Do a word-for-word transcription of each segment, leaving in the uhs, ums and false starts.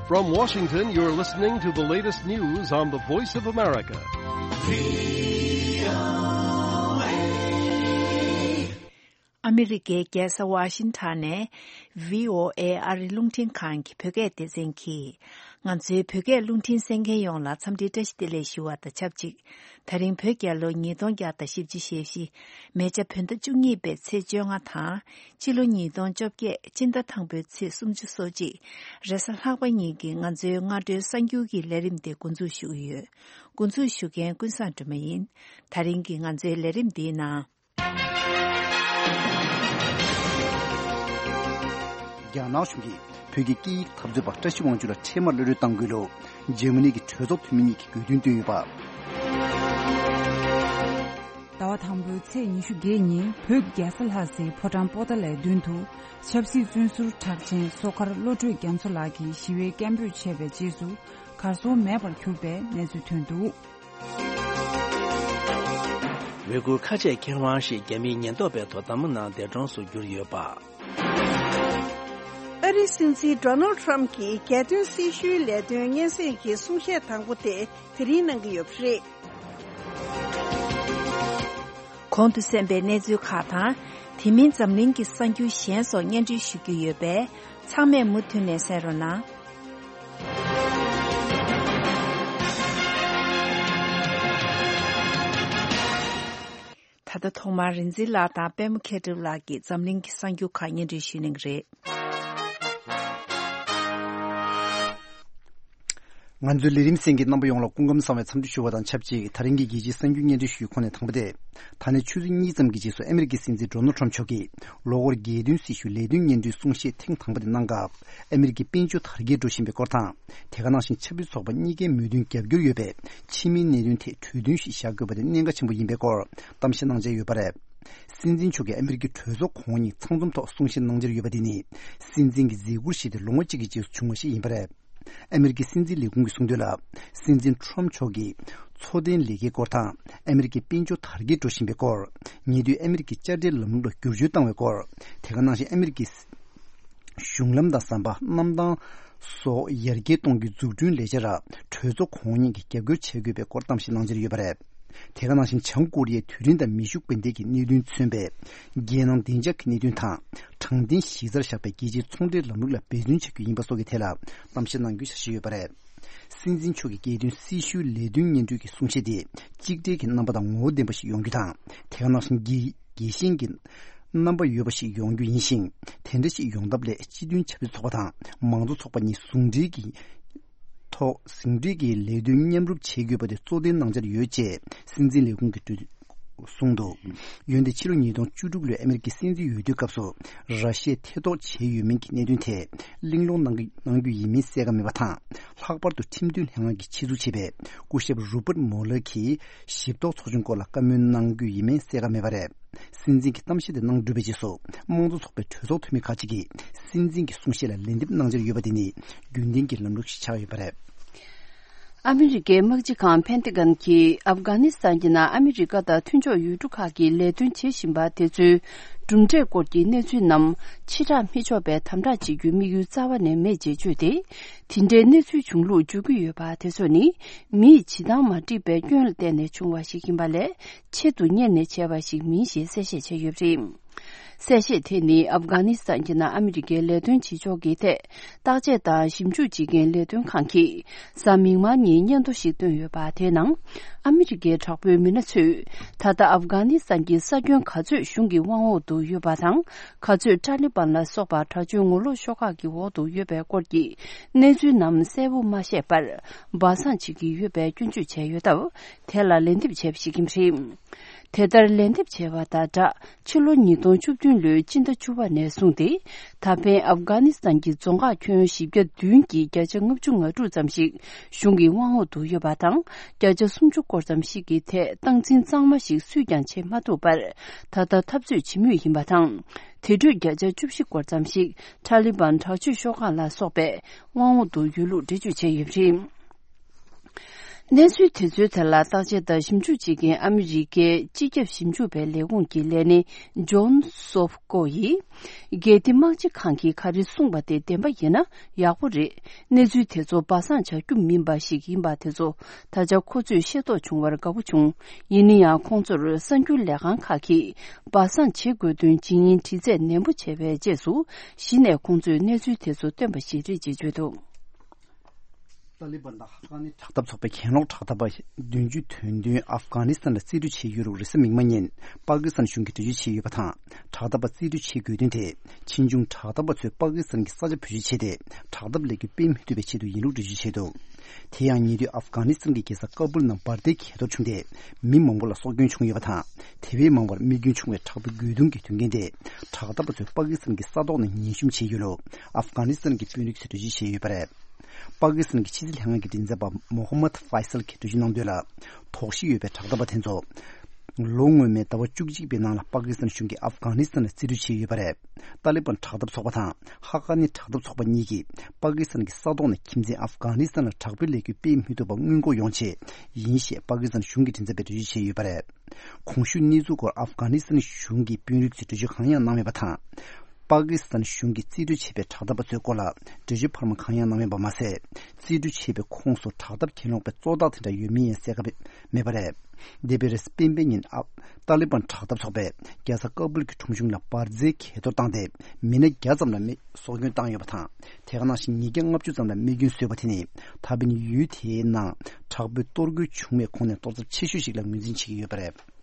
From Washington, you're listening to the latest news on the Voice of America. ཨ་མི་རི་ཀའི་རྒྱལ་ས་ཝ་ཤིང་ཊོན་ནས་བྷི་ཨོ་ཨེ་ཨ་རིའི་རླུང་འཕྲིན་ཁང་གི་བོད་སྐད་སྡེ་ཚན་གྱིས། ང་ཚོའི་བོད་སྐད་རླུང་འཕྲིན་གསན་མཁན་ཡོངས་ལ་འཚམས་འདྲིའི་བཀྲ་ཤིས་བདེ་ལེགས་ཞུ་བ་དང་ཆབས་ཅིག་ད་རིང་བོད་རྒྱལ་ལོ་ཉིས་སྟོང་བརྒྱ་དང་བཞི་བཅུ་ཞེ་བཞི། མེ་བྱ་བོད་ཟླ་བཅུ་གཉིས་པའི་ཚེས་བཅོ་ལྔ་དང་། ཕྱི་ལོ་ཉིས་སྟོང་བཅོ་བརྒྱད་སྤྱི་ཟླ་དང་པོའི་ཚེས་སུམ་ཅུ་སོ་གཅིག་རེས་གཟའ་ལྷག་པ་ཉིན་གྱི་ང་ཚོའི་སྔ་དྲོའི་གསར་འགྱུར་གྱི་ལས་རིམ་དེ་འགོ་འཛུགས་ཞུ་གི་ཡོད། འགོ་འཛུགས་ཞུ་མཁན་ཀུན་བཟང་སྒྲོལ་མ་ཡིན། ད་རིང་གི་ང་ཚོའི་ལས་རིམ་འདིའི་ནང་། རྒྱ་ནག་གཞུང་གིས་བོད་ཀྱི་སྐད་ཡིག་འཐབ་རྩོད་པ་བཀྲ་ཤིས་དབང་ཕྱུག་ལ་འཕྲལ་མར་གློད་གྲོལ་གཏང་དགོས་ལུགས། འཇར་མ་ནི་གི་གྲོས་ཚོགས་འཐུས་མི་གཉིས་ཀྱིས་དགོས་འདུན་བཏོན་ཡོད་པ། ཟླ་བ་དང་པོའི་ཚེས་ཉི་ཤུ་བརྒྱད་ཉིན་བོད་རྒྱལ་ས་ལྷ་སའི་ཕོ་བྲང་པོ་ཏཱ་ལའི་མདུན་དུ་ཆབ་སྲིད་བཙོན་ཟུར་གྲགས་ཆེན་བསོད་དཀར་བློ་གྲོས་རྒྱ་མཚོ་ལགས་ཀྱིས་ཞི་བའི་སྐད་འབོད་བྱས་པའི་རྗེས་སུ་གར་སོང་མེད་པར་གྱུར་པའི་གནས་ཚུལ་ཐོན་འདུག། ཝེ་གུར་ཁ་ཆེ་མཁས་དབང་ཞིག་རྒྱ་མིའི་ཉེན་རྟོག་པའི་ཐོག་བདམས་པ་གནང་འདས་གྲོངས་སུ་གྱུར་ཡོད་པ། ཨ་རིའི་སྲིད་འཛིན་ཌོ་ནལ་ཊམ་གྱིས་རྒྱལ་དོན་སྲི་ཞུའི་ལས་དོན་སྙན་སེང་གི་གསུང་བཤད་དང་པོ་དེ་དེ་རིང་གནང་གི་ཡོད་པ་རེད། གོང་དུ་གསན་པའི་གནས་ཚུལ་ཁག་དང་། དེ་མིན་འཛམ་གླིང་གི་གསར་འགྱུར་གཞན་སོགས་སྙན་སྒྲོན་ཞུ་རྒྱུ་ཡོད་པས། ཚང་མས་མུ་མཐུད་ནས་གསན་རོགས་གནང་། ད་ལྟ་ཐོག་མར་རིག་འཛིན་ལགས་དང་པད་མ་མཁས་གྲུབ་ལགས་ཀྱིས་འཛམ་གླིང་གི་གསར་འགྱུར་ཁག་སྙན་སྒྲོན་ཞུ་གནང་གི་རེད། ང་ཚོའི་ལས་རིམ་གསན་མཁན་རྣམ་པ་ཡོངས་ལ་སྐུ་ཁམས་བཟང་བའི་འཚམས་འདྲི་ཞུ་བ་དང་ཆབས་ཅིག་ད་རིང་གི་རྒྱལ་སྤྱིའི་གསར་འགྱུར་སྙན་སྒྲོན་ཞུ་ཡུལ་ཁོངས་ནས་དང་པོ་དེ། ད་ནས་ཆུ་ཚོད་གཉིས་ཙམ་གྱི་རྗེས་སུ་ཨ་མི་རི་ཀའི་སྲིད་འཛིན་ཌོ་ནལ་ཊམ་མཆོག་གིས་ལོ་འཁོར་རྒྱལ་དོན་སྲི་ཞུའི་ལས་དོན་སྙན་སྒྲོན་གསུང་བཤད་ཐེངས་དང་པོ་དེ་གནང་སྐབས། ཨ་མི་རི་ཀའི་དཔལ་འབྱོར་དར་རྒྱས་འགྲོ་བཞིན་པའི་སྐོར་དང་། དེ་ག་ནང་བཞིན་ཆབ་སྲིད་ཚོགས་པ་གཉིས་ཀའི་མོས་མཐུན་རྒྱབ་སྐྱོར་ཡོད་པའི་ཕྱི་མིའི་གནད་དོན་ཐད་གྲོས་མཐུན་ཞིག་བཞག་དགོས་པ་དེ་གནད་འགག་ཆེན་པོ་ཡིན་པའི་སྐོར་གཏམ་བཤད་གནང་འཆར་ཡོད་པ་རེད། སྲིད་འཛིན་མཆོག་གིས་ཨ་མི་རི་ཀའི་གྲོས་ཚོགས་གོང་འོག་གཉིས་ཚང་འཛོམས་ཐོག་གསུང་བཤད་གནང་འཆར་ཡོད་པ་དེ་ནི། སྲིད་འཛིན་གྱི་མཛད་ཁུར་བཞེས་ཏེ་ལོ་ངོ་གཅིག་གི་རྗེས་སུ་བྱུང་བ་ཞིག་ཡིན་པ་རེད། ཨ་མི་རི་ཀའི་སྲིད་འཛིན་ལས་ཁུངས་ཀྱིས་གསུངས་དོན་ལ། སྲིད་འཛིན་ཊམ་མཆོག་གིས་འཚོ་རྟེན་ལས་ཀའི་སྐོར་དང་། ཨ་མི་རི་ཀའི་དཔལ་འབྱོར་དར་རྒྱས་འགྲོ་བཞིན་པའི་སྐོར། ཉེ་དུས་ཨ་མི་རི་ཀའི་དཔྱ་ཁྲལ་ལམ་ལུགས་ལ་བསྒྱུར་བཅོས་བཏང་བའི་སྐོར། དེ་ག་ནང་བཞིན་ཨ་མི་རི་ཀའི་གཞུང་ལམ་དང་ཟམ་པ། གནམ་ཐང་སོགས་ཡར་རྒྱས་གཏོང་རྒྱུའི་འཛུགས་སྐྲུན་ལས་འཆར་ལ་གྲོས་ཚོགས་གོང་འོག་གཉིས་ཀྱིས་རྒྱབ་སྐྱོར་བྱེད་དགོས་པའི་སྐོར་གཏམ་བཤད་གནང་འཆར་ཡོད་པ་རེད། དེ་ག་ནང་བཞིན་བྱང་ཀོ་རི་ཡའི་དུས་རིམ་དང་མེ་ཤུགས་འཕེན་གཏོང་གི་གནད་དོན་མཚོན་པའི་རྒྱལ་ནང་བདེ་འཇགས་ཀྱི་གནད་དོན་དང་། དྲང་བདེན་གཞི་རྩར་བཞག་པའི་རྒྱལ་སྤྱིའི་ཚོང་འབྲེལ་ལམ་ལུགས་ལ་འབད་བརྩོན་བྱ་རྒྱུ་ཡིན་པ་སོགས་ཀྱི་ཐད་ལ་གཏམ་བཤད་གནང་རྒྱུའི་འཆར་གཞི་ཡོད་པ་རེད། སྲིད་འཛིན་མཆོག་གི་རྒྱལ་དོན་སྲི་ཞུའི་ལས་དོན་སྙན་སྒྲོན་གྱི་གསུང་བཤད་དེ་གཅིག་སྒྲིལ་གྱི་རྣམ་པ་དང་ངོ་བོ་ལྡན་པ་ཞིག་ཡོང་རྒྱུ་དང་། དེ་ག་ནང་བཞིན་རྒྱལ་རྒྱལ་ཞེན་གྱི་རྣམ་པ་ཡོད་པ་ཞིག་ཡོང་རྒྱུ་ཡིན་ཞིང་། དེ་འདྲ་ཞིག་ཡོང་ཐབས་སླད་སྤྱི་མཐུན་ཆབ་སྲིད་ཚོགས་པ་དང་མང་གཙོ་ཚོགས་པ་གཉིས་ཟུང་འབྲེལ་གྱིས་ཐོག་ཟུང་འབྲེལ་གྱིས་ལས་དོན་མཉམ་རུབ་བྱེད་དགོས་པ་དེ་གཙོ་དོན་གནང་འཆར་ཡོད་ཅེས་སྲིད་འཛིན་ལས་ཁུངས་ཀྱིས་གསུངས་འདུག། འོན་ཏེ་ཕྱི་ལོ་ཉིས་སྟོང་བཅུ་དྲུག་ལོའི་ཨ་མི་རི་ཀའི་སྲིད་འཛིན་འོས་བསྡུའི་སྐབས་སུ་ར་ཤི་ཡས་ཐེ་གཏོགས་བྱས་ཡོད་མིན་གྱི་གནད་དོན་ཐད་གླེང་སློང་གནང་གི་གནང་རྒྱུ་ཡིན་མིན་གསལ་ཁ་མེད་པ་དང་། ལྷག་པར་དུ་ཁྲིམས་དོན་ལྷན་ཁང་གིས་ཆེད་འཛུགས་བྱས་པའི་སྐུ་ཞབས་རུ་པར་མོ་ལར་གྱིས་ཞིབ་རྟོག་ཚོགས་ཆུང་སྐོར་ལ་བཀའ་མོལ་གནང་རྒྱུ་ཡིན་མིན་གསལ་ཁ་མེད་པ་རེད། སྲིད་འཛིན་གྱི་གཏམ་བཤད་དེ་གནང་གྲུབ་པའི་རྗེས་སུ་དམངས་གཙོ་ཚོགས་པའི་གྲོས་ཚོགས་འཐུས་མི་ཁག་ཅིག་གིས་སྲིད་འཛིན་གྱི་གསུང་བཤད་ལ་ལན་འདེབས་གནང་འཆར་ཡོད་པ་དེ་ནི་རྒྱུན་ལྡན་གྱི་ལམ་ལུགས་ཤིག་ཆགས་ཡོད་པ་རེད། ཨ་མི་རི་ཀའི་དམག་སྤྱི་ཁང་ཕན་ཏི་གན་གྱིས་ཨབ་གྷ་ནི་སི་ཐན་གྱི་ནང་ཨ་མི་རི་ཀ་དང་མཐུན་ཕྱོགས་ཡུལ་གྲུ་ཁག་གིས་ལས་དོན་བྱེད་བཞིན་པ་དེ་ཚོའི་གྲུབ་འབྲས་སྐོར་གྱི་གནས་ཚུལ་རྣམས་ཕྱིར་བསྒྲགས་མི་ཆོག་པའི་དམ་དྲག་བྱེད་རྒྱུའི་དམིགས་ཡུལ་རྩ་བ་ནས་མེད་ཅེས་བརྗོད་དེ། དེ་འདྲའི་གནས་ཚུལ་བྱུང་ལུགས་བརྗོད་ཀྱི་ཡོད་པ་དེ་ཚོ་ནི་མིས་བྱེད་སྟངས་མ་འགྲིག་པའི་སྐྱོན་ལ་བརྟེན་ནས་བྱུང་བ་ཞིག་ཡིན་པ་ལས་ཆེད་དུ་གཉེར་ནས་བྱས་པ་ཞིག་མིན་ཞེས་གསལ་བཤད་བྱས་ཡོད་པ་རེད། གསལ་བཤད་དེ་ནི་ཨབ་གྷ་ནི་སི་ཐན་གྱི་ནང་ཨ་མི་རི་ཀའི་ལས་དོན་བྱེད་ཕྱོགས་ཀྱི་ཐད་བརྟག་དཔྱད་དང་ཞིབ་འཇུག་བྱེད་མཁན་ལས་དོན་ཁང་གིས་གཟའ་མིག་དམར་ཉིན་སྙན་ཐོ་ཞིག་བཏོན་ཡོད་པ། དེའི་ནང་ཨ་མི་རི་ཀའི་དྲག་པོའི་མི་སྣ་ཚོས་ད་ལྟ་ཨབ་གྷ་ནི་སི་ཐན་གྱི་ས་ཁྱོན་ག་ཚོད་གཞུང་གི་དབང་འོག་ཏུ་ཡོད་པ་དང་། ག་ཚོད་ཏཱ་ལི་བན་ལ་སོགས་པ་དྲག་སྤྱོད་ངོ་ལོག་ཤོག་ཁག་གི་འོག་ཏུ་ཡོད་པའི་སྐོར་གྱི་གནས་ཚུལ་རྣམས་གསལ་པོ་མ་བཤད་པར་སྦ་གསང་བྱེད་ཀྱི་ཡོད་པའི་སྐྱོན་བརྗོད་བྱས་ཡོད་སྟབས། དེ་ལ་ལན་འདེབས་བྱས་པ་ཞིག་ཡིན་པ་རེད། དེ་ལྟར་ལན་འདེབས་བྱས་པ་དང་སྦྲགས། ཕྱི་ལོ་ཉིས་སྟོང་བཅུ་བདུན་ལོའི་སྤྱི་ཟླ་བཅུ་པ་ནས་བཟུང་སྟེ། ད་ཕན་ཨབ་གྷ་ནི་སི་ཐན་གྱི་རྫོང་ཁག་ཁྱོན་བཞི་བརྒྱ་བདུན་གྱི་བརྒྱ་ཆ་ལྔ་བཅུ་ང་དྲུག་ཙམ་ཞིག་གཞུང་གི་དབང་འོག་ཏུ་ཡོད་པ་དང་། བརྒྱ་ཆ་སུམ་ཅུ་སྐོར་ཙམ་ཞིག་གི་ཐད་སྟངས་འཛིན་གཙང་མ་ཞིག་སུས་ཀྱང་བྱེད་མ་ཐུབ་པར། ད་ལྟ་འཐབ་རྩོད་བྱེད་མུས་ཡིན་པ་དང་། དེ་གྲོས་བརྒྱ་ཆ་བཅུ་བཞི་སྐོར་ཙམ་ཞིག་ཏཱ་ལི་བན་དྲག་སྤྱོད་ཤོག་ཁག་ལ་སོགས་པའི་དབང་འོག་ཏུ་ཡོད་ལུགས་འགྲེལ་བརྗོད་བྱས་ཡོད་པ་རེད། གནས་ཚུལ་དེ་ཚོའི་ཐད་ལ་བརྟག་དཔྱད་དང་ཞིབ་འཇུག་བྱེད་མཁན་ཨ་མི་རི་ཀའི་སྤྱི་ཁྱབ་ཞིབ་འཇུག་པའི་ལས་ཁུངས་ཀྱི་ལས་སྣེ་ཇོན་སོབ་ཀོ་ཡིས། རྒྱལ་སྡེ་དམག་སྤྱི་ཁང་གིས་ག་རེ་གསུངས་པ་དེ་བདེན་པ་ཡིན་ན་ཡག་པོ་རེད། གནས་ཚུལ་དེ་ཚོ་སྦ་གསང་བྱ་རྒྱུ་མིན་པ་ཞིག་ཡིན་པ་དེ་ཚོ་ད་ཆ་ཁོ་ཚོས་ཤེས་རྟོགས་བྱུང་བར་དགའ་པོ་བྱུང་། ཡིན་ན་ཡང་ཁོང་ཚོར་གསར་འགྱུར་ལས་ཁང་ཁག་གིས་སྦ་གསང་བྱེད་དགོས་དོན་ཇི་ཡིན་དྲི་རྩད་ནན་པོ་བྱས་པའི་རྗེས་སུ། གཞི་ནས་ཁོང་ཚོས་གནས་ཚུལ་དེ་ཚོ་བཏོན་པ་ཞིག་རེད་ཅེས་བརྗོད་འདུག། ཏཱ་ལི་བན་དང་ཧ་ཀ་ནི་དྲག་འཐབ་ཚོགས་པའི་གྱེན་ལོག་དྲག་འཐབ་པ་བདུན་ཅུ་དོན་བདུན་ཨབ་གྷ་ནི་སི་ཐན་ལ་རྩིས་སྤྲོད་བྱས་ཡོད་ལུགས་རེས་གཟའ་མིག་དམར་ཉིན་པ་ཀི་སི་ཐན་གཞུང་གིས་འགྲེལ་བརྗོད་བྱས་ཡོད་པ་དང་། དྲག་འཐབ་པ་རྩིས་སྤྲོད་བྱེད་དགོས་དོན་དེ་ཕྱིས་འབྱུང་དྲག་འཐབ་པ་ཚོས་པ་ཀི་སི་ཐན་གྱི་ས་ཆ་བེད་སྤྱོད་བྱས་ཏེ། དྲག་འཐབ་ལས་འགུལ་སྤེལ་མི་ཐུབ་པའི་ཆེད་དུ་ཡིན་ལུགས་འགྲེལ་བརྗོད་བྱས་འདུག། དེ་ཡང་ཉེ་དུས་ཨབ་གྷ་ནི་སི་ཐན་གྱི་རྒྱལ་ས་ཀ་བུལ་ནང་འབར་མདེལ་གྱེས་གཏོར་བྱུང་སྟེ། མི་མང་པོ་ལ་སྲོག་སྐྱོན་བྱུང་ཡོད་པ་དང་། དེ་བས་མང་པོར་རྨས་སྐྱོན་བྱུང་བའི་དྲག་པོའི་རྒོལ་རྡུང་གི་དོན་རྐྱེན་དེ། དྲག་འཐབ་པ་ཚོས་པ་ཀི་སི་ཐན་གྱི་ས་ཐོག་ནས་ཉེན་ཞིབ་བྱས་ཡོད་ལུགས་ཨབ་གྷ་ནི་སི་ཐན་གྱི་དཔོན་རིགས་ཚོས་འགྲེལ་བརྗོད་བྱས་ཡོད་པ་རེད། པ་ཀི་སི་ཐན་གྱི་ཕྱི་སྲིད་ལྷན་ཁང་གི་མགྲིན་ཚབ་པ་མོ་ཧམ་མད་ཧྥའི་སལ་གྱིས་འགྲེལ་བརྗོད་གནང་དོན་ལ། དོགས་གཞི་ཡོད་པའི་དྲག་འཐབ་པ་དེ་ཚོ། ལོ་སྔོན་མའི་ཟླ་བ་བཅུ་གཅིག་པའི་ནང་ལ་པ་ཀི་སི་ཐན་གཞུང་གིས་ཨབ་གྷ་ནི་སི་ཐན་ལ་རྩིས་སྤྲོད་བྱས་ཡོད་པ་རེད། ཏཱ་ལི་བན་དྲག་འཐབ་ཚོགས་པ་དང་ཧ་ཀ་ནི་དྲག་འཐབ་ཚོགས་པ་གཉིས་ཀྱིས་པ་ཀི་སི་ཐན་གྱི་ས་ཐོག་ནས་ཁྱིམ་མཚེས་ཨབ་གྷ་ནི་སི་ཐན་ལ་དྲག་པོའི་ལས་འགུལ་སྤེལ་མི་ཐུབ་པ་སྔོན་འགོག་ཡོང་ཆེད་ཡིན་ཞེས་པ་ཀི་སི་ཐན་གཞུང་གི་མགྲིན་ཚབ་པས་འགྲེལ་བརྗོད་བྱས་ཡོད་པ་རེད། གོང་ཞུས་གནས་ཚུལ་སྐོར་ཨབ་གྷ་ནི་སི་ཐན་གཞུང་གི་དཔོན་རིགས་ཚོས་འགྲེལ་བརྗོད་གང་ཡང་གནང་མེད་པ་དང་། པ་ཀི་སི་ཐན་གཞུང་གིས་རྩིས་སྤྲོད་བྱས་པའི་དྲག་འཐབ་པ་ཚོའི་སྐོར་ལ་འགྲེལ་བརྗོད་འཕར་མ་གང་ཡང་གནང་མེད་པ་མ་ཟད། རྩིས་སྤྲོད་བྱས་པའི་ཁོངས་སུ་དྲག་འཐབ་གྱེན་ལོག་པའི་གཙོ་བདག་དེ་འདྲ་ཡོད་མེད་ཡང་གསལ་ཁ་མེད་པ་རེད། འདས་པའི་རེས་གཟའ་སྤེན་པའི་ཉིན་ཨབ་ཏཱ་ལི་བན་དྲག་འཐབ་ཚོགས་པས་རྒྱལ་ས་ཀ་བུལ་གྱི་ཁྲོམ་གཞུང་ལ་འབར་རྫས་གྱེས་གཏོར་བཏང་སྟེ། མི་སྣ་བརྒྱ་ཙམ་ལ་མི་སྲོག་སྐྱོན་བཏང་ཡོད་པ་དང་། དེ་ག་ནང་བཞིན་ཉིས་བརྒྱ་ལྔ་བཅུ་ཙམ་ལ་རྨས་སྐྱོན་བཟོས་པ་དེ་ནི་ད་ཕན་ཡུལ་དེའི་ནང་དྲག་པོའི་གཏོར་རྒོལ་བྱུང་བའི་གོང་ནས་གཏོར་ཚབས་ཆེ་ཤོས་ཤིག་ལ་ངོས་འཛིན་བྱེད་ཀྱི་ཡོད་པ་རེད།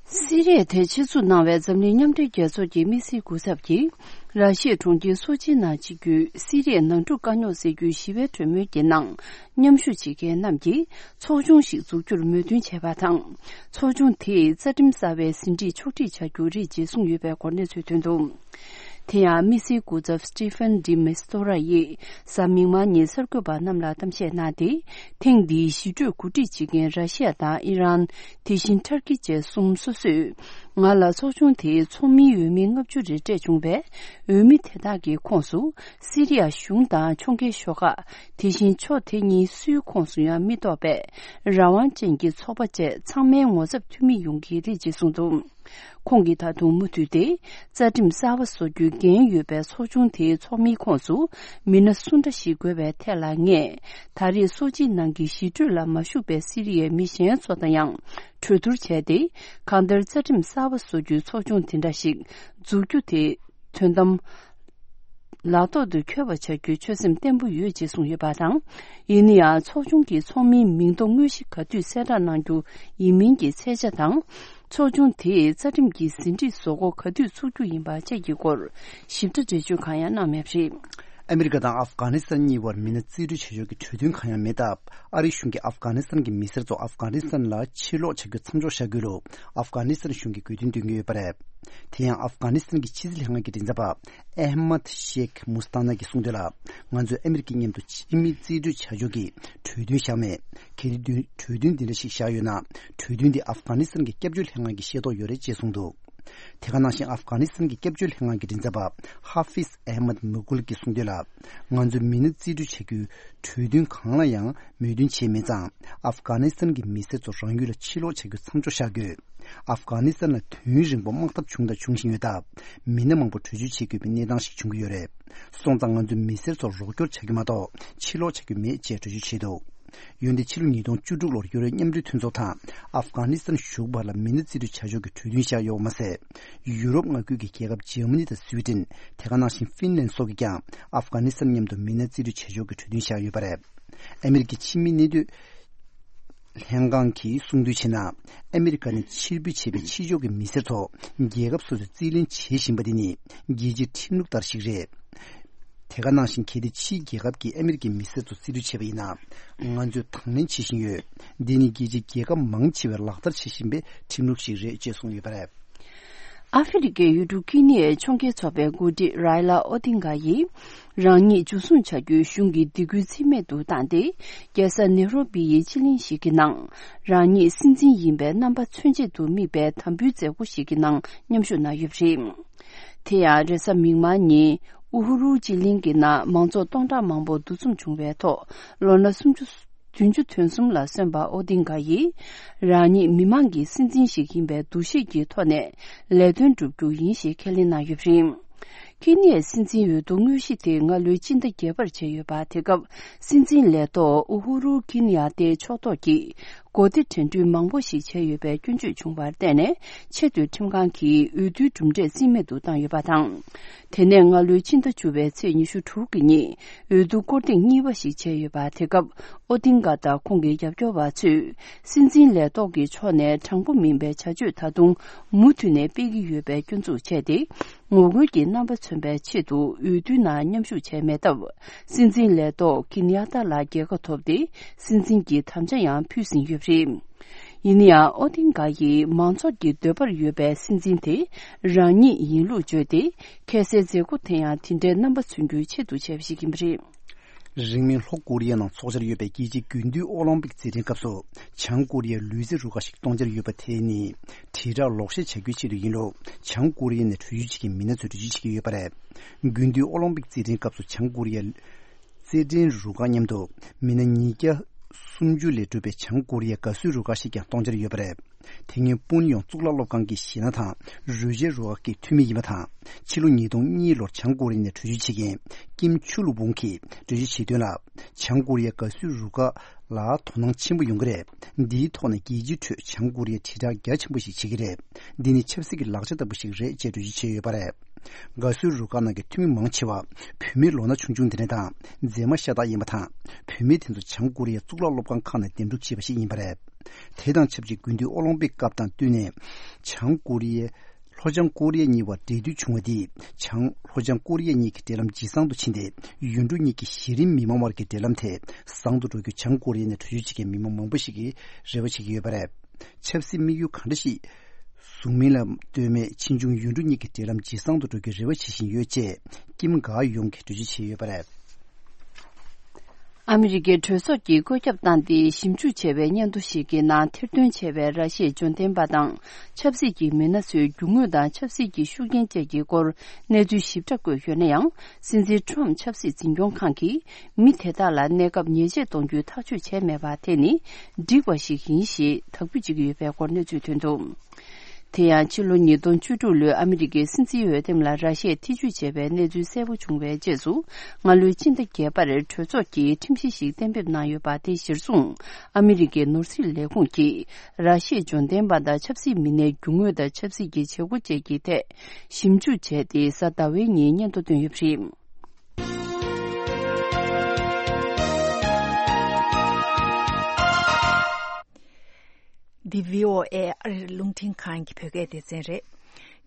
སི་རི་ཡ་དེ་ཆེད་འཛུགས་གནང་བའི་འཛམ་གླིང་མཉམ་འབྲེལ་རྒྱལ་ཚོགས་ཀྱི་དམིགས་བསལ་སྐུ་ཚབ་ཀྱིས། ར་ཤི་ཡའི་གྲོང་ཁྱེར་སོ་ཆིའི་ནང་སྤྱི་རྒྱུའི་སི་རི་ཡའི་ནང་འཁྲུག་དཀའ་རྙོག་སེལ་རྒྱུའི་ཞི་བའི་གྲོས་མོལ་གྱི་ནང་མཉམ་ཞུགས་བྱེད་མཁན་རྣམས་ཀྱིས་ཚོགས་ཆུང་ཞིག་འཛུགས་རྒྱུར་མོས་མཐུན་བྱས་པ་དང་། ཚོགས་ཆུང་དེས་རྩ་ཁྲིམས་གསར་པའི་ཟིན་བྲིས་ཕྱོགས་སྒྲིག་བྱ་རྒྱུ་རེད་ཅེས་གསུངས་ཡོད་པའི་སྐོར་གནས་ཚུལ་ཐོན་འདུག། དེ་ཡང་དམིགས་བསལ་སྐུ་ཚབ་Staffan de Mistura ཡིས་གཟའ་མིག་དམར་ཉིན་གསར་འགོད་པ་རྣམས་ལ་གཏམ་བཤད་གནང་སྟེ། ཐེངས་འདིའི་ཞི་གྲོས་གོ་སྒྲིག་བྱེད་མཁན་ར་ཤི་ཡ་དང་ཨི་རན། དེ་བཞིན་ཐར་ཀི་བཅས་གསུམ་སོ་སོས་ང་ལ་ཚོགས་ཆུང་དེའི་ཚོགས་མིའི་འོས་མི་ལྔ་བཅུ་རེ་སྤྲད་བྱུང་བས། འོས་མི་དེ་དག་གི་ཁོངས་སུ་སི་རི་ཡ་གཞུང་དང་ཕྱོགས་འགལ་ཤོག་ཁག། དེ་བཞིན་ཕྱོགས་དེ་གཉིས་སུའི་ཁོངས་སུ་ཡང་མི་གཏོགས་པའི་རང་དབང་ཅན་གྱི་ཚོགས་པ་བཅས་ཚང་མའི་ངོ་ཚབ་འཐུས་མི་ཡོང་གི་རེད་ཅེས་གསུངས་འདུག། ཁོང་གིས་ད་དུང་མུ་མཐུད་དེ་རྩ་ཁྲིམས་གསར་པ་བཟོ་རྒྱུའི་འགན་ཡོད་པའི་ཚོགས་ཆུང་དེའི་ཚོགས་མིའི་ཁོངས་སུ་མི་སྣ་སུ་འདྲ་ཞིག་དགོས་པའི་ཐད་ལ། ངས་ད་རེས་སོ་ཅིའི་ནང་གི་ཞི་གྲོས་ལ་མ་ཞུགས་པའི་སི་རི་ཡའི་མི་གཞན་ཚོ་དང་ཡང་གྲོས་བསྡུར་བྱས་ཏེ། གང་ལྟར་རྩ་ཁྲིམས་གསར་པ་བཟོ་རྒྱུའི་ཚོགས་ཆུང་དེ་འདྲ་ཞིག་འཛུགས་རྒྱུ་དེ། དོན་དམ། ལག་ཐོག་ཏུ་འཁྱོལ་བ་བྱ་རྒྱུའི་ཆོད་སེམས་བརྟན་པོ་ཡོད་ཅེས་གསུངས་ཡོད་པ་དང་། ཡིན་ན་ཡང་ཚོགས་ཆུང་གི་ཚོགས་མིའི་མིང་ཐོ་དངོས་གཞི་ག་དུས་གསལ་བསྒྲགས་གནང་རྒྱུ་ཡིན་མིན་གྱི་ཚད་ཆ་དང་། ཚོགས་ཆུང་དེས་རྩ་ཁྲིམས་ཀྱི་ཟིན་བྲིས་བཟོ་འགོ་ག་དུས་ཚུགས་རྒྱུ་ཡིན་པ་བཅས་ཀྱི་སྐོར་ཞིབ་ཕྲ་འགྲེལ་བརྗོད་གང་ཡང་གནང་མེད་པ་རེད། ཨ་མི་རི་ཀ་དང་ཨབ་གྷ་ནི་སི་ཐན་གཉིས་བར་མི་སྣ་རྩིས་སྤྲོད་བྱ་ཕྱོགས་ཀྱི་གྲོས་མཐུན་གང་ཡང་མེད་སྟབས། ཨ་རིའི་གཞུང་གིས་ཨབ་གྷ་ནི་སི་ཐན་གྱི་མི་སེར་ཚོ་ཨབ་གྷ་ནི་སི་ཐན་ལ་ཕྱིར་ལོག་བྱ་རྒྱུ་མཚམས་འཇོག་བྱ་དགོས་ལུགས་ཨབ་གྷ་ནི་སི་ཐན་གཞུང་གིས་དགོས་འདུན་འདོན་གྱི་ཡོད་པ་རེད། དེ་ཡང་ཨབ་གྷ་ནི་སི་ཐན་གྱི་ཕྱི་སྲིད་ལྷན་ཁང་གི་མགྲིན་ཚབ་པ་ཨེ་མད་ཤེག་མུ་སྟ་ན་གྱིས་གསུངས་དོན་ལ། ང་ཚོས་ཨ་མི་རི་ཀའི་མཉམ་དུ་ཕྱི་མི་རྩིས་སྤྲོད་བྱ་ཕྱོགས་ཀྱི་གྲོས་མཐུན་བཞག་མེད། གལ་ཏེ་གྲོས་མཐུན་འདི་འདྲ་ཞིག་བཞག་ཡོད་ན། གྲོས་མཐུན་འདི་ཨབ་གྷ་ནི་སི་ཐན་གྱི་སྐྱབས་བཅོལ་ལྷན་ཁང་གིས་ཤེས་རྟོགས་ཡོད་རེད་ཅེས་གསུངས་འདུག། དེ་ག་ནང་བཞིན་ཨབ་གྷ་ནི་སི་ཐན་གྱི་སྐྱབས་བཅོལ་ལྷན་ཁང་གི་མགྲིན་ཚབ་པ་ཧ་ཧྥིཛ་ཨེ་མད་མུ་གུལ་གྱིས་གསུངས་དོན་ལ། ང་ཚོས་མི་སྣ་རྩིས་སྤྲོད་བྱ་རྒྱུའི་གྲོས་མཐུན་གང་ལ་ཡང་མོས་མཐུན་བྱས་མེད་ཙང་། ཨབ་གྷ་ནི་སི་ཐན་གྱི་མི་སེར་ཚོ་རང་ཡུལ་ལ་ཕྱིར་ལོག་བྱ་རྒྱུ་མཚམས་འཇོག་བཞག་དགོས། ཨབ་གྷ་ནི་སི་ཐན་ལ་དུས་རིང་པོ་དམག་འཐབ་བྱུང་དང་འབྱུང་བཞིན་ཡོད་སྟབས། མི་སྣ་མང་པོ་བྲོས་བྱོལ་བྱེད་དགོས་པའི་གནས་སྟངས་ཤིག་འབྱུང་གི་ཡོད་རེད། སོང་ཙང་ང་ཚོས་མི་སེར་ཚོར་རོགས་སྐྱོར་བྱ་རྒྱུ་མ་གཏོགས་ཕྱིར་ལོག་བྱ་རྒྱུ་མེད་ཅེས་འགྲེལ་བརྗོད་བྱས་འདུག། འོན་ཏེ་ཕྱི་ལོ་ཉིས་སྟོང་བཅུ་དྲུག་ལོར་ཡུ་རོབ་མཉམ་འབྲེལ་མཐུན་ཚོགས་དང་ཨབ་གྷ་ནི་སི་ཐན་གཞུང་བར་ལ་མི་སྣ་རྩིས་སྤྲོད་བྱ་ཕྱོགས་ཀྱི་གྲོས་མཐུན་བཞག་ཡོད་པ་མ་ཟད། ཡུ་རོབ་མངའ་ཁུལ་གྱི་རྒྱལ་ཁབ་འཇར་མ་ནི་དང་སུའེ་ཏེན། དེ་ག་ནང་བཞིན་ཧྥིན་ལན་སོགས་ཀྱིས་ཀྱང་ཨབ་གྷ་ནི་སི་ཐན་མཉམ་དུ་མི་སྣ་རྩིས་སྤྲོད་བྱ་ཕྱོགས་ཀྱི་གྲོས་མཐུན་བཞག་ཡོད་པ་རེད། ཨ་མི་རི་ཀའི་ཕྱི་མི་གནས་སྡོད་ལྷན་ཁང་གིས་གསུངས་དོན་བྱས་ན། ཨ་མི་རི་ཀ་ནས་ཕྱིར་འབུད་བྱས་པའི་ཕྱི་ཕྱོགས་ཀྱི་མི་སེར་ཚོ་རྒྱལ་ཁབ་སོ་སོས་རྩིས་ལེན་བྱེད་བཞིན་པ་འདི་ནི་རྒྱལ་སྤྱིའི་ཁྲིམས་ལུགས་ལྟར་ཞིག་རེད། དེ་ག་ནང་བཞིན་གལ་ཏེ་ཕྱིའི་རྒྱལ་ཁབ་ཀྱིས་ཨ་མི་རི་ཀའི་མི་སེར་ཚོ་རྩིས་སྤྲོད་བྱས་པ་ཡིན་ན། ང་ཚོས་དང་ལེན་བྱེད་བཞིན་ཡོད། འདི་ནི་རྒྱལ་སྤྱིའི་རྒྱལ་ཁབ་མང་ཆེ་བས་ལག་བསྟར་བྱེད་བཞིན་པའི་ཁྲིམས་ལུགས་ཤིག་རེད་ཅེས་གསུངས་ཡོད་པ་རེད། ཨ་ཧྥེ་རི་ཁའི་ཡུལ་གྲུ་ཀི་ནི་ཡའི་ཕྱོགས་འགལ་ཚོགས་པའི་འགོ་ཁྲིད་རའི་ལ་ཨོ་ཏིང་ག་ཡིས། རང་ཉིད་འཇུ་བཟུང་བྱ་རྒྱུའི་གཞུང་གི་སྡིགས་སྐུལ་རྩིས་མེད་དུ་བཏང་སྟེ། རྒྱལ་ས་ནེ་རོ་པི་ཡི་སྤྱི་གླིང་ཞིག་གི་ནང་། རང་ཉིད་སྲིད་འཛིན་ཡིན་པའི་རྣམ་པ་མཚོན་བྱེད་དུ་དམིགས་པའི་དམ་འབུལ་མཛད་སྒོ་ཞིག་གི་ནང་མཉམ་ཞུགས་གནང་ཡོད་པ་རེད། དེ་ཡང་རེས་གཟའ་མིག་དམར་ཉིན་ཨུ་ཧུ་རུ་སྤྱི་གླིང་གི་ནང་མང་ཚོགས་སྟོང་ཕྲག་མང་པོ་འདུ་འཛོམས་བྱུང་བའི་ཐོག་ལོ་ན་སུམ་ཅུ་ བདུན་ཅུ་དོན་གསུམ་ལ་སོན་པ་ཨོ་ཏིང་ག་ཡིས། རང་ཉིད་མི་མང་གི་སྲིད་འཛིན་ཞིག་ཡིན་པའི་འདུ་ཤེས་ཀྱི་ཐོག་ནས་ལས་དོན་བསྒྲུབ་རྒྱུ་ཡིན་ཞེས་ཁས་ལེན་གནང་ཡོད་པ་རེད། ཁེ་ནི་ཡའི་སྲིད་འཛིན་འོས་བསྡུ་དངོས་གཞི་དེ་སྔ་ལོའི་སྤྱི་ཟླ་བརྒྱད་པར་བྱས་ཡོད་པ། དེ་སྐབས་སྲིད་འཛིན་ལས་ཐོག་ཨུ་ཧུ་རུ་ཁེ་ནི་ཡ་ཏའི་ཕྱོགས་གཏོགས་ཀྱིས་གོ་སྡེ་དྲན་སྐུལ་མང་པོ་ཞིག་བྱས་ཡོད་པའི་སྐྱོན་བརྗོད་བྱུང་བར་བརྟེན་ནས། ཆེས་མཐོའི་ཁྲིམས་ཁང་གིས་འོས་བསྡུའི་གྲུབ་འབྲས་རྩིས་མེད་དུ་བཏང་ཡོད་པ་དང་། དེ་ནས་སྔ་ལོའི་ཕྱི་ཟླ་བཅུ་པའི་ཚེས་ཉི་ཤུ་དྲུག་གི་ཉིན་འོས་བསྡུ་སྐོར་ཐེངས་གཉིས་པ་ཞིག་བྱས་ཡོད་པ། དེ་སྐབས་ཨོ་ཏིང་ག་དང་ཁོང་གི་རྒྱབ་སྐྱོར་བ་ཚོས་སྲིད་འཛིན་ལས་ཐོག་གི་ཕྱོགས་ནས་དྲང་པོ་མིན་པའི་བྱ་སྤྱོད་ད་དུང་མུ་མཐུད་ནས་སྤེལ་གྱི་ཡོད་པའི་སྐྱོན་འཛུགས་བྱས་ཏེ། ངོ་རྒོལ་གྱི་རྣམ་པ་མཚོན་པའི་ཆེད་དུ་འོས་བསྡུའི་ནང་མཉམ་ཞུགས་བྱས་མེད་སྟབས། སྲིད་འཛིན་ལས་ཐོག་ཁེ་ནི་ཡ་ཏ་ལ་རྒྱལ་ཁ་ཐོབ་སྟེ། སྲིད་འཛིན་གྱི་དམ་བཅའ་ཡང་ཕུལ་ཟིན་ཡོད་པ་རེད། ཡིན་ན་ཡང་ཨོ་ཏིང་ག་ཡིས་མང་ཚོགས་ཀྱི་འདོད་པར་ཡོད་པའི་སྲིད་འཛིན་དེ་རང་ཉིད་ཡིན་ལུགས་བརྗོད་དེ། ཁ་གསལ་མཛད་སྒོ་དེ་ཡང་དེ་འདྲའི་རྣམ་པ་མཚོན་རྒྱུའི་ཆེད་དུ་བྱས་པ་ཞིག་ཡིན་པ་རེད། རིང་མིན་ལྷོ་ཀོ་རི་ཡ་ནང་འཚོགས་འཆར་ཡོད་པའི་རྒྱལ་སྤྱིའི་དགུན་དུས་ཨོ་ལིམ་པིག་རྩེད་འགྲན་སྐབས་སུ་བྱང་ཀོ་རི་ཡའི་ལུས་རྩལ་རུ་ཁག་ཞིག་གཏོང་འཆར་ཡོད་པ་དེ་ནི་དྲིལ་བསྒྲགས་ལོག་བཤད་བྱ་རྒྱུའི་ཆེད་དུ་ཡིན་ལུགས་བྱང་ཀོ་རི་ཡ་ནས་བྲོས་བྱོལ་བྱེད་མཁན་མི་སྣ་ཚོས་འགྲེལ་བརྗོད་བྱེད་ཀྱི་ཡོད་པ་རེད། དགུན་དུས་ཨོ་ལིམ་པིག་རྩེད་འགྲན་སྐབས་སུ་བྱང་ཀོ་རི་ཡའི་རྩེད་འགྲན་རུ་ཁག་མཉམ་དུ་མི་སྣ་ཉིས་བརྒྱ་སུམ་ཅུ་ལས་གྲུབ་པའི་བྱང་ཀོ་རི་ཡའི་དགའ་བསུའི་རུ་ཁག་ཞིག་ཀྱང་གཏོང་འཆར་ཡོད་པ་རེད། དེ་སྔོན་པུན་ཡོང་གཙུག་ལག་སློབ་ཁང་གི་གཞས་སྣ་དང་རོལ་ཆའི་རུ་ཁག་གི་འཐུས་མི་ཡིན་པ་དང་། ཕྱི་ལོ་ཉིས་སྟོང་གཉིས་ལོར་བྱང་ཀོ་རི་ཡ་ནས་བྲོས་བྱོལ་བྱེད་མཁན་ཀིམ་ཆུ་ལུ་བུང་གིས་འགྲེལ་བརྗོད་བྱས་དོན་ལ། བྱང་ཀོ་རི་ཡའི་དགའ་བསུའི་རུ་ཁག་ལ་དོ་སྣང་ཆེན་པོ་ཡོང་གི་རེད། འདིའི་ཐོག་ནས་རྒྱལ་སྤྱིའི་ཁྲོད་བྱང་ཀོ་རི་ཡས་དྲིལ་བསྒྲགས་རྒྱ་ཆེན་པོ་ཞིག་བྱེད་ཀྱི་རེད། འདི་ནི་ཆབ་སྲིད་ཀྱི་ལག་ཆ་ལྟ་བུ་ཞིག་རེད་ཅེས་འགྲེལ་བརྗོད་བྱས་ཡོད་པ་རེད། དགའ་བསུའི་རུ་ཁག་ནང་གི་འཐུས་མི་མང་ཆེ་བ་བུད་མེད་ལོ་ན་ཆུང་ཆུང་དེ་འདྲ་དང་མཛེས་མ་ཤ་སྟག་ཡིན་པ་དང་། བུད་མེད་དེ་ཚོ་བྱང་ཀོ་རི་ཡའི་གཙུག་ལག་སློབ་ཁང་ཁག་ནས་འདེམས་སྒྲུག་བྱས་པ་ཞིག་ཡིན་པ་རེད། དེ་དང་ཆབས་ཅིག་དགུན་དུས་ཨོ་ལིམ་པིག་སྐབས་དང་བསྟུན་ནས་བྱང་ཀོ་རི་ཡའི་ལྷོ་བྱང་ཀོ་རི་ཡ་གཉིས་བར་འབྲེལ་མཐུད་བྱུང་བ་དེས་བྱང་ལྷོ་བྱང་ཀོ་རི་ཡ་གཉིས་ཀྱི་འབྲེལ་ལམ་ཇེ་བཟང་དུ་ཕྱིན་ཏེ། ཡུལ་གྲུ་གཉིས་ཀྱི་གཞི་རིམ་མི་མང་བར་གྱི་འབྲེལ་ལམ་དེ་བཟང་དུ་འགྲོ་རྒྱུ་བྱང་ཀོ་རི་ཡ་ནས་བྲོས་བྱོལ་བྱེད་མཁན་མི་མང་མང་པོ་ཞིག་གིས་རེ་བ་བྱེད་ཀྱི་ཡོད་པ་རེད། ཆབ་སྲིད་དམིགས་ཡུལ་གང་འདྲ་ཞིག་བཟུང་མིན་ལ་ལྟོས་མེད་ཕྱིས་འབྱུང་ཡུལ་གྲུ་གཉིས་ཀྱི་འབྲེལ་ལམ་ཇེ་བཟང་དུ་འགྲོ་རྒྱུའི་རེ་བ་བྱེད་བཞིན་ཡོད་ཅེས་ཀིམ་ག་ཡོང་གིས་འགྲེལ་བརྗོད་བྱས་ཡོད་པ་རེད། ཨ་མི་རི་ཀའི་གྲོས་ཚོགས་ཀྱིས་བཀོད་ཁྱབ་བཏང་སྟེ་ཞིབ་འཇུག་བྱས་པའི་སྙན་ཐོ་ཞིག་གི་ནང་ཐེར་འདོན་བྱས་པའི་ར་ཤི་ཡའི་འབྱོར་ལྡན་པ་དང་ཆབ་སྲིད་ཀྱི་མི་སྣ་ཚོའི་རྒྱུ་དངོས་དང་ཆབ་སྲིད་ཀྱི་ཤུགས་རྐྱེན་བཅས་ཀྱི་སྐོར་གནས་ཚུལ་ཞིབ་ཕྲ་བཀོད་ཡོད་ན་ཡང་། སྲིད་འཛིན་ཁྲོམ་ཆབ་སྲིད་འཛིན་སྐྱོང་ཁང་གིས་མི་དེ་དག་ལ་གནས་སྐབས་ཉེས་ཆད་གཏོང་རྒྱུའི་ཐག་གཅོད་བྱས་མེད་པ་དེ་ནི་འགྲིག་པ་ཞིག་ཡིན་ཞེས་དག་འབུད་བྱེད་ཀྱི་ཡོད་པའི་སྐོར་གནས་ཚུལ་ཐོན་འདུག་དེ་ཡང་ཕྱི་ལོ་ཉིས་སྟོང་བཅུ་དྲུག་ལོའི་ཨ་མི་རི་ཀའི་སྲིད་འཛིན་འོས་འདེམས་ལ་ར་ཤི་ཡས་ཐེ་བྱུས་བྱས་པའི་གནས་ཚུལ་གསལ་པོ་བྱུང་བའི་རྗེས་སུ། སྔ་ལོའི་སྤྱི་ཟླ་བརྒྱད་པར་གྲོས་ཚོགས་ཀྱིས་ཁྲིམས་གཞི་ཞིག་གཏན་འབེབས་གནང་ཡོད་པ་དེ་གཞིར་བཟུང་། ཨ་མི་རི་ཀའི་ནོར་སྲིད་ལས་ཁུངས་ཀྱིས་ར་ཤི་ཡའི་འབྱོར་ལྡན་པ་དང་ཆབ་སྲིད་མི་སྣའི་རྒྱུ་དངོས་དང་ཆབ་སྲིད་ཀྱི་བྱེད་སྒོ་བཅས་ཀྱི་ཐད་ཞིབ་འཇུག་བྱས་ཏེ། གཟའ་ཟླ་བའི་ཉིན་སྙན་ཐོ་བཏོན་ཡོད་པ་རེད། འདི་བྷི་ཨོ་ཨེ་ཨ་རིའི་རླུང་འཕྲིན་ཁང་གི་བོད་སྐད་སྡེ་ཚན་རེད།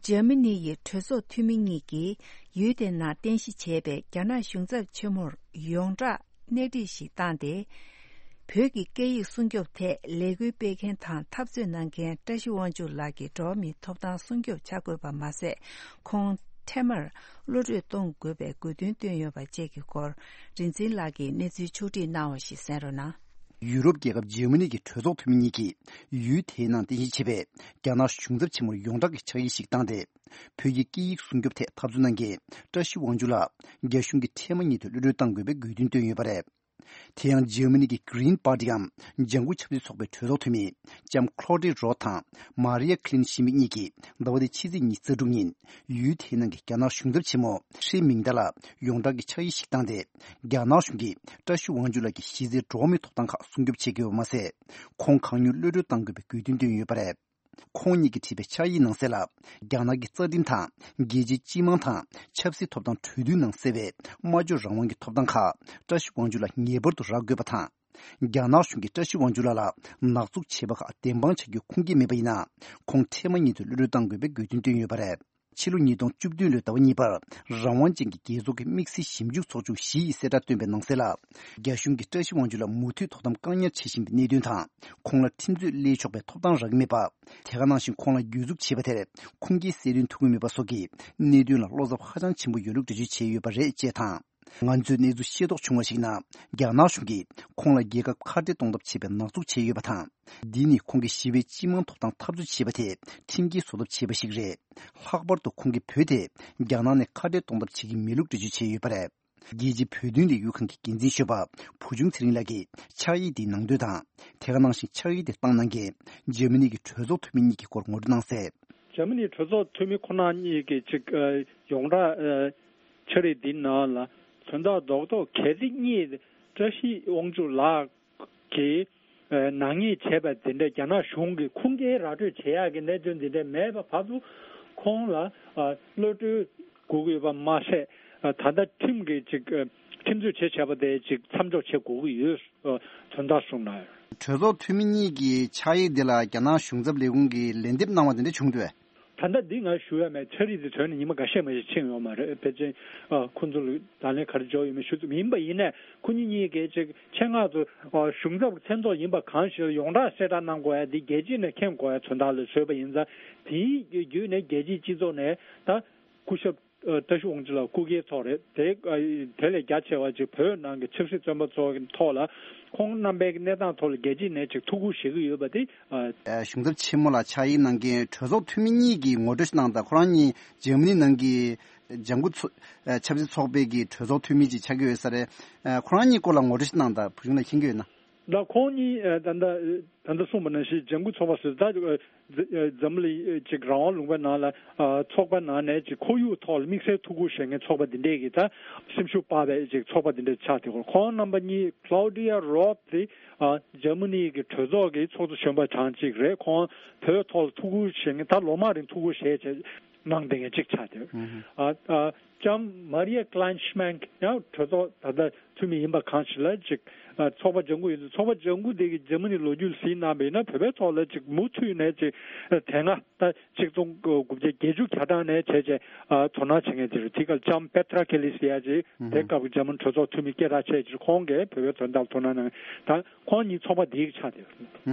འཇར་མ་ནི་ཡི་གྲོས་ཚོགས་འཐུས་མི་གཉིས་ཀྱིས་ཡུལ་དེའི་ནང་རྟེན་གཞི་བྱས་པའི་རྒྱ་ནག་གཞུང་ཚབ་ཆེན་མོར་ཡོངས་གྲགས་སྣེ་ཁྲིད་ཞིག་བཏང་སྟེ། བོད་ཀྱི་སྐད་ཡིག་སྲུང་སྐྱོབ་ཐད་ལས་འགུལ་སྤེལ་མཁན་དང་འཐབ་རྩོད་གནང་མཁན་བཀྲ་ཤིས་དབང་ཕྱུག་ལགས་ཀྱི་འགྲོ་བ་མིའི་ཐོབ་ཐང་སྲུང་སྐྱོབ་བྱ་དགོས་པ་མ་ཟད། ཁོང་འཕྲལ་མར་གློད་གྲོལ་གཏོང་དགོས་པའི་དགོས་འདུན་བཏོན་ཡོད་པ་བཅས་ཀྱི་སྐོར། རིན་འཛིན་ལགས་ཀྱིས་གནས་ཚུལ་ཕྱོགས་བསྒྲིགས་གནང་བ་ཞིག་གསན་རོགས་གནང་། ཡུ་རོབ་རྒྱལ་ཁབ་འཇར་མ་ནི་གི་གྲོས་ཚོགས་འཐུས་མི་གཉིས་ཀྱིས་ཡུལ་དེའི་ནང་རྟེན་གཞི་བྱས་པའི་རྒྱ་ནག་གཞུང་ཚབ་ཆེན་མོར་ཡོངས་གྲགས་ཀྱི་ཕྱག་ཡིག་ཞིག་བཏང་སྟེ། བོད་ཀྱི་སྐད་ཡིག་སྲུང་སྐྱོབ་ཐད་འཐབ་རྩོད་གནང་མཁན་བཀྲ་ཤིས་དབང་ཕྱུག་ལགས་རྒྱ་གཞུང་གིས་འཕྲལ་མ་ཉིད་དུ་གློད་གྲོལ་གཏང་དགོས་པའི་དགོས་འདུན་བཏོན་ཡོད་པ་རེད། དེ་ཡང་འཇར་མ་ནི་གི་Green Party འམ་ལྗང་ཁུ་ཆབ་སྲིད་ཚོགས་པའི་གྲོས་ཚོགས་འཐུས་མི་ལྕམ་Claudine Roth དང་Maria Kleinschmidt གཉིས་ཀྱིས་ཟླ་བ་འདིའི་ཕྱི་ཚེས་ཉི་ཤུ་རྩ་དྲུག་ཉིན་ཡུལ་དེའི་ནང་གི་རྒྱ་ནག་གཞུང་ཚབ་ཆེན་མོ་ཧྲི་མིང་ཏཱ་ལ་ཡོངས་གྲགས་ཀྱི་ཕྱག་ཡིག་ཞིག་བཏང་སྟེ། རྒྱ་ནག་གཞུང་གིས་བཀྲ་ཤིས་དབང་ཕྱུག་ལགས་ཀྱི་གཞི་རྩའི་འགྲོ་བ་མིའི་ཐོབ་ཐང་ཁག་སྲུང་སྐྱོབ་བྱེད་དགོས་པ་མ་ཟད། ཁོང་གང་མྱུར་གློད་གྲོལ་གཏང་དགོས་པའི་དགོས་འདུན་བཏོན་ཡོད་པ་རེད། ཁོང་གཉིས་ཀྱིས་བྲིས་པའི་ཕྱག་ཡིག་ནང་གསལ་ལ། རྒྱ་ནག་གི་རྩ་ཁྲིམས་དང་རྒྱལ་སྤྱིའི་སྤྱི་དམངས་དང་ཆབ་སྲིད་ཐོབ་ཐང་གྲོས་མཐུན་ནང་གསལ་བའི་སྨྲ་བརྗོད་རང་དབང་གི་ཐོབ་ཐང་ཁག་བཀྲ་ཤིས་དབང་ཕྱུག་ལ་ངེས་པར་དུ་རག་དགོས་པ་དང་། རྒྱ་ནག་གཞུང་གིས་བཀྲ་ཤིས་དབང་ཕྱུག་ལགས་ལ་ནག་འཛུགས་བྱས་པ་ཁག་བདེན་དཔང་བྱ་རྒྱུའི་ཁུངས་སྐྱེལ་མེད་པ་ཡིན་ན། ཁོང་འཕྲལ་མ་ཉིད་དུ་གློད་གྲོལ་གཏང་དགོས་པའི་དགོས་འདུན་བཏོན་ཡོད་པ་རེད། ཕྱི་ལོ་ཉིས་སྟོང་བཅུ་བདུན་ལོའི་ཟླ་བ་གཉིས་པར་རང་དབང་ཅན་གྱི་རྒྱལ་ཚོགས་ཀྱི་དམིགས་བསལ་ཞིབ་འཇུག་ཚོགས་ཆུང་བཞི་ཡིས་གསལ་བསྒྲགས་བཏོན་པའི་ནང་གསལ་ལ། རྒྱ་གཞུང་གིས་བཀྲ་ཤིས་དབང་ཕྱུག་ལ་མུ་མཐུད་ཐོག་དམ་བཀག་ཉར་བྱེད་བཞིན་པའི་གནད་དོན་དང་། ཁོང་ལ་ཁྲིམས་རྩོད་སླེལ་ཆོག་པའི་ཐོབ་ཐང་རག་གི་མེད་པ། དེ་ག་ནང་བཞིན་ཁོང་ལ་གྱོད་འཛུགས་བྱས་པ་དེར་ཁུངས་སྐྱེལ་གསལ་སྟོན་ཐུབ་ཀྱི་མེད་པ་སོགས་ཀྱི་གནད་དོན་ལ་བློ་འཚབ་ཧ་ཅང་ཆེན་པོ་ཡོད་ལུགས་འགྲེལ་བརྗོད་བྱས་ཡོད་པ་རེད་ཅེས་དང་། ང་ཚོས་གནས་ཚུལ་ཤེས་རྟོགས་བྱུང་བར་གཞིགས་ན། རྒྱ་ནག་གཞུང་གིས་ཁོང་ལ་རྒྱལ་ཁབ་ཁ་བྲལ་གཏོང་ཐབས་བྱས་པའི་ནག་འཛུགས་བྱས་ཡོད་པ་དང་། འདི་ནི་ཁོང་གིས་ཞི་བའི་སྤྱི་དམངས་ཐོབ་ཐང་འཐབ་རྩོད་བྱས་པ་དེ་ཁྲིམས་འགལ་བཟོ་ཐབས་བྱས་པ་ཞིག་རེད། ལྷག་པར་དུ་ཁོང་གིས་བོད་དེ་རྒྱ་ནག་ནས་ཁ་བྲལ་གཏོང་ཐབས་བྱེད་ཀྱི་མེད་ལུགས་འགྲེལ་བརྗོད་བྱས་ཡོད་པ་རེད། རྒྱལ་སྤྱིའི་བོད་དོན་ལས་འགུལ་ཁང་གི་འགན་འཛིན་གཞོན་པ་བུ་ཆུང་ཚེ་རིང་ལགས་ཀྱིས་ཕྱག་ཡིག་དེའི་ནང་དོན་དང་། དེ་ག་ནང་བཞིན་ཕྱག་ཡིག་དེ་བཏང་གནང་མཁན་འཇར་མ་ནི་གི་གྲོས་ཚོགས་འཐུས་མི་གཉིས་ཀྱི་སྐོར་ངོ་སྤྲོད་གནང་གསལ། འཇར་མ་ནི་གྲོས་ཚོགས་འཐུས་མི་ཁོ་ན་གཉིས་ཀྱི་ཅིག་ཨ་ཡོངས་གྲགས་ཨ་འཆར་གཞི་འདི་ནང་ལ་དོན་དག་རྡོག་རྡོག་གལ་སྲིད་གཉིས་བཀྲ་ཤིས་དབང་ཕྱུག་ལགས་ཀྱིས་ཨ་ནག་ཉེས་བྱས་པ་འདི་འདྲ་རྒྱ་ནག་གཞུང་གིས་ཁུངས་སྐྱེལ་ར་སྤྲོད་བྱེད་ཡག་གི་གནད་དོན་འདི་འདྲ་མེད་པ་བར་དུ་ཁོང་ལ་ཨ་གློད་གྲོལ་དགོས་ཀྱི་ཡོད་པ་མ་ཟད། ཨ་ད་ལྟ་ཁྲིམས་ཀྱི་ཅིག་ཨ་ཁྲིམས་རྩོད་བྱས་བྱས་པ་དེ་ཅིག་མཚམས་འཇོག་བྱེད་དགོས་ཀྱི་ཡོད། ཨ་དོན་དག་གསུངས་གནང་ཡོད། གྲོས་ཚོགས་འཐུས་མི་གཉིས་ཀྱི་ཕྱག་ཡིག་འདི་ལ་རྒྱ་ནག་གཞུང་ཚབ་ལས་ཁུངས་ཀྱིས་ལན་འདེབས་གནང་བ་དེ་འདྲ་བྱུང་འདུག་པས། ད་ལྟ་འདི་ང་ཞུ་ཡ་མེད། འཆར་གཞི་འདི་ཐོན་ནས་ཉི་མ་འགའ་ཤས་མ་ཞིག་ཕྱིན་ཡོད་མ་རེད། ཕལ་ཆེར་ཨ་ཁོང་ཚོ་ལ་ད་ལན་ག་རེ་འབྱོར་ཡོད་མེད་ཞུ་ཐུབ་མེད། ཡིན་པ་ཡིན་ནའི་ཁོ་གཉིས་གཉིས་ཀས་ཅིག་ཆེད་མངགས་ཚོ་ཨ་གཞུང་ཚབ་མཚན་ཐོག་ཡིན་པ་གང་ཞིག་ལ་ཡོངས་གྲགས་གསལ་བསྒྲགས་གནང་དགོས་ཡ་འདི་རྒྱལ་སྤྱི་ནས་མཁྱེན་དགོས་ཡ་དོན་དག་ལ་བཟོས་པ་ཡིན་ཙང་། དེའི་བརྒྱུད་ནས་རྒྱལ་སྤྱིའི་སྤྱི་ཚོགས་ནས་ད་སྐུ་ཞབས་ཨ་བཀྲ་ཤིས་དབང་ཕྱུག་ལགས་སྐུ་སྒེར་ཐོག་རེད་དེ། ཨ་དེ་ལས་རྒྱ་ཆེ་བ་ཅིག་བོད་ནང་གི་ཆབ་སྲིད་བཙོན་པ་ཚོ་གི་ཐོག་ལ་ཁོང་རྣམ་པའི་གནས་སྟངས་ཐོག་ལ་རྒྱལ་སྤྱིའི་ནས་ཅིག་ཐུགས་ཁུར་བཞེས་ཀྱི་ཡོད་པ་དེ། ཨ་གཞུང་ཚབ་ཆེན་མོ་ལ་ཕྱག་ཡིག་གནང་མཁན་གྲོས་ཚོགས་འཐུས་མི་གཉིས་ཀྱིས་ངོ་སྤྲོད་ཞིག་གནང་དང་། ཁོ་རང་གཉིས་འཇར་མ་ནི་ནང་གི་ལྗང་གུ་ཚོ་ཨ་ཆབ་སྲིད་ཚོགས་པའི་གི་གྲོས་ཚོགས་འཐུས་མི་ཅིག་ཆགས་ཀྱི་ཡོད་ས་རེད། ཨ་ཁོ་རང་གཉིས་སྐོར་ལ་ངོ་སྤྲོད་ཞིག་གནང་དང་། བུ་ཆུང་ལགས་མཁྱེན་གྱི་ཡོད་ན། ད་ཁོང་གཉིས་ཨ་ད་ལྟ་ད་ལྟ་གསུངས་པ་ནང་བཞིན་ལྗང་གུ་ཚོགས་པ་ཟེར་ད་ཨ་འཛམ་བུ་གླིང་ཅིག་རང་དབང་ལུང་པའི་ནང་ལ་ཨ་ཚོགས་པ་ནང་ནས་ཅིག་ཁོར་ཡུག་ཐོག་ལ་དམིགས་བསལ་ཐུགས་ཁུར་བཞེས་མཁན་ཚོགས་པ་འདི་འདྲས་ཀྱི་ད་སེམས་ཤུགས་སྤར་བའི་ཅིག་ཚོགས་པ་འདི་འདྲས་ཆགས་ཏེ། ཁོང་རྣམ་པ་གཉིས། Claudia Roth དེ་ཨ་འཇར་མ་ནི་གི་གྲོས་ཚོགས་ཀྱི་ཚོགས་གཙོ་གཞོན་པ་གྲངས་གཅིག་རེད། ཁོང་བོད་ཐོག་ལ་ཐུགས་ཁུར་བཞེས་མཁན་ད་ལོ་མང་རིང་ཐུགས་ཁུར་བཞེས་བྱས་གནང་བསྡད་མཁན་གཅིག་ཆགས་ཏེ། ཨ་ཨ་ལྕམ་Maria Kleinschmidt ཡང་གྲོས་ཚོགས་ད་ལྟ་འཐུས་མི་ཡིན་པ་གང་ཞིག་ལ་ཅིག་ཨ་ཚོགས་པ་ལྗང་གུ་ཡིན་ཚོགས་པ་ལྗང་གུ་དེ་གི་འཇར་མ་ནི་ལོ་རྒྱུས་གཟིགས་གནང་བ་ཡིན་ན་བོད་པའི་ཐོག་ལ་ཅིག་མུ་མཐུད་ནས་ཅིག་ཨ་དེ་སྔ་ད་ཆིག་སྟོང་དགུ་བརྒྱ་བརྒྱད་ཅུ་གྱ་གྲངས་ནས་བྱས་བྱས་ཨ་དོ་སྣང་བྱེད་མཁན་ཅིག་རེད། དེ་ག་ལྕམ་Petra Kelly ཟེར་ཡ་ཅིག་དེ་སྐབས་ཀྱི་འཇར་མ་ནི་གྲོས་ཚོགས་འཐུས་མི་སྐད་གྲགས་ཆེ་ཅིག་ཁོང་གིས་བོད་པའི་དོན་དག་དོ་སྣང་གནང་ད་ཁོང་གཉིས་ཚོགས་པ་དེའི་ཆགས་ཏེ།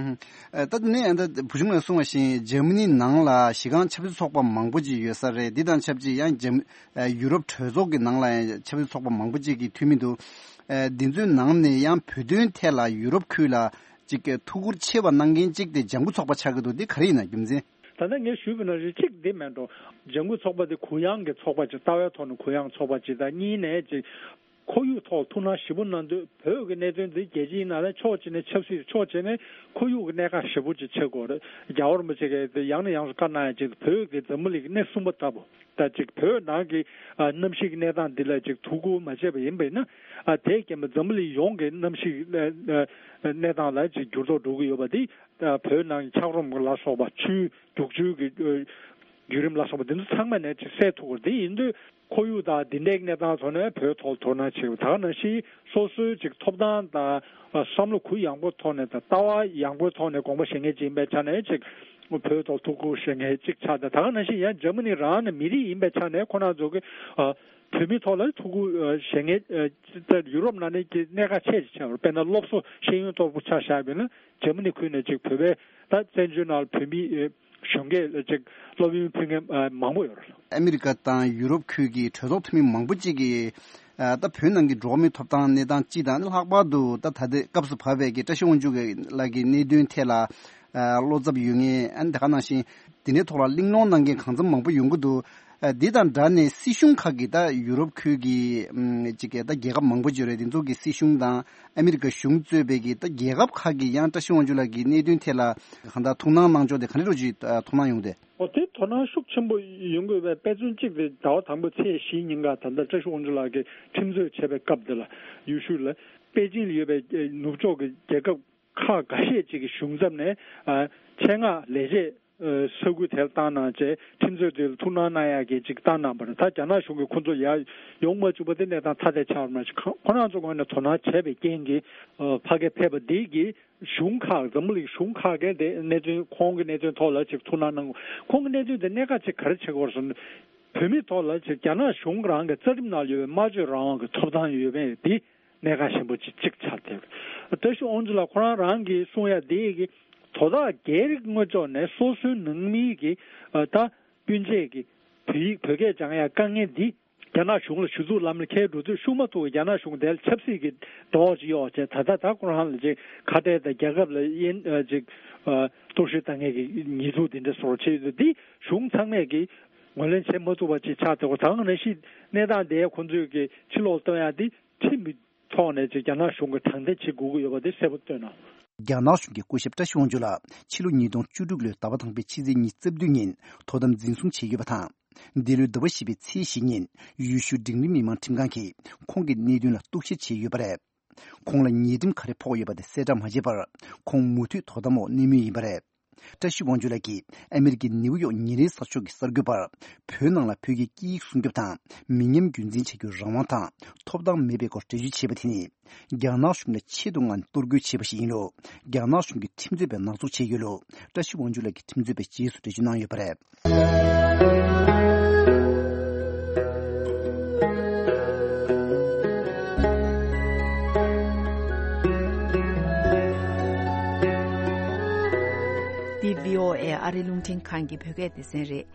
ཨ་ད་དེ་ནས་ཨ་ད་བུ་ཆུང་ལགས་གསུངས་པ་བཞིན་འཇར་མ་ནི་ནང་ལ་གཞི་རྐང་ཆབ་སྲིད་ཚོགས་པ་མང་པོ་ཅིག་ཡོད་ས་རེད། འདི་དང་ཆབས་ཅིག་ཡང་འཇར་ཨ་ཡུ་རོབ་གྲོས་ཚོགས་ཀྱི་ནང་ལ་ཡང་ཆབ་སྲིད་ཚོགས་པ་མང་པོ་ཅིག་གི་འཐུས་མི་འདུག་ཨ་འདི་ཚོའི་ནང་ནས་ཡང་བོད་དོན་ཐད་ལ་ཡུ་རོབ་ཁུལ་ལ་ཅིག་གི་ཐུགས་ཁུར་ཆེ་བ་གནང་མཁན་གཅིག་དེ་ལྗང་གུ་ཚོགས་པ་ཆགས་ཀྱི་འདུག་འདི་ག་རེ་ཡིན་ན་རྒྱུ་མཚན། ད་ལྟ་ངས་ཞུས་པ་ནང་བཞིན་གཅིག་འདི་མེད་འགྲོ། ལྗང་གུ་ཚོགས་པ་དེ་གུ་ཡངས་ཀྱི་ཚོགས་པ་ཅིག་ལྟ་བའི་ཐོག་ནས་གུ་ཡངས་ཚོགས་པ་ཅིག་དང་། གཉིས་ནས་ཅིག་ཁོར་ཡུག་ཐོག་ཐུགས་སྣང་ཞེ་པོ་གནང་དུས། བོད་ཀྱི་གནད་དོན་འདི་རྒྱལ་སྤྱིའི་ནང་ལ་ཕྱོགས་གཅིག་ནས་ཆབ་སྲིད། ཕྱོགས་གཅིག་ནས་ཁོར་ཡུག་གི་གནད་འགག་ཞེ་པོ་ཅིག་ཆགས་ཀྱི་ཡོད་རེད། རྒྱལ་བ་རིན་པོ་ཆེ་གིས་དེ་ཡང་ནས་ཡང་དུ་བཀའ་གནང་ཡ་ཅིག་བོད་ཀྱི་འཛམ་བུ་གླིང་གི་སྣེ་གསུམ་པ་ལྟ་བུ། ད་ཅིག་བོད་ནང་གི་ཨ་གནམ་གཤིས་ཀྱི་གནས་སྟངས་འདི་ལ་ཅིག་ཐུགས་ཁུར་མ་བྱས་པ་ཡིན་པས་ན། ཨ་དེས་རྐྱེན་པས་འཛམ་བུ་གླིང་ཡོངས་ཀྱི་གནམ་གཤིས་ཨ་ཨ་གནས་སྟངས་ལ་ཅིག་འགྱུར་ལྡོག་འགྲོ་གི་ཡོད་པ་འདི། ཨ་བོད་ནང་གི་འཁྱགས་རོམ་ལ་སོགས་པ། ཆུའི་རྒྱུག་ཆུའི་གི་ཨ་བརྒྱུད་རིམ་ལ་སོགས་པ་འདི་ཚོ་ཚང་མ་ནས་ཅིག་གསལ་ཐུབ་ཀྱི་རེད། དེ་ཡིན་དུས་ཁོར་ཡུག་དང་འདི་འདྲའི་གནས་སྟངས་ཐོག་ནས་བོད་ཐོག་དོ་སྣང་བྱེད་པ། ད་ག་ནང་བཞིན་སོ་སོའི་ཅིག་ཐོབ་ཐང་དང་ཨ་བསམ་བློ་གུ་ཡངས་པོ་ཐོག་ནས་དང་ལྟ་བ་ཡངས་པོའི་ཐོག་ནས་དགོངས་པ་བཞེས་མཁན་ཅིག་ཡིན་པའི་ཆ་ནས་ཅིག་བོད་ཐོག་ཐུགས་ཁུར་བཞེས་མཁན་ཅིག་ཆགས། ད་ད་ག་ནང་བཞིན་ཡང་འཇར་མ་ནི་རང་ནས་མི་རིགས་ཡིན་པའི་ཆ་ནས་ཁོ་རང་ཚོ་གི་ཨ་བོད་མི་ཐོག་ལ་ཐུགས་ཁུར་ཨ་བཞེས་མཁན་ཨ་ད་ཡུ་རོབ་ནང་ནས་ཀྱི་གནད་འགག་ཆེ་ཆེ་བ། དཔེར་ན་སློབ་གསོ་ཤེས་ཡོན་ཐོག་ཆ་བཞག་པ་ན་འཇར་མ་ནི་ཁུལ་ནས་ཅིག་བོད་པའི་ད་བཙན་བྱོལ་ནང་ལ་བོད་མི་ཨ་གཞོན་སྐྱེས་ལ་ཅིག་སློབ་ཡོན་ཕུལ་མཁན་ཨ་མང་པོ་ཡོད་རེད། ཨ་མི་རི་ཀ་དང་ཡུ་རོབ་ཁུལ་གྱི་གྲོས་ཚོགས་འཐུས་མི་མང་པོ་ཅིག་གིས་ཨ་ད་བོད་ནང་གི་འགྲོ་བ་མིའི་ཐོབ་ཐང་གནས་སྟངས་སྤྱི་དང་། ལྷག་པར་དུ་ད་ད་ལྟའི་སྐབས་སུ་བབས་པའི་གི་བཀྲ་ཤིས་དབང་ཕྱུག་ལགས་ཀྱི་གནད་དོན་ཐད་ལ་ཨ་བློ་འཚབ་ཡོད་མཁན། ཨ་ནི་ད་ག་ནང་བཞིན་དེ་འདྲའི་ཐོག་ལ་གླེང་སློང་གནང་མཁན་གང་འཚམ་མང་པོ་ཡོང་གི་འདུག་ཨ་འདི་དང་སྦྲགས་ནས་སྲིད་གཞུང་ཁག་གིས་ད་ཡུ་རོབ་ཁུལ་གྱི་ཨམ་ཅིག་གི་ད་རྒྱལ་ཁབ་མང་པོ་ཅིག་ཡོད་རེད། དེ་ཚོ་གི་སྲིད་གཞུང་དང་ཨ་མི་རི་ཀ་གཞུང་གཙོས་པའི་གི་ད་རྒྱལ་ཁབ་ཁག་གིས་ཡང་བཀྲ་ཤིས་དབང་ཕྱུག་ལགས་ཀྱི་གནད་དོན་ཐད་ལ་གང་ལྟར་ཐུགས་སྣང་གནང་ཕྱོགས་དེ་ག་འདྲ་རོ་ཅིག་ཨ་མཐོང་སྣང་ཡོང་དེ། འོ་དེ་དོ་སྣང་ཤུགས་ཆེན་པོ་ཡོང་དགོས་པའི་དཔེ་མཚོན་གཅིག་དེ་ཟླ་བ་དང་པོའི་ཚེས་བཞི་ཉིན་ཀ་ད་ལྟ་བཀྲ་ཤིས་དབང་ཕྱུག་ལགས་ཀྱིས་ཁྲིམས་རྩོད་བྱས་པའི་སྐབས་དེ་ལ་ཡུལ་ཤུལ་ལ་པེ་ཅིང་ལ་ཡོད་པའི་ནུབ་ཕྱོགས་ཀྱི་རྒྱལ་ཁབ་ཁག་འགའ་ཤས་ཅིག་གི་གཞུང་ཚབ་ནས་ཨ་ཆེད་མངགས་ལས་བྱེད་ཨ་ས་ཁུལ་དེར་བཏང་གནང་བྱས་ཁྲིམས་རྩོད་དེ་ལ་ཐུགས་སྣང་གནང་ཡག་གི་ཅིག་བཏང་གནང་བ་རེད། ད་རྒྱ་ནག་གཞུང་གིས་ཁོ་ཚོ་ཡར་ཡོང་མ་བཅུག་པ་དེ་གནས་སྟངས་ཐ་དད་ཆགས་པ་མ་ཟད། ཁོ་རང་ཚོ་ངོས་ནས་དོ་སྣང་བྱས་པའི་རྐྱེན་གྱིས་ཨ་ཕ་གིར་ཕེབས་པ་འདི་གིས་གཞུང་ཁག་འཛམ་བུ་གླིང་གཞུང་ཁག་གིས་དེ་གནད་དོན་ཁོང་གི་གནད་དོན་ཐོག་ལ་ཅིག་ཐུགས་སྣང་གནང་དགོས། ཁོང་གི་གནད་དོན་དེ་གནད་འགག་ཅིག་ག་རེ་ཆགས་ཀྱི་ཡོད་རེད་ཟེར་ན། བོད་མིའི་ཐོག་ལ་ཅིག་རྒྱ་ནག་གཞུང་རང་གི་རྩ་ཁྲིམས་ནང་ལ་ཡོད་པའི་སྨྲ་བརྗོད་རང་དབང་གི་ཐོབ་ཐང་ཡོད་པའི་དེ་གནད་འགག་ཆེན་པོ་ཅིག་ཅིག་ཆགས་བསྡད་ཡོད། བཀྲ་ཤིས་དབང་ཕྱུག་ལགས་ཁོ་རང་རང་གིས་གསུང་ཡ་དེ་གི་དོ་བདག་སྒེར་དངོས་ཕྱོགས་ནས་སོ་སོའི་ནང་མི་གི་ཨ་ད་སྤུན་མཆེད་ཀྱི་བོད་ཡིག་བོད་སྐད་སྦྱང་ཡ་དཀའ་ངལ་འདི་རྒྱ་ནག་གཞུང་ལ་ཞུ་གཏུག་ལམ་ལ་འཁེལ་འགྲོ་དུས་ཤུགས་མ་ཐུག་པའི་རྒྱ་ནག་གཞུང་དེ་ལ་ཆབ་སྲིད་ཀྱི་གྲོགས་ཅིག་གཡོག་བྱས། ད་ལྟ་ད་ཁོ་རང་ལ་ཅིག་ཁ་བྲལ་དང་རྒྱལ་ཁབ་ལ་དབྱེན་ཨ་ཅིག་ཨ་གཏོར་བཤིག་བཏང་མཁན་གྱི་ཉེས་འཛུགས་འདི་འདྲ་བཟོ་བྱས་ཡོད་དུས། འདི་གཞུང་ཚང་མས་ཀྱི་ ངོས་ལེན་བྱེད་མ་ཐུབ་པ་ཅིག་ཆགས་ཏེ། ད་ག་ནང་བཞིན་གནས་སྟངས་དེ་ཁོང་ཚོས་ཀྱི་ཕྱིར་སློག་གཏོང་ཡ་དེ་ཁྲིམས་ཀྱི་ཐོག་ནས་ཅིག་རྒྱ་ནག་གཞུང་གིས་དྲང་བདེན་བྱེད་དགོས་ཀྱི་ཡོད་པ་དེ་གསལ་པོ་བཏོན་གནང་། རྒྱ་ནག་གཞུང་གི་སྐུ་ཞབས་བཀྲ་ཤིས་དབང་ཕྱུག་ལགས་ཕྱི་ལོ་ཉིས་སྟོང་བཅུ་དྲུག་ལོའི་ཟླ་བ་དང་པོའི་ཕྱི་ཚེས་ཉི་ཤུ་རྩ་བདུན་ཉིན་དོ་དམ་འཛིན་བཟུང་བྱས་ཡོད་པ་དང་། འདི་ལོའི་ཟླ་བ་བཞི་པའི་ཚེས་བཞི་ཉིན་ཡུལ་ཤུལ་འབྲིང་རིམ་མི་མང་ཁྲིམས་ཁང་གིས་ཁོང་གི་གནད་དོན་ལ་རྟོག་ཞིབ་བྱས་ཡོད་པ་རེད། ཁོང་ལ་ཉེས་ཁྲིམས་ག་རེ་ཕོག་ཡོད་པ་དེ་གསལ་བསྒྲགས་མ་བྱས་པར། ཁོང་མུ་མཐུད་དོ་དམ་འོག་གནས་མུས་ཡིན་པ་རེད། བཀྲ་ཤིས་དབང་ཕྱུག་ལགས་ཀྱིས་ཨ་མེ་རི་ཀའི་ནེའུ་ཡོག་ཉིན་རེའི་གསར་ཤོག་གི་གསར་འགོད་པར། བོད་ནང་ལ་བོད་ཀྱི་སྐད་ཡིག་སྲུང་སྐྱོབ་དང་མི་ཉམས་རྒྱུན་འཛིན་བྱ་རྒྱུའི་རང་དབང་དང་ཐོབ་ཐང་མེད་པའི་སྐོར་འགྲེལ་བརྗོད་བྱས་པ་དེ་ནི། རྒྱ་ནག་གཞུང་ལ་ཆེད་དུ་ངང་གཏོར་རྒོལ་བྱས་པ་ཞིག་ཡིན་ལུགས། རྒྱ་ནག་གཞུང་གིས་ཁྲིམས་རྩོད་པས་ནག་འཛུགས་བྱས་ཡོད་ལུགས། བཀྲ་ཤིས་དབང་ཕྱུག་ལགས་ཀྱིས་ཁྲིམས་རྩོད་པའི་རྗེས་སུ་འགྲེལ་བརྗོད་གནང་ཡོད་པ་རེད། འདི་བྷི་ཨོ་ཨེ་ཨ་རིའི་རླུང་འཕྲིན་ཁང་གི་བོད་སྐད་སྡེ་ཚན་རེད།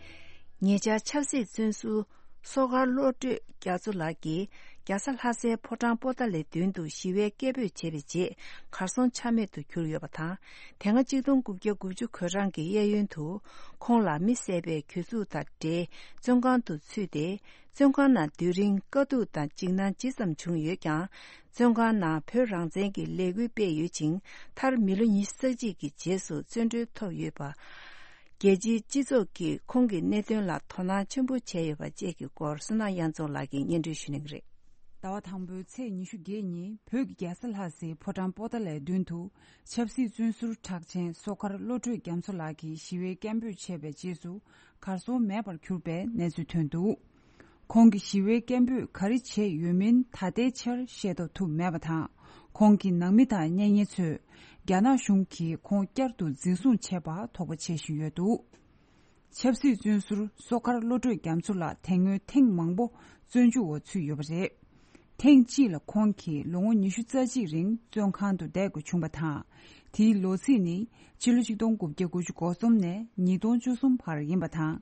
ཉེ་ཆར་ཆབ་སྲིད་བཙོན་ཟུར་སོ་མཁར་བློ་གྲོས་རྒྱ་མཚོ་ལགས་ཀྱིས་རྒྱལ་ས་ལྷ་སའི་ཕོ་བྲང་པོ་ཏཱ་ལའི་མདུན་དུ་ཞི་བའི་སྐད་འབོད་བྱས་པའི་རྗེས་གར་སོང་ཆ་མེད་དུ་གྱུར་ཡོད་པ་དང་། དེ་སྔ་གཅིག་སྟོང་དགུ་བརྒྱ་དགུ་བཅུ་གོ་གྲངས་ཀྱི་གཡས་གཡོན་དུ་ཁོང་ལ་མི་བསད་པའི་གྱོད་འཛུགས་དང་འབྲེལ་བཙོན་ཁང་དུ་ཚུད་དེ། བཙོན་ཁང་ནང་སྡོད་རིང་དཀའ་སྡུག་དང་འཇིགས་སྣང་ཇི་ཙམ་བྱུང་ཡོད་ཀྱང་། བཙོན་ཁང་ནང་བོད་རང་བཙན་གྱི་ལས་འགུལ་སྤེལ་ཡོད་ཅིང་། མཐར་མི་ལོ་ཉི་ཤུ་རྩ་གཅིག་གི་རྗེས་སུ་བཙོན་གྲོལ་ཐོབ་ཡོད་པ། རྒྱལ་སྤྱིའི་སྤྱི་ཚོགས་ཀྱིས་ཁོང་གི་གནད་དོན་ལ་དོ་སྣང་ཆེན་པོ་བྱས་ཡོད་པ་བཅས་ཀྱི་སྐོར་བསོད་ནམས་དབྱངས་འཛོམས་ལགས་ཀྱིས་སྙན་སྒྲོན་ཞུ་གནང་གི་རེད། ཟླ་བ་དང་པོའི་ཚེས་ཉི་ཤུ་བརྒྱད་ཉིན་བོད་ཀྱི་རྒྱལ་ས་ལྷ་སའི་ཕོ་བྲང་པོ་ཏཱ་ལའི་མདུན་དུ་ཆབ་སྲིད་བཙོན་ཟུར་གྲགས་ཅན་སོ་མཁར་བློ་གྲོས་རྒྱ་མཚོ་ལགས་ཀྱིས་ཞི་བའི་སྐད་འབོད་བྱས་པའི་རྗེས་སུ་གར་སོང་མེད་པར་གྱུར་པའི་གནས་ཚུལ་ཐོན་འདུག་ཁོང་གིས་ཞི་བའི་སྐད་འབོད་ག་རེ་བྱས་ཡོད་མིན་ད་ལྟའི་ཆར་ཤེས་རྟོགས་ཐུབ་མེད་པ་དང་། ཁོང་གི་ནང་མི་དང་གཉེན་ཉེ་ཚོས་རྒྱ་ནག་གཞུང་གིས་ཁོང་བསྐྱར་དུ་འཛིན་བཟུང་བྱས་པ་དོགས་པ་བྱེད་བཞིན་ཡོད་འདུག་ཆབ་སྲིད་བཙོན་ཟུར་སོ་མཁར་བློ་གྲོས་རྒྱ་མཚོ་ལགས་དེ་སྔོན་ཐེངས་མང་པོ་བཙོན་འཇུག་འོག་ཚུད་ཡོད་པ་རེད། ཐེངས་གཅིག་ལ་ཁོང་གིས་ལོ་ངོ་ཉི་ཤུ་རྩ་གཅིག་རིང་བཙོན་ཁང་དུ་བསྡད་དགོས་བྱུང་བ་དང་། དེའི་ལོ་ཚིགས་ནི་ཕྱི་ལོ་ཆིག་སྟོང་དགུ་བརྒྱ་དགུ་བཅུ་གོ་གསུམ་ནས་ཉིས་སྟོང་བཅུ་གསུམ་བར་ཡིན་པ་དང་།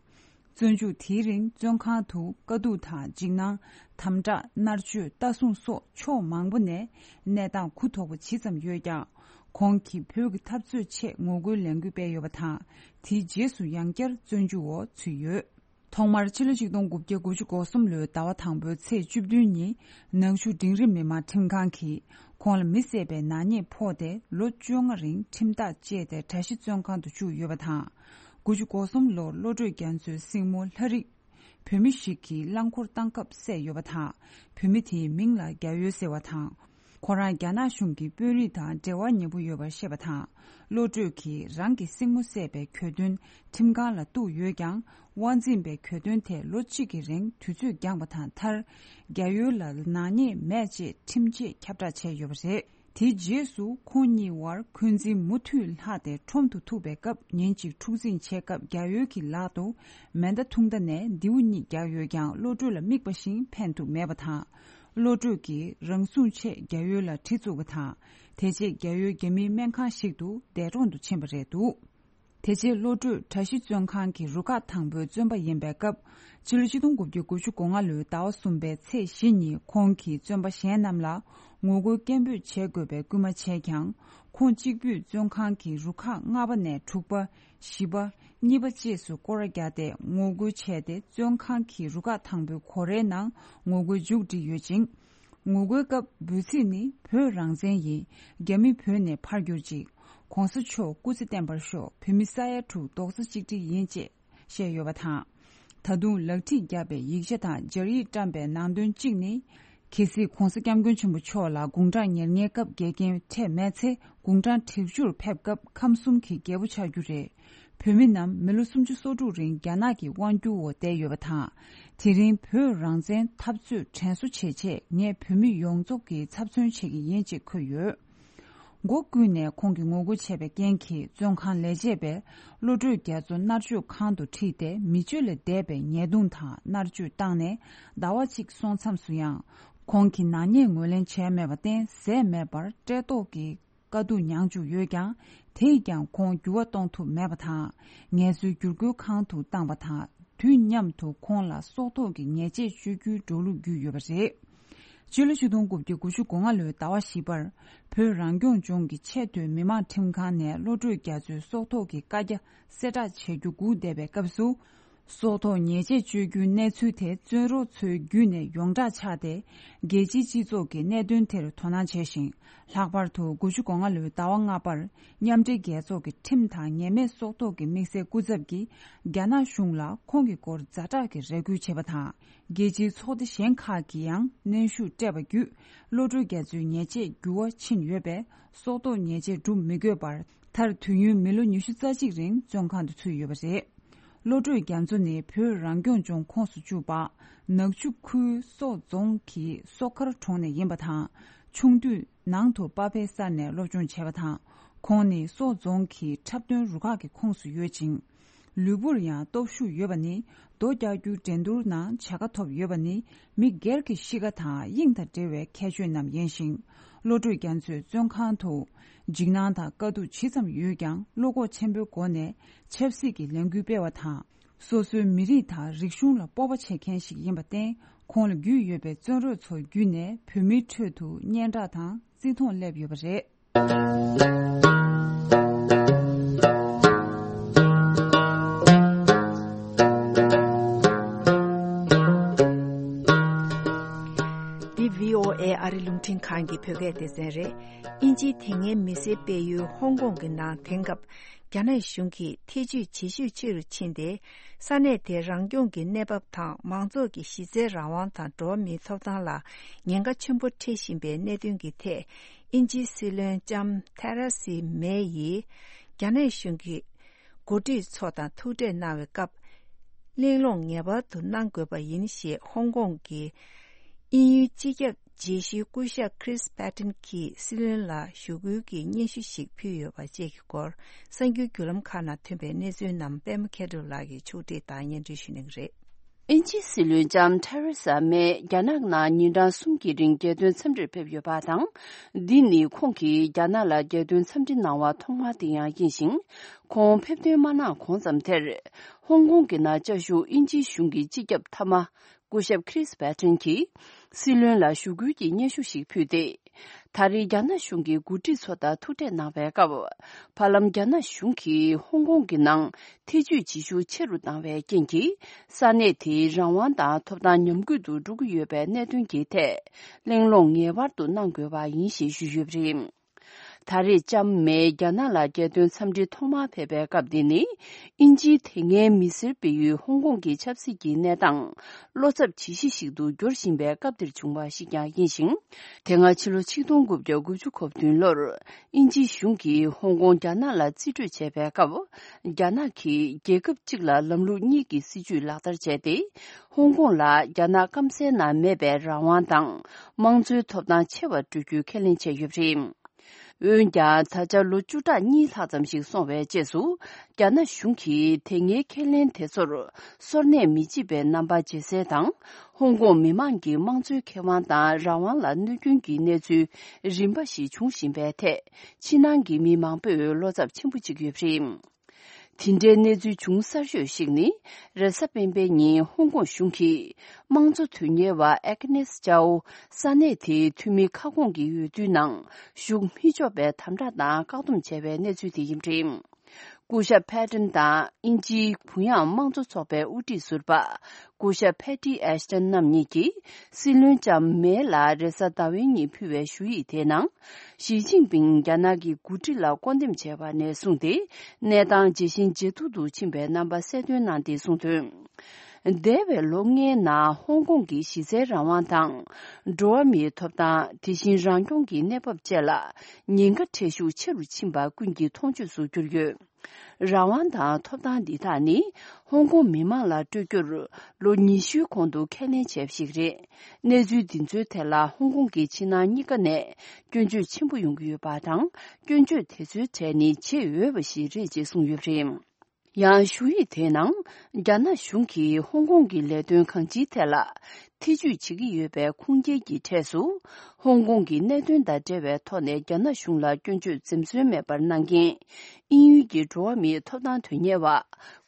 བཙོན་འཇུག་དེའི་རིང་བཙོན་ཁང་དུ་དཀའ་སྡུག་དང་འཇིགས་སྣང་། དམ་དྲག་མནར་གཅོད། ལྟ་སྲུང་སོགས་ཕྱོགས་མང་པོ་ནས་གནས་སྟངས་གུ་དོག་པོ་ཇི་ཙམ་ཡོད་ཀྱང་། ཁོང་གིས་བོད་ཀྱི་འཐབ་རྩོད་ཆེད་ངོ་རྒོལ་ལས་འགུལ་སྤེལ་ཡོད་པ་དང་། དེའི་རྗེས་སུ་ཡང་བསྐྱར་བཙོན་འཇུག་འོག་ཚུད་ཡོད། ཐོག་མར་ཕྱི་ལོ་ཆིག་སྟོང་དགུ་བརྒྱ་དགུ་བཅུ་གོ་གསུམ་ལོའི་ཟླ་བ་དང་པོའི་ཚེས་བཅུ་བདུན་ཉིན་ནང་ཆུ་འབྲིང་རིམ་མི་མང་ཁྲིམས་ཁང་གིས་ཁོང་ལ་མི་བསད་པའི་ནག་ཉེས་ཕོག་སྟེ་ལོ་བཅོ་ལྔ་རིང་ཁྲིམས་ཐག་བཅད་དེ་གྲྭ་བཞི་བཙོན་ཁང་དུ་བཅུག་ཡོད་པ་དང་། དགུ་བཅུ་གོ་གསུམ་ལོར་བློ་གྲོས་རྒྱ་མཚོའི་སྲིང་མོ་ལྷ་རིགས། བུད་མེད་ཞིག་གིས་རླངས་འཁོར་བཏང་སྐབས་བསད་ཡོད་པ་དང་། བུད་མེད་དེའི་མིང་ལ་རྒྱ་ཡོལ་ཟེར་བ་དང་། ཁོ་རང་རྒྱ་ནག་གཞུང་གི་དཔོན་རིགས་དང་འབྲེལ་བ་ཉེ་པོ་ཡོད་པར་བཤད་པ་དང་། བློ་གྲོས་ཀྱིས་རང་གི་སྲིང་མོ་བསད་པའི་གྱོད་དོན་ཁྲིམས་ཁང་ལ་གཏུགས་ཡོད་ཀྱང་། དབང་འཛིན་པས་གྱོད་དོན་ཐད་ལོ་གཅིག་གི་རིང་དུས་ཚོད་འགྱངས་པ་དང་། མཐར་རྒྱ་ཡོལ་ལ་ནག་ཉེས་མེད་ཅེས་ཁྲིམས་ཆད་ཁྱབ་བསྒྲགས་བྱས་ཡོད་པ་རེད། དེའི་རྗེས་སུ་ཁོང་གཉིས་དབར་འཁོན་འཛིན་མུ་མཐུད་ལྷག་སྟེ། ཁྲོམ་དུ་ཐུག་པའི་སྐབས་ཉིན་གཅིག་འཁྲུག་འཛིང་བྱས་སྐབས་རྒྱ་ཡོལ་གྱི་ལག་ཏུ་མེ་མདའ་ཐུང་མདའ་ནས་མདེའུ་གཉིས་བརྒྱབ་ཡོད་ཀྱང་། བློ་གྲོས་ལ་དམིགས་པ་བཞིན་ཕན་ཐོགས་མེད་པ་དང་། བློ་གྲོས་ཀྱིས་རང་སྲུང་ཆེད་རྒྱ་ཡོལ་ལ་གྲི་བཙུགས་པ་དང་། དེ་རྗེས་རྒྱ་ཡོལ་རྒྱ་མིའི་སྨན་ཁང་ཞིག་ཏུ་འདས་གྲོངས་སུ་ཕྱིན་པ་རེད་འདུག་དེ་རྗེས་བློ་གྲོས་གྲྭ་བཞི་བཙོན་ཁང་གི་རུ་ཁག་དང་པོའི་བཙོན་པ་ཡིན་པའི་སྐབས། ཕྱི་ལོ་ཆིག་སྟོང་དགུ་བརྒྱ་དགུ་བཅུ་གོ་ལྔ་ལོའི་ཟླ་བ་གསུམ་པའི་ཚེས་བཞི་ཉིན་ཁོང་གིས་བཙོན་པ་གཞན་རྣམས་ལ་ངོ་རྒོལ་སྐད་འབོད་བྱེད་དགོས་པའི་སྐུལ་མ་བྱས་ཀྱང་། ཁོང་གཅིག་པུས་བཙོན་ཁང་གི་རུ་ཁག་ལྔ་པ་ནས་དྲུག་པ། བཞི་པ། གཉིས་པ་བཅས་སུ་སྐོར་ར་བརྒྱབ་སྟེ་ངོ་རྒོལ་བྱས་ཏེ། བཙོན་ཁང་གི་རུ་ཁག་དང་པོའི་སྒོ་རའི་ནང་ངོ་རྒོལ་མཇུག་བསྒྲིལ་ཡོད་ཅིང་། ངོ་རྒོལ་སྐབས་འབོད་ཚིག་ནི་བོད་རང་བཙན་ཡིན། རྒྱ་མི་བོད་ནས་ཕར་གྱུར་ཅིག །གོང་ས་མཆོག་སྐུ་ཚེ་བརྟན་པར་ཤོག །བོད་མི་ས་ཡ་དྲུག་རྡོག་རྩ་གཅིག་སྒྲིལ་ཡིན་ཅེས་བཤད་ཡོད་པ་དང་། ད་དུང་ལག་ཁྲིད་བརྒྱབ་པའི་ཡིག་ཆ་དང་སྦྱར་ཡིག་བཀྲམ་པའི་ནང་དོན་གཅིག་ནི། གལ་སྲིད་༧གོང་ས་༧སྐྱབས་མགོན་ཆེན་པོ་མཆོག་ལ་དགུང་གྲངས་ཉེར་ལྔའི་སྐབས་འགལ་རྐྱེན་འཕྲད་མེད་ཚེ། དགུང་གྲངས་དྲུག་ཅུར་ཕེབས་སྐབས་ཁམས་གསུམ་གྱི་རྒྱལ་པོ་ཆགས་རྒྱུ་རེད། བོད་མི་རྣམས་མི་ལོ་སུམ་ཅུ་སོ་དྲུག་རིང་རྒྱ་ནག་གི་དབང་བསྒྱུར་འོག་བསྡད་ཡོད་པ་དང་། དེ་རིང་བོད་རང་བཙན་འཐབ་རྩོད་དྲན་གསོ་བྱེད་ཆེད་ངས་བོད་མི་ཡོངས་རྫོགས་ཀྱི་ཚབ་མཚོན་བྱེད་ཀྱི་ཡིན་ཅེས་འཁོད་ཡོད། མགོ་ཀུན་ནས་ཁོང་གིས་ངོ་རྒོལ་བྱས་པའི་རྐྱེན་གྱིས་བཙོན་ཁང་ལས་བྱེད་པས་བློ་གྲོས་རྒྱ་མཚོ་མནར་གཅོད་ཁང་དུ་ཁྲིད་དེ་མི་སྤྱོད་ལས་འདས་པའི་ཉེས་རྡུང་དང་མནར་གཅོད་བཏང་ནས་ཟླ་བ་གཅིག་སོང་མཚམས་སུ་ཡང་། ཁོང་གིས་ནག་ཉེས་ངོས་ལེན་བྱས་མེད་པར་བརྟེན་ཟས་མེད་པར་བཀྲེས་ལྟོགས་ཀྱི་དཀའ་སྡུག་མྱངས་བཅུག་ཡོད་ཀྱང་། དེས་ཀྱང་ཁོང་འགྱུར་བ་གཏོང་ཐུབ་མེད་པ་དང་། ངལ་གསོའི་བསྒྱུར་བཀོད་ཁང་དུ་བཏང་པ་དང་། དུས་མཉམ་དུ་ཁོང་ལ་སྲོག་ཐོག་གི་ཉེས་ཆད་གཅོད་རྒྱུའི་འགྲོ་ལུགས་བརྒྱུད་ཡོད་པ་རེད། སྤྱི་ལོ་ཆིག་སྟོང་དགུ་བརྒྱ་དགུ་བཅུ་གོ་ལྔ་ལོའི་ཟླ་བ་བཞི་པར། བོད་རང་སྐྱོང་ལྗོངས་ཀྱི་ཆེས་མཐོའི་མི་དམངས་ཁྲིམས་ཁང་ནས་བློ་གྲོས་རྒྱ་མཚོའི་སྲོག་ཐོག་གི་བཀའ་རྒྱ་གསལ་བསྒྲགས་བྱེད་རྒྱུ་སྒུག་བསྡད་པའི་སྐབས་སུ། སྲོག་ཐོག་ཉེས་ཆད་གཅོད་རྒྱུའི་གནས་ཚུལ་དེ་བཙོན་རོགས་ཚོའི་བརྒྱུད་ནས་ཡོངས་གྲགས་ཆགས་ཏེ། རྒྱལ་སྤྱིའི་སྤྱི་ཚོགས་ཀྱིས་གནད་དོན་དེར་དོ་སྣང་བྱས་ཤིང་། ལྷག་པར་དུ་དགུ་བཅུ་གོ་ལྔ་ལོའི་ཟླ་བ་ལྔ་པར་མཉམ་འབྲེལ་རྒྱལ་ཚོགས་ཀྱི་ཁྲིམས་དང་ཉེས་མེད་སྲོག་ཐོག་གི་དམིགས་བསལ་སྐུ་ཚབ་ཀྱིས་རྒྱ་ནག་གཞུང་ལ་ཁོང་གི་སྐོར་ཛ་དྲག་གི་རེ་སྐུལ་བྱས་པ་དང་། རྒྱལ་སྤྱིའི་ཚོགས་སྡེ་གཞན་ཁག་གིས་ཡང་གནོན་ཤུགས་སྤྲད་པ་བརྒྱུད། བློ་གྲོས་རྒྱ་མཚོའི་ཉེས་ཆད་འགྱུར་བ་ཕྱིན་ཡོད་པས། སྲོག་ཐོག་ཉེས་ཆད་སྒྲུབ་མི་དགོས་པར། མཐར་དུས་ཡུན་མི་ལོ་ཉི་ཤུ་རྩ་གཅིག་རིང་བཙོན་ཁང་དུ་ཚུད་ཡོད་པ་རེད། བློ་གྲོས་རྒྱ་མཚོ་ནི་བོད་རང་སྐྱོང་ལྗོངས་ཁོངས་སུ་བཅུག་པ། ནག་ཆུ་ཁུལ་སོག་རྫོང་གི་སོག་མཁར་གྲོང་ནས་ཡིན་པ་དང་། ཆུང་དུས་ནང་དུ་པ་ཕའི་སར་ནས་སློབ་སྦྱོང་བྱས་པ་དང་། ཁོང་ནི་སོག་རྫོང་གི་འཁྲབ་སྟོན་རུ་ཁག་གི་ཁོངས་སུ་ཡོད་ཅིང་། ལུས་པོར་ཡང་སྟོབས་ཤུགས་ཡོད་པ་ནི། རྡོ་རྒྱག་རྒྱུའི་འགྲན་བསྡུར་ནང་བྱ་དགའ་ཐོབ་ཡོད་པ་ནི། མི་སྒེར་གྱི་གཤིས་ཀ་དང་དབྱིངས་དང་འབྲེལ་བའི་ཁྱད་ཆོས་རྣམས་ཡིན་ཞིང་། བློ་གྲོས་རྒྱ་མཚོས་བཙོན་ཁང་དུ། འཇིགས་སྣང་དང་དཀའ་སྡུག་ཇི་ཙམ་ཡོད་ཀྱང་། བློ་ཁོག་ཆེན་པོའི་སྒོ་ནས་ཆབ་སྲིད་ཀྱི་ལས་འགུལ་སྤེལ་བ་དང་། སོ་སོའི་མི་རིགས་དང་རིག་གཞུང་ལ་སྤོབས་པ་བྱེད་མཁན་ཞིག་ཡིན་པར་བརྟེན། ཁོང་ལ་རྒྱུས་ཡོད་པའི་བཙོན་རོགས་ཚོ་བརྒྱུད་ནས་བོད་མིའི་ཁྲོད་དུ་སྙན་གྲགས་དང་བརྩི་མཐོང་སླེབས་ཡོད་པ་རེད། འདི་བྷི་ཨོ་ཨེ་ཨ་རི་རླུང་འཕྲིན་ཁང་གི་བོད་སྐད་སྡེ་ཚན་རེད། དབྱིན་ཇིའི་དེ་སྔའི་མི་སེར་སྤེལ་ཡུལ་ཧོང་ཀོང་གི་ནང་དེང་སྐབས་རྒྱ་ནག་གཞུང་གིས་ཐེ་ཇུས་ཇེ་ཤུགས་ཆེ་རུ་ཕྱིན་ཏེ། ས་གནས་དེའི་རང་སྐྱོང་གི་གནས་བབ་དང་། མང་ཚོགས་ཀྱི་གཞི་རྩའི་རང་དབང་དང་འགྲོ་བ་མིའི་ཐོབ་ཐང་ལ་ཉེན་ཁ་ཆེན་པོ་འཕྲད་བཞིན་པའི་གནད་དོན་གྱི་ཐད། དབྱིན་ཇིའི་སྲིད་བློན་ལྕམ་ཐེ་རེ་སི་མེ་ཡིས་རྒྱ་ནག་གཞུང་གི་འགོ་ཁྲིད་ཚོ་དང་ཐུག་འཕྲད་གནང་བའི་སྐབས། གླེང་སློང་ངེས་པར་དུ་གནང་དགོས་པ་ཡིན་ཞེས་ཧོང་ཀོང་གི་དབྱིན་ཡུལ་སྤྱི་ཁྱབ་དཔྱད་ཞིབ་སྐུ་ཞབས་Chris Patten གྱིས་སྲིད་བློན་ལ་ཞུ་སྐུལ་གྱི་སྙན་ཞུ་ཞིག་ཕུལ་ཡོད་པ་བཅས་ཀྱི་སྐོར། གསར་འགྱུར་བརྒྱུད་ལམ་ཁག་ནང་ཐོན་པའི་གནས་ཚུལ་རྣམས་པད་མ་མཁས་གྲུབ་ལགས་ཀྱིས་ཕྱོགས་སྒྲིག་དང་སྙན་སྒྲོན་ཞུ་གནང་གི་རེད། དབྱིན་ཇིའི་སྲིད་བློན་ལྕམ་ཐེ་རེ་ས་མེ་རྒྱ་ནག་ནང་ཉིན་གྲངས་གསུམ་གྱི་རིང་རྒྱལ་དོན་འཚམས་འདྲིར་ཕེབས་ཡོད་པ་དང་། འདི་ནི་ཁོང་གིས་རྒྱ་ནག་ལ་རྒྱལ་དོན་འཚམས་འདྲི་གནང་བ་ཐོག་མ་དེ་ཡང་ཡིན་ཞིང་། ཁོང་ཕེབས་ཐོན་མ་གནང་གོང་ཙམ་དེར། ཧོང་ཀོང་གི་ནང་བཅའ་བཞུགས་དབྱིན་ཇིའི་གཞུང་གི་སྤྱི་ཁྱབ་མཐའ་མ། སྐུ་ཞབས་Chris Patten གྱིས་སྲིད་བློན་ལ་ཞུ་སྐུལ་གྱི་སྙན་ཞུ་ཞིག་ཕུལ་ཏེ། ད་རེས་རྒྱ་ནག་གཞུང་གི་འགོ་ཁྲིད་ཚོ་དང་ཐུག་འཕྲད་གནང་བའི་སྐབས། བར་ལམ་རྒྱ་ནག་གཞུང་གིས་ཧོང་ཀོང་གི་ནང་ཐེ་ཇུས་བྱེད་ཤུགས་ཆེ་རུ་བཏང་བའི་རྐྱེན་གྱིས། ས་གནས་དེའི་རང་དབང་དང་ཐོབ་ཐང་ཉམས་རྒུད་དུ་འགྲོ་གི་ཡོད་པའི་གནད་དོན་གྱི་ཐད། གླེང་སློང་ངེས་པར་དུ་གནང་དགོས་པ་ཡིན་ཞེས་ཞུས་ཡོད་པ་རེད། ད་རེས་ལྕམ་མེ་རྒྱ་ནག་ལ་རྒྱལ་དོན་འཚམས་འདྲི་ཐོག་མར་ཕེབས་པའི་སྐབས་འདི་ནི། དབྱིན་ཇིའི་དེ་སྔའི་མི་སེར་སྤེལ་ཡུལ་ཧོང་ཀོང་གི་ཆབ་སྲིད་ཀྱི་གནས་སྟངས་བློ་འཚབ་ཇི་ཞིག་ཞིག་ཏུ་འགྱུར་བཞིན་པའི་སྐབས་འདིར་བྱུང་བ་ཞིག་ཀྱང་ཡིན་ཞིང་། དེ་སྔ་ཕྱི་ལོ་ཆིག་སྟོང་དགུ་བརྒྱ་དགུ་བཅུ་གོ་བདུན་ལོར། དབྱིན་ཇིའི་གཞུང་གིས་ཧོང་ཀོང་རྒྱ་ནག་ལ་རྩིས་སྤྲོད་བྱས་པའི་སྐབས། རྒྱ་ནག་གིས་རྒྱལ་ཁབ་གཅིག་ལ་ལམ་ལུགས་གཉིས་ཀྱི་སྲིད་ཇུས་ལག་བསྟར་བྱས་ཏེ། ཧོང་ཀོང་ལ་རྒྱ་ནག་སྐམ་སའི་ནང་མེད་པའི་རང་དབང་དང་། དམངས་གཙོའི་ཐོབ་ཐང་ཆེ་བ་སྤྲོད་རྒྱུའི་ཁས་ལེན་བྱས་ཡོད་པ་རེད། འོན་ཀྱང་། ད་ཆ་ལོ་བཅུ་ཕྲག་གཉིས་ལྷག་ཙམ་ཞིག་སོང་བའི་རྗེས་སུ། རྒྱ་ནག་གཞུང་གིས་དེ་སྔའི་ཁས་ལེན་དེ་ཚོར་སོར་གནས་མི་བྱེད་པའི་རྣམ་པ་ཇེ་གསལ་དང་། ཧོང་ཀོང་མི་མང་གི་དམངས་གཙོའི་ཁེ་དབང་དང་རང་དབང་ལ་གནོད་སྐྱོན་གྱི་གནས་ཚུལ་རིམ་པ་ཞིག་འབྱུང་བཞིན་པའི་ཐད། ཕྱི་ནང་གི་མི་མང་པོས་བློ་འཚབ་ཆེན་པོ་བྱེད་ཀྱི་ཡོད་པ་རེད། དེ་འདྲའི་གནས་ཚུལ་བྱུང་གསར་ཤོས་ཤིག་ནི། རེས་གཟའ་སྤེན་པའི་ཉིན་ཧོང་ཀོང་གཞུང་གིས་དམངས་གཙོ་དོན་གཉེར་བ་ཨེ་ཀི་ནེས་ཅའོ་ས་གནས་དེའི་འཐུས་མི་ཁ་སྐོང་གི་འོས་བསྡུའི་ནང་ཞུགས་མི་ཆོག་པའི་དམ་དྲག་དང་བཀག་སྡོམ་བྱས་པའི་གནས་ཚུལ་དེ་ཡིན་པ་རེད། སྐུ་ཞབས་ཕེ་ཏན་དང་དབྱིན་ཇིའི་གུ་ཡངས་དམངས་གཙོ་ཚོགས་པའི་དབུ་ཁྲིད་ཟུར་པ། སྐུ་ཞབས་ཕེ་ཏི་ཨེ་ཤ་ཏན་རྣམ་གཉིས་ཀྱིས་སྲིད་བློན་ལྕམ་མེ་ལ་རེས་གཟའ་ཟླ་བའི་ཉིན་ཕུལ་བའི་ཞུ་ཡིག་དེའི་ནང་། ཞི་ཅིན་ཕིང་རྒྱ་ནག་གི་འགོ་ཁྲིད་ལ་བསྐོ་འདེམས་བྱས་པ་ནས་བཟུང་སྟེ། གནས་སྟངས་ཇེ་ཞན་ཇེ་སྡུག་ཏུ་ཕྱིན་པའི་རྣམ་པ་གསལ་སྟོན་གནང་སྟེ་གསུངས་དོན། འདས་པའི་ལོ་ལྔའི་ནང་ཧོང་ཀོང་གི་གཞི་རྩའི་རང་དབང་དང་། འགྲོ་བ་མིའི་ཐོབ་ཐང་། དེ་བཞིན་རང་སྐྱོང་གི་གནས་བབ་བཅས་ལ་ཉེན་ཁ་འཕྲད་ཤུགས་ཆེ་རུ་ཕྱིན་པ་ཀུན་གྱིས་མཐོང་ཆོས་སུ་གྱུར་ཡོད། རང་དབང་དང་ཐོབ་ཐང་འདི་དག་ནི་ཧོང་ཀོང་མི་མང་ལ་སྤྲོད་རྒྱུར་ལོ་ཉི་ཤུའི་གོང་དུ་ཁས་ལེན་བྱས་པ་ཞིག་རེད། གནས་ཚུལ་འདི་ཚོའི་ཐད་ལ་ཧོང་ཀོང་གི་ཕྱི་ནང་གཉིས་ཀ་ནས་སྐྱོན་བརྗོད་ཆེན་པོ་ཡོང་གི་ཡོད་པ་དང་། སྐྱོན་བརྗོད་དེ་ཚོའི་གྲས་ནི་བྱེད་འོས་པ་ཞིག་རེད་ཅེས་གསུངས་ཡོད་པ་རེད། ཡང་ཞུ་ཡིག་དེའི་ནང་། རྒྱ་ནག་གཞུང་གིས་ཧོང་ཀོང་གི་ལས་དོན་གང་ཅིའི་ཐད་ལ་ཐེ་ཇུས་བྱེད་ཀྱི་ཡོད་པའི་ཁུངས་སྐྱེལ་གྱི་གྲས་སུ། ཧོང་ཀོང་གི་གནད་དོན་དང་འབྲེལ་བའི་ཐོག་ནས་རྒྱ་ནག་གཞུང་ལ་སྐྱོན་བརྗོད་འཛེམ་ཟོན་མེད་པར་གནང་མཁན། དབྱིན་ཡུལ་གྱི་འགྲོ་བ་མིའི་ཐོབ་ཐང་དོན་གཉེར་བ།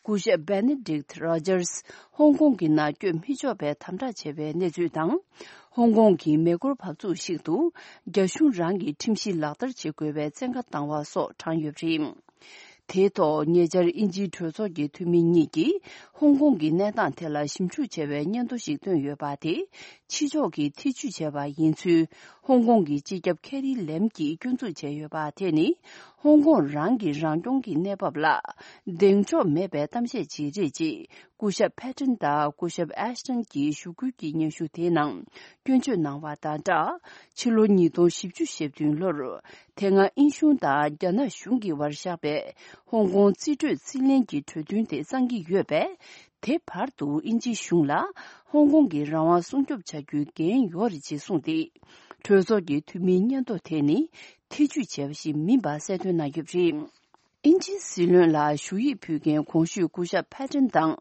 སྐུ་ཞབས་Benedict Rogers ཧོང་ཀོང་གི་ནང་བསྐྱོད་མི་ཆོག་པའི་དམ་དྲག་བྱས་པའི་གནས་ཚུལ་དང་། ཧོང་ཀོང་གི་མེ་འཁོར་བབས་ཚུགས་ཤིག་ཏུ། རྒྱ་གཞུང་རང་གི་ཁྲིམས་གཞི་ལག་བསྟར་བྱེད་དགོས་པའི་བཙན་བཀའ་བཏང་བ་སོགས་བགྲངས་ཡོད་པ་རེད། དེའི་ཐོག་ཉེ་ཆར་དབྱིན་ཇིའི་གྲོས་ཚོགས་ཀྱི་འཐུས་མི་གཉིས་ཀྱིས་ཧོང་ཀོང་གི་གནས་སྟངས་ཐད་ལ་ཞིབ་འཇུག་བྱ་བའི་སྙན་ཐོ་ཞིག་བཏོན་ཡོད་པ་དེ། ཕྱི་ཕྱོགས་ཀྱིས་ཐེ་བྱུས་བྱས་པ་ཡིན་ཚུལ་ཧོང་ཀོང་གི་སྤྱི་ཁྱབ་ཁེ་རི་ལེམ་གྱིས་སྐྱོན་འཛུགས་བྱས་ཡོད་པ་དེ་ནི། ཧོང་ཀོང་རང་གི་རང་སྐྱོང་གི་གནས་བབ་ལ་གདེང་འཇོག་མེད་པའི་གཏམ་བཤད་ཅིག་རེད་ཅེས། སྐུ་ཞབས་ཕེ་ཏྲན་དང་སྐུ་ཞབས་ཨེ་ཤ་ཏན་གྱིས་ཞུ་སྐུལ་གྱི་སྙན་ཞུ་དེའི་ནང་སྐྱོན་བརྗོད་གནང་བ་དང་སྦྲགས། ཕྱི་ལོ་ཉིས་སྟོང་བཞི་བཅུ་ཞེ་བདུན་ལོར་དེ་སྔ་དབྱིན་གཞུང་དང་རྒྱ་ནག་གཞུང་གི་བར་བཞག་པའི་ཧོང་ཀོང་རྩིས་སྤྲོད་རྩིས་ལེན་གྱི་གྲོས་མཐུན་དེ་གསང་གི་ཡོད་པས། དེ་བར་དུ་དབྱིན་ཇིའི་གཞུང་ལ་ཧོང་ཀོང་གི་རང་དབང་སྲུང་སྐྱོབ་བྱ་རྒྱུའི་འགན་ཡོད་རེད་ཅེས་གསུངས་ཏེ། གྲོས་ཚོགས་ཀྱི་འཐུས་མིའི་སྙན་ཐོ་དེ་ནི་ཐེ་བྱུས་བྱས་པ་ཞིག་མིན་པ་གསལ་སྟོན་གནང་ཡོད་པ་རེད། དབྱིན་ཇིའི་སྲིད་བློན་ལ་ཞུ་ཡིག་ཕུལ་མཁན་གོང་ཞུས་སྐུ་ཞབས་ཕེ་ཏྲན་དང་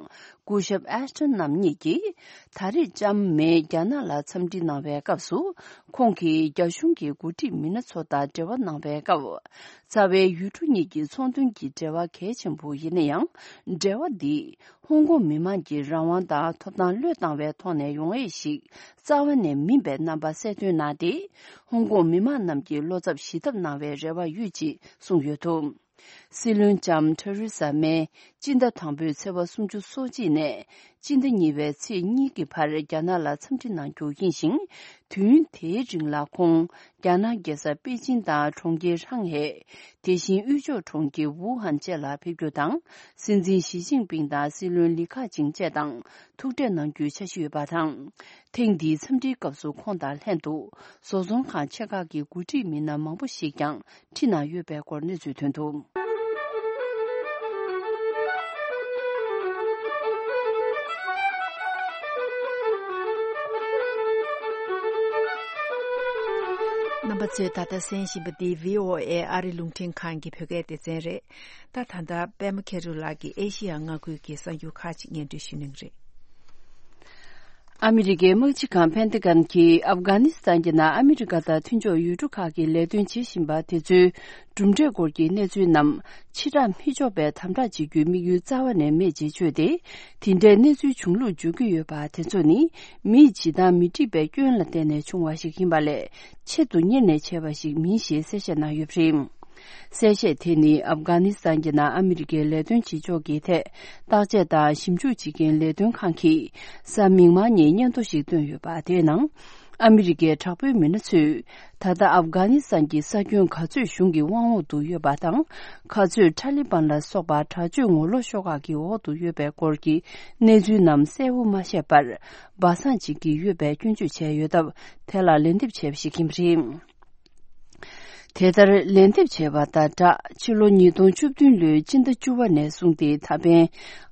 སྐུ་ཞབས་ཨེ་ཤ་ཏན་རྣམ་གཉིས་ཀྱིས་ད་རེས་ལྕམ་མེ་རྒྱ་ནག་ལ་འཚམས་འདྲི་གནང་བའི་སྐབས་སུ། ཁོང་གིས་རྒྱ་གཞུང་གི་འགོ་ཁྲིད་མི་སྣ་ཚོ་དང་འབྲེལ་བ་གནང་བའི་སྐབས། རྩ་བའི་ཡུལ་གྲུ་གཉིས་ཀྱི་ཚོང་དོན་གྱི་འབྲེལ་བ་གལ་ཆེན་པོ་ཡིན་ན་ཡང་། འབྲེལ་བ་འདི་ཧོང་ཀོང་མི་མང་གི་རང་དབང་དང་ཐོབ་ཐང་བློས་བཏང་བའི་ཐོག་ནས་ཡོང་ཡས་ཤིག་རྩ་བ་ནས་མིན་པའི་རྣམ་པ་གསལ་སྟོན་གནང་སྟེ། ཧོང་ཀོང་མི་མང་རྣམས་ཀྱི་བློ་འཚབ་ཞི་ཐབས་གནང་བའི་རེ་བ་ཡོད་ཅེས་གསུངས་ཡོད་འདུག། སྲིད་བློན་ལྕམ་ཐེ་རེ་ས་མེ་སྤྱི་ཟླ་དང་པོའི་ཚེས་པ་སུམ་ཅུ་སོ་གཅིག་ནས་སྤྱི་ཟླ་གཉིས་པའི་ཚེས་གཉིས་ཀྱི་བར་རྒྱ་ནག་ལ་འཚམས་འདྲི་གནང་རྒྱུ་ཡིན་ཞིང་། དུས་ཡུན་དེའི་རིང་ལ་ཁོང་རྒྱ་ནག་རྒྱལ་ས་པེ་ཅིན་དང་གྲོང་ཁྱེར་ཧྲང་ཧེ། དེ་བཞིན་དབུས་ཕྱོགས་གྲོང་ཁྱེར་ཝུ་ཧན་བཅས་ལ་ཕེབས་རྒྱུ་དང་། སྲིད་འཛིན་ཞི་ཅིན་ཕིང་དང་སྲིད་བློན་ལི་ཁ་ཆིང་བཅས་དང་ཐུག་འཕྲད་གནང་རྒྱུའི་འཆར་གཞི་ཡོད་པ་དང་། ཐེངས་འདིའི་འཚམས་འདྲིའི་སྐབས་སུ་ཁོང་དང་ལྷན་དུ་བཟོ་ཚོང་ཁང་ཆེ་ཁག་གི་འགོ་ཁྲིད་མི་སྣ་མང་པོ་ཞིག་ཀྱང་ཁྲིད་གནང་ཡོད་པའི་སྐོར་གནས་ཚུལ་ཐོན་འདུག། རྣམ་པ་ཚོས་ད་ལྟ་གསན་བཞིན་པ་འདི་བྷི་ཨོ་ཨེ་ཨ་རི་རླུང་འཕྲིན་ཁང་གི་བོད་སྐད་སྡེ་ཚན་རེད། ད་ད་ལྟ་པད་མ་མཁྱེན་རབ་ལགས་ཀྱིས་ཨེ་ཤི་ཡ་མངའ་ཁུལ་གྱི་གསར་འགྱུར་ཁག་ཅིག་སྙན་སྒྲོན་ཞུ་གནང་གི་རེད། ཨ་མི་རི་ཀའི་དམག་སྤྱི་ཁང་ཕན་ཏི་གན་གྱིས་ཨབ་གྷ་ནི་སི་ཐན་གྱི་ནང་ཨ་མི་རི་ཀ་དང་མཐུན་ཕྱོགས་ཡུལ་གྲུ་ཁག་གིས་ལས་དོན་བྱེད་བཞིན་པ་དེ་ཚོའི་གྲུབ་འབྲས་སྐོར་གྱི་གནས་ཚུལ་རྣམས་ཕྱིར་བསྒྲགས་མི་ཆོག་པའི་དམ་དྲག་བྱེད་རྒྱུའི་དམིགས་ཡུལ་རྩ་བ་ནས་མེད་ཅེས་བརྗོད་དེ། དེ་འདྲའི་གནས་ཚུལ་བྱུང་ལུགས་བརྗོད་ཀྱི་ཡོད་པ་དེ་ཚོ་ནི་མིས་བྱེད་སྟངས་མི་འགྲིག་པའི་སྐྱོན་ལ་བརྟེན་ནས་བྱུང་བ་ཞིག་ཡིན་པ་ལས། ཆེད་དུ་གཉེར་ནས་བྱས་པ་ཞིག་མིན་ཞེས་གསལ་བཤད་གནང་ཡོད་པ་རེད། གསལ་བཤད་དེ་ནི་ཨབ་གྷ་ནི་སི་ཐན་གྱི་ནང་ཨ་མི་རི་ཀའི་ལས་དོན་བྱེད་ཕྱོགས་ཀྱི་ཐད་བརྟག་དཔྱད་དང་ཞིབ་འཇུག་བྱེད་མཁན་ལས་དོན་ཁང་གིས་གཟའ་མིག་དམར་ཉིན་སྙན་ཐོ་ཞིག་བཏོན་ཡོད་པ། དེའི་ནང་ཨ་མི་རི་ཀའི་དྲག་པོའི་མི་སྣ་ཚོས་ད་ལྟ་ཨབ་གྷ་ནི་སི་ཐན་གྱི་ས་ཁྱོན་ག་ཚོད་གཞུང་གི་དབང་འོག་ཏུ་ཡོད་པ་དང་། ག་ཚོད་ཐ་ལི་བན་ལ་སོགས་པ་དྲག་སྤྱོད་ངོ་ལོག་ཤོག་ཁག་གི་འོག་ཏུ་ཡོད་པའི་སྐོར་གྱི་གནས་ཚུལ་རྣམས་གསལ་བོ་མ་བཤད་པར་སྦ་གསང་བྱེད་ཀྱི་ཡོད་པའི་སྐྱོན་བརྗོད་བྱས་ཡོད་སྟབས། དེ་ལ་ལན་འདེབས་བྱས་པ་ཞིག་ཡིན་པ་རེད། དེ་ལྟར་ལན་འདེབས་བྱས་པ་དང་སྦྲགས། ཕྱི་ལོ་ཉིས་སྟོང་བཅུ་བདུན་ལོའི་སྤྱི་ཟླ་བཅུ་པ་ནས་བཟུང་སྟེ་ད་ཕན་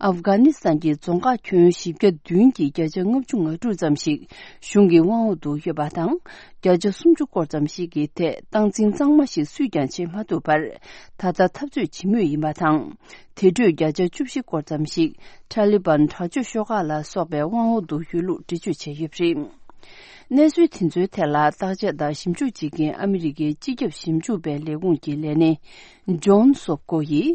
ཨབ་གྷ་ནི་སི་ཐན་གྱི་རྫོང་ཁག་ཁྱོན་བཞི་བརྒྱ་བདུན་གྱི་བརྒྱ་ཆ་ལྔ་བཅུ་ང་དྲུག་ཙམ་ཞིག་གཞུང་གི་དབང་འོག་ཏུ་ཡོད་པ་དང་། བརྒྱ་ཆ་སུམ་ཅུ་སྐོར་ཙམ་ཞིག་གི་ཐད་སྟངས་འཛིན་གཙང་མ་ཞིག་སུས་ཀྱང་བྱེད་མ་ཐུབ་པར། ད་ལྟ་འཐབ་རྩོད་བྱེད་མུས་ཡིན་པ་དང་། དེ་འཕྲོས་བརྒྱ་ཆ་བཅུ་བཞི་སྐོར་ཙམ་ཞིག་ཐ་ལི་བན་དྲག་སྤྱོད་ཤོག་ཁག་ལ་སོགས་པའི་དབང་འོག་ཏུ་ཡོད་ལུགས་འགྲེལ་བརྗོད་བྱས་ཡོད་པ་རེད། གནས་ཚུལ་དེ་ཚོའི་ཐད་ལ་བརྟག་དཔྱད་དང་ཞིབ་འཇུག་བྱེད་མཁན་ཨ་མི་རི་ཀའི་སྤྱི་ཁྱབ་ཞིབ་འཇུག་པའི་ལས་ཁུངས་ཀྱི་ལས་སྣེ་ཇོན་སོབ་ཀོ་ཡིས།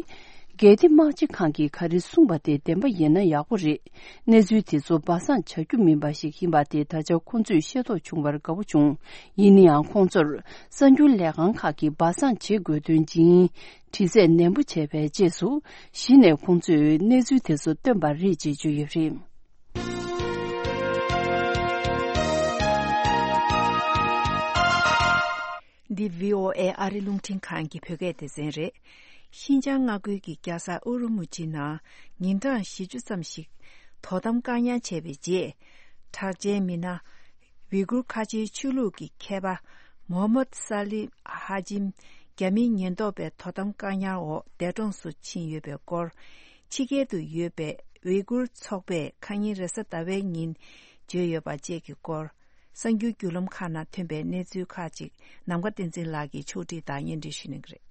གལ་ཏེ་དམག་སྤྱི་ཁང་གིས་ག་རེ་གསུངས་པ་དེ་བདེན་པ་ཡིན་ན་ཡག་པོ་རེད། གནས་ཚུལ་དེ་ཚོ་སྦ་གསང་བྱ་རྒྱུ་མིན་པ་ཞིག་ཡིན་པ་དེ་ད་ཆ་ཁོང་ཚོས་ཤེས་རྟོགས་བྱུང་བར་དགའ་པོ་བྱུང་། ཡིན་ན་ཡང་ཁོང་ཚོར་གསར་འགྱུར་ལས་ཁང་ཁག་གིས་སྦ་གསང་བྱེད་དགོས་དོན་ཇི་ཡིན་དྲི་རྩད་ནན་པོ་བྱས་པའི་རྗེས་སུ། གཞི་ནས་ཁོང་ཚོས་གནས་ཚུལ་དེ་ཚོ་བཏོན་པ་རེད་ཅེས་བརྗོད་ཡོད་པ་རེད། འདི་བྷི་ཨོ་ཨེ་ཨ་རི་རླུང་འཕྲིན་ཁང་གི་བོད་སྐད་སྡེ་ཚན་རེད། ཤིན་ཅང་མངའ་ཁུལ་གྱི་རྒྱལ་ས་ཨུ་རུ་མུ་ཆིའི་ནང་ཉིན་གྲངས་བཞི་བཅུ་ཙམ་ཞིག་དོ་དམ་བཀག་ཉར་བྱས་པའི་རྗེས། གྲགས་ཅན་མི་སྣ་ཝི་གུར་ཁ་ཆེའི་ཆོས་ལུགས་ཀྱི་མཁས་པ་མོ་ཧམ་མད་ས་ལི་ཧ་ཇིམ་རྒྱ་མིའི་ཉེན་རྟོག་པའི་དོ་དམ་བཀག་ཉར་འོག་འདས་གྲོངས་སུ་ཕྱིན་ཡོད་པའི་སྐོར། ཕྱི་རྒྱལ་དུ་ཡོད་པའི་ཝི་གུར་ཚོགས་པས་ཁ་ཉིན་རེས་གཟའ་ཟླ་བའི་ཉིན་བརྗོད་ཡོད་པ་བཅས་ཀྱི་སྐོར། གསར་འགྱུར་བརྒྱུད་ལམ་ཁག་ནང་ཐོན་པའི་གནས་ཚུལ་ཁག་ཅིག་ནམ་མཁའ་བསྟན་འཛིན་ལགས་ཀྱིས་ཕྱོགས་སྒྲིག་དང་སྙན་སྒྲོན་ཞུ་གནང་གི་རེད།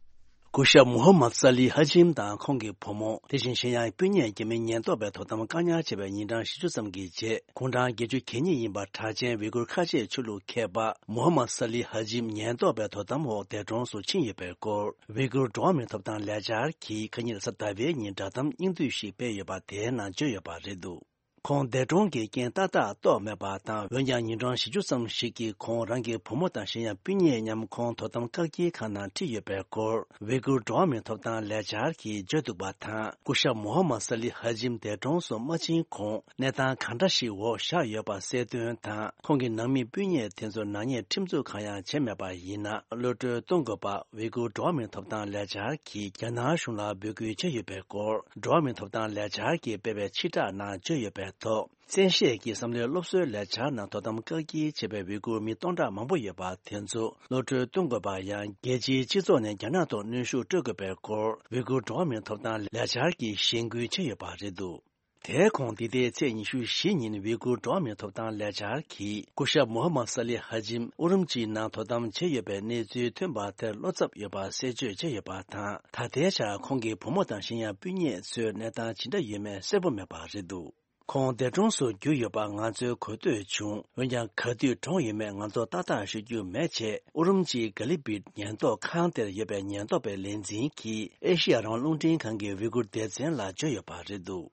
སྐུ་ཞབས་མུ་ཧམ་མད་ས་ལི་ཧ་ཇིམ་དང་ཁོང་གི་བུ་མོ། དེ་བཞིན་གཞན་ཡང་སྤུན་ཉེ་རྒྱ་མིའི་ཉེན་རྟོག་པས་དོ་དམ་བཀག་ཉར་བྱས་པའི་ཉིན་གྲངས་བཞི་བཅུ་ཙམ་གྱི་རྗེས། དགུང་གྲངས་བརྒྱད་ཅུ་གྱ་གཉིས་ཡིན་པ་གྲགས་ཅན་ཝི་གུར་ཁ་ཆེའི་ཆོས་ལུགས་མཁས་པ་མུ་ཧམ་མད་ས་ལི་ཧ་ཇིམ་ཉེན་རྟོག་པའི་དོ་དམ་འོག་འདས་གྲོངས་སུ་ཕྱིན་ཡོད་པའི་སྐོར། ཝི་གུར་འགྲོ་བ་མིའི་ཐོབ་ཐང་ལས་འཆར་གྱིས་ཁ་ཉིན་རེས་གཟའ་ཟླ་བའི་ཉིན་བསྒྲགས་གཏམ་སྙིང་བསྡུས་ཤིག་སྤེལ་ཡོད་པ་དེའི་ནང་བརྗོད་ཡོད་པ་རེད་འདུག། ཁོང་འདས་གྲོངས་ཀྱི་རྐྱེན་ཏག་ཏག་རྟོགས་མེད་པ་དང་། འོན་ཀྱང་ཉིན་གྲངས་བཞི་བཅུ་ཙམ་ཞིག་གི་གོང་རང་གི་བུ་མོ་དང་གཞན་ཡང་སྤུན་ཉེ་མཉམ་ཁོང་དོ་དམ་བཀག་སྐྱིལ་ཁང་ནང་ཁྲིད་ཡོད་པའི་སྐོར། ཝི་གུར་འགྲོ་བ་མིའི་ཐོབ་ཐང་ལས་འཆར་གྱིས་བརྗོད་འདུག་པ་དང་། སྐུ་ཞབས་མུ་ཧམ་མད་སཱ་ལི་ཧ་ཇིམ་འདས་གྲོངས་སུ་མ་ཕྱིན་གོང་གནས་སྟངས་གང་འདྲ་ཞིག་འོག་བཞག་ཡོད་པ་གསལ་སྟོན་དང་། ཁོང་གི་ནང་མི་སྤུན་ཉེ་དེ་ཚོར་ནག་ཉེས་ཁྲིམས་འཛུགས་གང་ཡང་བྱས་མེད་པ་ཡིན་ན། གློད་གྲོལ་གཏོང་དགོས་པ་ཝི་གུར་འགྲོ་བ་མིའི་ཐོབ་ཐང་ལས་འཆར་གྱིས་རྒྱ་ནག་གཞུང་ལ་འབོད་སྐུལ་བྱས་ཡོད་པའི་སྐོར། འགྲོ་བ་མིའི་ཐོབ་ཐང་ལས་འཆར་གྱིས་སྤེལ་བའི་ཕྱིར་བསྒྲགས་ནང་བརྗོད་ཡོད་པའི་ཐོག། བཙན་ཤེད་ཀྱིས་བསམ་བློའི་སློབ་གསོའི་ལས་འཆར་ནང་དོ་དམ་བཀག་སྐྱིལ་བྱས་པའི་ཝི་གུར་མི་སྟོང་ཕྲག་མང་པོ་ཡོད་པ་དེ་ཚོ་གློད་གྲོལ་གཏོང་དགོས་པ། ཡང་རྒྱལ་སྤྱིའི་སྤྱི་ཚོགས་ནས་རྒྱ་ནག་ཐོག་གནོན་ཤུགས་སྤྲོད་དགོས་པའི་སྐོར། ཝི་གུར་འགྲོ་བ་མིའི་ཐོབ་ཐང་ལས་འཆར་གྱིས་གཞེན་སྐུལ་བྱས་ཡོད་པ་རེད་འདུག་དེའི་གོང་འདི་ཟླའི་ཚེས་ཉི་ཤུ་བཞི་ཉིན་ཝི་གུར་འགྲོ་བ་མིའི་ཐོབ་ཐང་ལས་འཆར་གྱིས་སྐུ་ཞབས་མུ་ཧམ་མད་སཱ་ལི་ཧ་ཇིམ་ཨུ་རུམ་ཅིའི་ནང་དོ་དམ་བྱས་ཡོད་པའི་གནས་ཚུལ་ཐོན་པ་དེར་བློ་འཚབ་ཡོད་པ་གསལ་བརྗོད་བྱས་ཡོད་པ་དང་། ད་ལྟའི་ཆར་ཁོང་གི་བུ་མོ་དང་གཞན་ཡང་སྤུན་ཉེ་ཚོའི་གནས་སྟངས་ཇི་འདྲ་ཡོད་མེད་གསལ་པོ་མེད་པ་རེད་འདུག་ཁོང་འདས་གྲོངས་སུ་གྱུར་ཡོད་པ་ང་ཚོས་གོ་ཐོས་བྱུང་། འོན་ཀྱང་ག་དུས་གྲོངས་ཡོད་མེད་ང་ཚོ་ཏག་ཏག་ཤོད་རྒྱུ་མེད་ཅེས། ཨུ་རུམ་ཅིའི་ག་ལི་བིད་ཉེན་རྟོག་ཁང་དེར་ཡོད་པའི་ཉེན་རྟོག་པའི་ལས་འཛིན་གྱིས་ཨེ་ཤི་ཡ་རང་དབང་རླུང་འཕྲིན་ཁང་གི་ཝི་གུར་སྡེ་ཚན་ལ་བརྗོད་ཡོད་པ་རེད་འདུག་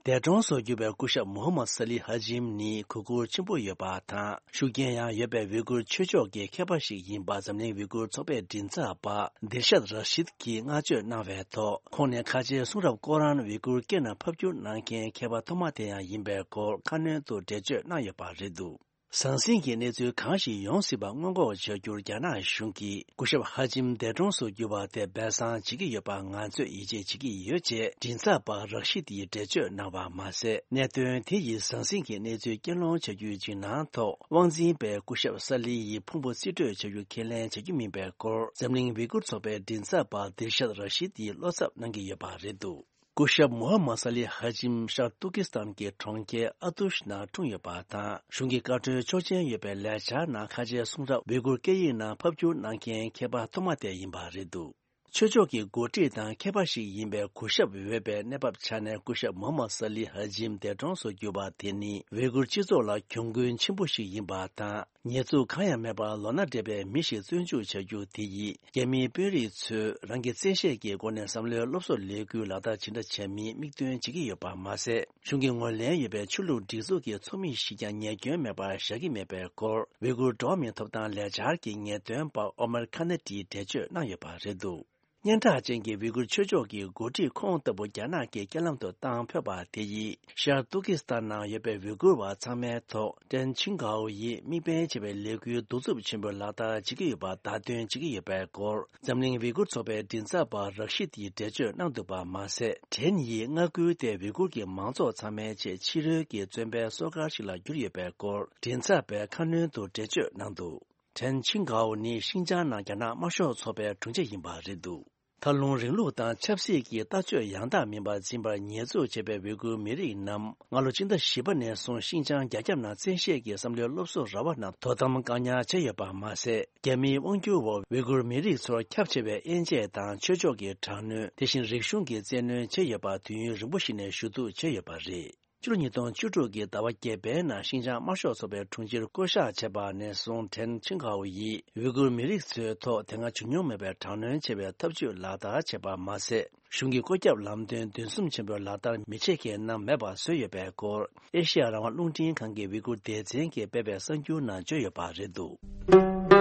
འདས་གྲོངས་སུ་གྱུར་པའི་སྐུ་ཞབས་མུ་ཧམ་མད་སཱ་ལི་ཧ་ཇིམ་ནི་གུས་བཀུར་ཆེན་པོ་ཡོད་པ་དང་། ཤུགས་རྐྱེན་ཡང་ཡོད་པའི་ཝི་གུར་ཆོས་ཕྱོགས་ཀྱི་མཁས་པ་ཞིག་ཡིན་པ་འཛམ་གླིང་ཝི་གུར་ཚོགས་པའི་མགྲིན་ཚབ་པ་དིལ་ཤད་ར་ཤིད་ཀྱིས་བསྔགས་བརྗོད་གནང་བའི་ཐོག་ཁོང་ནི་ཁ་ཆེའི་གསུང་རབ་ཀོ་རཱན་ཝི་གུར་སྐད་ནང་ཕབ་བསྒྱུར་གནང་མཁན་མཁས་པ་ཐོག་མ་དེ་ཡང་ཡིན་པའི་སྐོར་ཁ་སྣོན་དུ་འགྲེལ་བརྗོད་གནང་ཡོད་པ་རེད་འདུག་ཟང་ཟིང་གི་གནས་ཚུལ་གང་ཞིག་ཡོང་སྲིད་པ་སྔོན་འགོག་བྱ་རྒྱུར་རྒྱ་ནག་གཞུང་གིས་སྐུ་ཞབས་ཧ་ཇིམ་འདས་གྲོངས་སུ་གྱུར་པ་དེ་སྦས་གསང་བྱེད་ཀྱི་ཡོད་པ་ང་ཚོས་ཡིད་ཆེས་བྱེད་ཀྱི་ཡོད་ཅེས་མགྲིན་ཚབ་པ་རག་ཤི་ཏིས་འགྲེལ་བརྗོད་གནང་བ་མ་ཟད། གནད་དོན་དེ་ཡི་ཟང་ཟིང་གི་གནས་ཚུལ་རྐྱེན་སློང་བྱ་རྒྱུའི་འཇིགས་སྣང་ཐོག་དབང་འཛིན་པས་སྐུ་ཞབས་སཱ་ལི་ཡི་ཕུང་པོ་རྩིས་སྤྲོད་བྱ་རྒྱུ་ཁས་ལེན་བྱ་རྒྱུ་མིན་པའི་སྐོར་འཛམ་གླིང་ཝི་གུར་ཚོགས་པའི་མགྲིན་ཚབ་པ་དིལ་ཤད་ར་ཤི་ཏིས་བློ་འཚབ་གནང་གི་ཡོད་པ་རེད་འདུག་སྐུ་ཞབས་མུ་ཧམ་མད་སཱ་ལི་ཧ་ཇིམ་ཤར་ཏུར་ཀི་སི་ཐན་གྱི་གྲོང་ཁྱེར་ཨ་ཏུཤ་ནང་འཁྲུངས་ཡོད་པ་དང་། གཞུང་གི་བཀའ་འཁྲོལ་ཆོག་མཆན་ཡོད་པའི་ལས་འཆར་ནང་ཁ་ཆེའི་གསུང་རབ་ཝི་གུར་སྐད་ཡིག་ནང་ཕབ་བསྒྱུར་གནང་མཁན་མཁས་པ་ཐོག་མ་དེ་ཡིན་པ་རེད་འདུག་ཆོས་ཕྱོགས་ཀྱི་འགོ་ཁྲིད་དང་མཁས་པ་ཞིག་ཡིན་པའི་གུས་ཞབས་འོས་པའི་གནས་བབ་ཆ་ནས་སྐུ་ཞབས་མུ་ཧམ་མད་སཱ་ལི་ཧ་ཇིམ་འདས་གྲོངས་སུ་གྱུར་པ་དེ་ནི་ཝི་གུར་སྤྱི་ཚོགས་ལ་གྱོང་གུན་ཆེན་པོ་ཞིག་ཡིན་པ་དང་། ཉེས་འཛུགས་གང་ཡང་མེད་པར་ལོ་ན་བགྲེས་པའི་མི་ཞིག་བཙོན་འཇུག་བྱ་རྒྱུ་དེ་ཡིས་རྒྱ་མིའི་དཔོན་རིགས་ཚོས་རང་གི་བཙན་ཤེད་ཀྱི་སྒོ་ནས་བསམ་བློའི་སློབ་གསོ་ལས་འགུལ་ལག་བསྟར་ཇི་འདྲ་བྱ་མིན་མིག་སྟོན་བྱེད་ཀྱི་ཡོད་པ་མ་ཟད། གཞུང་གི་ངོས་ལེན་ཡོད་པའི་ཆོས་ལུགས་སྒྲིག་འཛུགས་ཀྱི་ཚོགས་མི་ཞིག་ཀྱང་ཉེས་སྐྱོན་མེད་པར་བཞག་གི་མེད་པའི་སྐོར་ཝི་གུར་འགྲོ་བ་མིའི་ཐོབ་ཐང་ལས་འཆར་གྱི་ངེས་སྟོན་པ་ཨོ་མར་ཁ་ན་ཏིས་འགྲེལ་བརྗོད་གནང་ཡོད་པ་རེད་འདུག་སྙན་གྲགས་ཅན་གྱི་ཝི་གུར་ཆོས་ཕྱོགས་ཀྱི་འགོ་ཁྲིད་ཁོང་ལྟ་བུ་རྒྱ་ནག་གིས་རྐྱེན་ལམ་དུ་བཏང་ཕོད་པ་དེ་ཡིས་ཤར་ཏུར་ཀི་སི་ཐན་ནང་ཡོད་པའི་ཝི་གུར་བ་ཚང་མའི་ཐོག་ཀྲེན་ཆིང་གའོ་ཡིས་དམིགས་འབེན་བྱས་པའི་ལས་འགུལ་གདུག་རྩུབ་ཆེན་པོའི་ལག་བསྟར་བྱེད་ཀྱི་ཡོད་པ་བརྡ་སྟོན་བྱེད་ཀྱི་ཡོད་པའི་སྐོར་འཛམ་གླིང་ཝི་གུར་ཚོགས་པའི་མགྲིན་ཚབ་པ་རག་ཤི་ཏིས་འགྲེལ་བརྗོད་གནང་འདུག་པ་མ་ཟད། ཀྲེན་ཡིས་མངའ་ཁུལ་དེ་ཝི་གུར་གྱི་མང་ཚོགས་ཚང་མའི་ཆེད་ཕྱི་རོལ་གྱི་བཙོན་པའི་སོ་ཁར་ཞིག་ལ་གྱུར་ཡོད་པའི་སྐོར་མགྲིན་ཚབ་པས་ཁ་སྣོན་དུ་འགྲེལ་བརྗོད་གནང་འདུག་ཀྲེན་ཆིང་གའོ་ནི་ཤིན་ཅང་ནང་རྒྱ་ནག་དམར་ཤོག་ཚོགས་པའི་དྲུང་ཆེ་ཡིན་པ་རེད་འདུག་མཐར་ལྷུང་རིང་ལུགས་དང་ཆབ་སྲིད་ཀྱི་ལྟ་སྤྱོད་ཡང་དག་མིན་པ་འཛིན་པར་ཉེས་འཛུགས་བྱས་པའི་ཝི་གུར་མི་རིགས་རྣམས་སྔ་ལོ་སྤྱི་ཟླ་བཞི་པ་ནས་བཟུང་ཤིན་ཅང་རྒྱ་ཁྱབ་ནང་བཙན་ཤེད་ཀྱིས་བསམ་བློའི་སློབ་གསོ་ར་བ་རྣམས་དོ་དམ་བཀག་ཉར་བྱས་ཡོད་པ་མ་ཟད། རྒྱ་མིའི་དབང་སྒྱུར་འོག་ཝི་གུར་མི་རིགས་ཚོར་ཁྱབ་ཆེ་བའི་དབྱེ་འབྱེད་དང་ཆོས་ཕྱོགས་ཀྱི་དྲག་གནོན། དེ་བཞིན་རིག་གཞུང་གི་བཙན་གནོན་བྱས་ཡོད་པ་དུས་ཡུན་རིང་པོ་ཞིག་ནས་ཞུ་གཏུག་བྱས་ཡོད་པ་རེད། ཕྱི་ལོ་ཉིས་སྟོང་བཅུ་དྲུག་གི་ཟླ་བ་བརྒྱད་པའི་ནང་ཤིན་ཅང་དམར་ཤོག་ཚོགས་པའི་དྲུང་ཆེར་བསྐོ་གཞག་བྱས་པ་ནས་བཟུང་ཀྲེན་ཆིང་གའོ་ཡིས་ཝི་གུར་མི་རིགས་ཚོའི་ཐོག་དེ་སྔ་བྱུང་མྱོང་མེད་པའི་དྲག་གནོན་ཆེ་བའི་ཐབས་ཇུས་ལག་བསྟར་བྱས་པ་མ་ཟད། གཞུང་གི་བཀོད་ཁྱབ་ལམ་སྟོན་འདུན་སྲུང་ཆེན་པོའི་ལག་བསྟར་མི་བྱེད་མཁན་རྣམས་མེད་པ་བཟོས་ཡོད་པའི་སྐོར་ཨེ་ཤེ་ཡ་རང་དབང་རླུང་འཕྲིན་ཁང་གི་ཝི་གུར་སྡེ་ཚན་གྱིས་སྤེལ་བའི་གསར་འགྱུར་ནང་བརྗོད་ཡོད་པ་རེད་འདུག་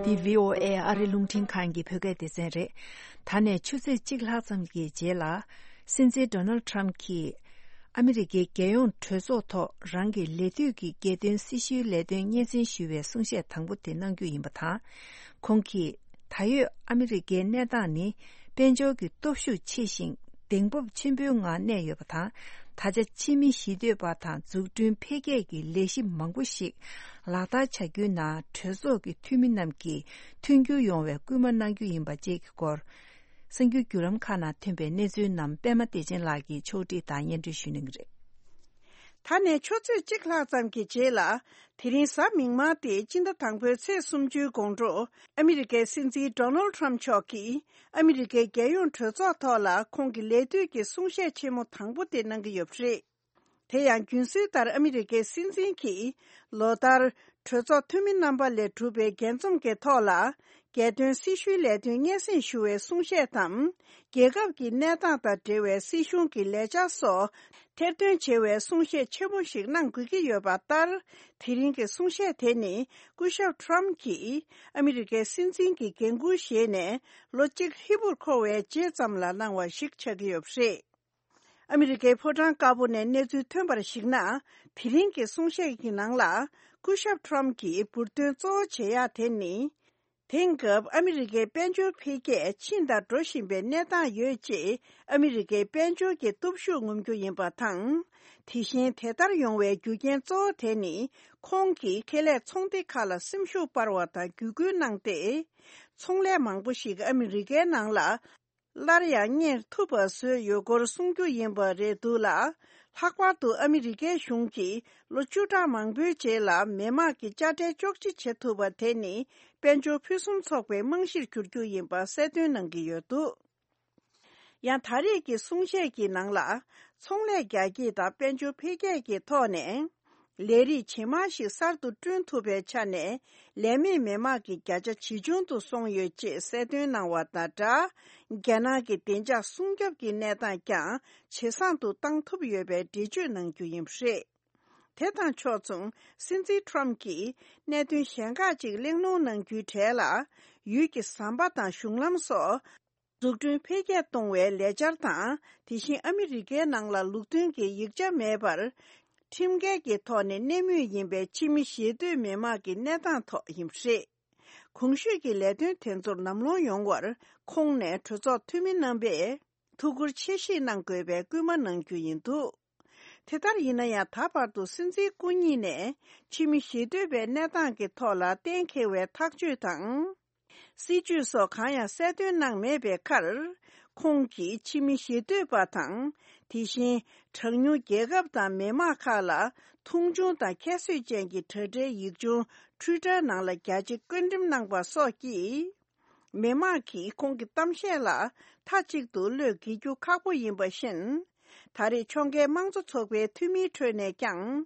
འདི་བྷི་ཨོ་ཨེ་ཨ་རི་རླུང་འཕྲིན་ཁང་གི་བོད་སྐད་སྡེ་ཚན་རེད། ད་ནས་ཆུ་ཚོད་གཅིག་ལྷག་ཙམ་གྱི་རྗེས་ལ། སྲིད་འཛིན་ཌོ་ནལ་ཌི་ཊརམ་གྱིས་ཨ་མི་རི་ཀའི་རྒྱལ་ཡོངས་གྲོས་ཚོགས་ཐོག་རང་གི་ལས་དུས་ཀྱི་རྒྱལ་དོན་སྲི་ཞུའི་ལས་དོན་སྙན་སེང་ཞུ་བའི་གསུང་བཤད་དང་པོ་དེ་གནང་རྒྱུ་ཡིན་པ་དང་། ཁོང་གིས། ད་ཡོད་ཨ་མི་རི་ཀའི་གནས་སྟངས་ནི་དཔལ་འབྱོར་གྱི་སྟོབས་ཤུགས་ཆེ་ཞིང་གདེང་སྤོབས་ཆེན་པོའི་ངང་གནས་ཡོད་པ་དང་། ད་ཆ་ཕྱི་མི་ཞི་གཏོད་པ་དང་འཛུགས་སྐྲུན་འཕེལ་རྒྱས་ཀྱི་ལས་གཞི་མང་པོ་ཞིག་ལག་བསྟར་བྱ་རྒྱུའི་ནང་གྲོས་ཚོགས་ཀྱི་འཐུས་མི་རྣམས་ཀྱིས་མཐུན་འགྱུར་ཡོང་བའི་སྐུལ་མ་གནང་རྒྱུ་ཡིན་པ་བཅས་ཀྱི་སྐོར། གསར་འགྱུར་བརྒྱུད་ལམ་ཁག་ནང་ཐོན་པའི་གནས་ཚུལ་རྣམས་པད་མ་བདེ་ཆེན་ལགས་ཀྱིས་ཕྱོགས་སྒྲིག་དང་སྙན་སྒྲོན་ཞུ་གནང་གི་རེད། ད་ནས་ཆུ་ཚོད་གཅིག་ལྷག་ཙམ་གྱི་རྗེས་ལ། དེ་རིང་གཟའ་མིག་དམར་སྟེ་སྤྱི་ཟླ་དང་པོའི་ཚེས་སུམ་ཅུའི་དགོང་དྲོ། ཨ་མི་རི་ཀའི་སྲིད་འཛིན་ཌོ་ནལ་ཌི་ཊརམ་མཆོག་གིས་ཨ་མི་རི་ཀའི་རྒྱལ་ཡོངས་གྲོས་ཚོགས་ཐོག་ལ་ཁོང་གི་ལས་དུས་ཀྱི་གསུང་བཤད་ཆེན་མོ་དང་པོ་དེ་གནང་གི་ཡོད་པ་རེད། དེ་ཡང་རྒྱུན་སྲོལ་ལྟར་ཨ་མི་རི་ཀའི་སྲིད་འཛིན་གྱིས་ལོ་ལྟར་ གྲོས་ཚོགས་འཐུས་མི་རྣམ་པ་ལས་གྲུབ་པའི་འགན་འཛོམས་ཀྱི་ཐོག་ལ། རྒྱལ་དོན་སྲི་ཞུའི་ལས་དོན་སྙན་སེང་ཞུ་བའི་གསུང་བཤད་དམ། རྒྱལ་ཁབ་ཀྱི་གནས་སྟངས་དང་འབྲེལ་བའི་སྲིད་གཞུང་གི་ལས་འཆར་སོགས་ཐེར་འདོན་བྱེད་པའི་གསུང་བཤད་ཆེན་པོ་ཞིག་གནང་དགོས་ཀྱི་ཡོད་པ་ལྟར། དེ་རིང་གི་གསུང་བཤད་དེ་ནི། སྐུ་ཞབས་ཊམ་གྱིས་ཨ་མི་རི་ཀའི་སྲིད་འཛིན་གྱི་འགན་འཁུར་བཞེས་ནས་ལོ་གཅིག་ཧྲིལ་པོར་འཁོར་བའི་རྗེས་ཙམ་ལ་གནང་བ་ཞིག་ཆགས་ཀྱི་ཡོད་པ་རེད། ཨ་མི་རི་ཀའི་ཕོ་བྲང་དཀར་པོ་ནས་གནས་ཚུལ་ཐོན་པར་གཞིགས་ན། དེ་རིང་གི་གསུང་བཤད་ཀྱི་ནང་ལ། སྐུ་ཞབས་ཊམ་གྱིས་འབུར་འདོན་གཙོ་བོ་བྱེད་ཡག་དེ་ནི། དེང་སྐབས་ཨ་མི་རི་ཀའི་དཔལ་འབྱོར་འཕེལ་རྒྱས་ཕྱིན་དང་འགྲོ་བཞིན་པའི་གནས་སྟངས་ཡོད་ཅེས། ཨ་མི་རི་ཀའི་དཔལ་འབྱོར་གྱི་སྟོབས་ཤུགས་ངོམ་རྒྱུ་ཡིན་པ་དང་། དེ་བཞིན་དེ་ལྟར་ཡོང་བའི་རྒྱུ་རྐྱེན་གཙོ་བོ་དེ་ནི། ཁོང་གིས་ཁེ་ལས་ཚོང་སྡེ་ཁག་ལ་སེམས་ཤུགས་སྤར་བ་དང་བརྒྱུད་སྐུལ་གནང་སྟེ། ཚོང་ལས་མང་པོ་ཞིག་ཨ་མི་རི་ཀའི་ནང་ལ། སླར་ཡང་གཉེར་ཐུབ་པ་བཟོས་ཡོད་སྐོར་གསུང་རྒྱུ་ཡིན་པ་རེད་འདུག་ལ། ལྷག་པར་དུ་ཨ་མི་རི་ཀའི་གཞུང་གིས་ལོ་བཅུ་ཕྲག་མང་པོའི་རྗེས་ལ་མི་དམངས་ཀྱི་དཔྱ་ཁྲལ་གཅོག་འཕྲི་བྱེད་ཐུབ་པ་དེ་ནི། དཔལ་འབྱོར་ཕུན་སུམ་ཚོགས་པའི་རྨང་གཞིར་གྱུར་རྒྱུ་ཡིན་པ་གསལ་སྟོན་གནང་གི་ཡོད་འདུག་ཡང་ད་རེས་ཀྱི་གསུང་བཤད་ཀྱི་ནང་ལ། ཚོང་ལས་རྒྱ་སྐྱེད་དང་དཔལ་འབྱོར་འཕེལ་རྒྱས་ཀྱི་ཐོག་ནས། ལས་རིགས་ཇེ་མང་ཞིག་གསར་དུ་བསྐྲུན་ཐུབ་པའི་ཆ་ནས། ལས་མེད་མི་དམངས་ཀྱི་བརྒྱ་ཆ་ཇེ་ཆུང་དུ་སོང་ཡོད་ཅེས་གསལ་སྟོན་གནང་བ་དང་སྦྲགས། རྒྱ་ནག་གི་བདེ་འཇགས་སྲུང་སྐྱོབ་ཀྱི་གནས་སྟངས་ཀྱང་ཇེ་བཟང་དུ་བཏང་ཐུབ་ཡོད་པའི་འགྲེལ་བརྗོད་གནང་རྒྱུ་ཡིན་པ་རེད། དེ་དང་ཕྱོགས་མཚུངས། སྲིད་འཛིན་ཊམ་གྱིས་གནད་དོན་གཞན་ཁག་ཅིག་གླེང་སློང་གནང་རྒྱུའི་གྲས་ལ། ཡུལ་གྱི་ཟམ་པ་དང་གཞུང་ལམ་སོགས། འཛུགས་སྐྲུན་འཕེལ་རྒྱས་གཏོང་བའི་ལས་འཆར་དང་། དེ་བཞིན་ཨ་མི་རི་ཀའི་ནང་ལ་ལུགས་མཐུན་གྱི་ཡིག་ཆ་མེད་པར། ཁྲིམས་འགལ་གྱི་ཐོག་ནས་གནས་མུས་ཡིན་པའི་ཕྱི་མི་ཞེ་འདོད་མི་དམངས་ཀྱི་གནས་སྟངས་ཐོག་ཡིན་པ་རེད། གོང་ཞུས་ཀྱི་ལས་དོན་དེ་ཚོར་ལམ་ལྷོང་ཡོང་བར། ཁོང་ནས་གྲོས་ཚོགས་འཐུས་མི་རྣམ་པས་ཐུགས་ཁུར་ཆེ་བཞེས་གནང་དགོས་པའི་སྐུལ་མ་གནང་རྒྱུ་ཡིན་འདུག་དེ་ལྟར་ཡིན་ན་ཡང་། ད་བར་དུ་སྲིད་འཛིན་སྐུ་ཉིད་ནས་ཕྱི་མི་ཞེ་འདོད་པའི་གནས་སྟངས་ཀྱི་ཐོག་ལ་གཏན་འཁེལ་བའི་ཐག་གཅོད་དང་། སྲིད་ཇུས་སོགས་གང་ཡང་གསལ་སྟོན་གནང་མེད་པའི་ཁར། ཁོང་གིས་ཕྱི་མི་ཞེ་འདོད་པ་དང་། དེ་བཞིན་གྲངས་ཉུང་རྒྱལ་ཁབ་དང་མི་དམངས་ཁག་ལ་མཐོང་ཆུང་དང་ཁྱད་གསོད་ཅན་གྱི་དྲ་སྦྲེལ་ཡིག་ཆུང་Twitter་ནང་ལ་རྒྱ་ཆེ་བཀོད་འགྲེམས་གནང་པ་སོགས་ཀྱིས། མི་དམངས་ཀྱིས་ཁོང་གི་གཏམ་བཤད་ལ་མཐའ་གཅིག་ཏུ་བློས་འགེལ་རྒྱུ་ཁག་པོ་ཡིན་པ་བཞིན། ད་རེས་ཕྱོགས་འགལ་དམངས་གཙོ་ཚོགས་པའི་འཐུས་མིའི་ཁྲོད་ནས་ཀྱང་།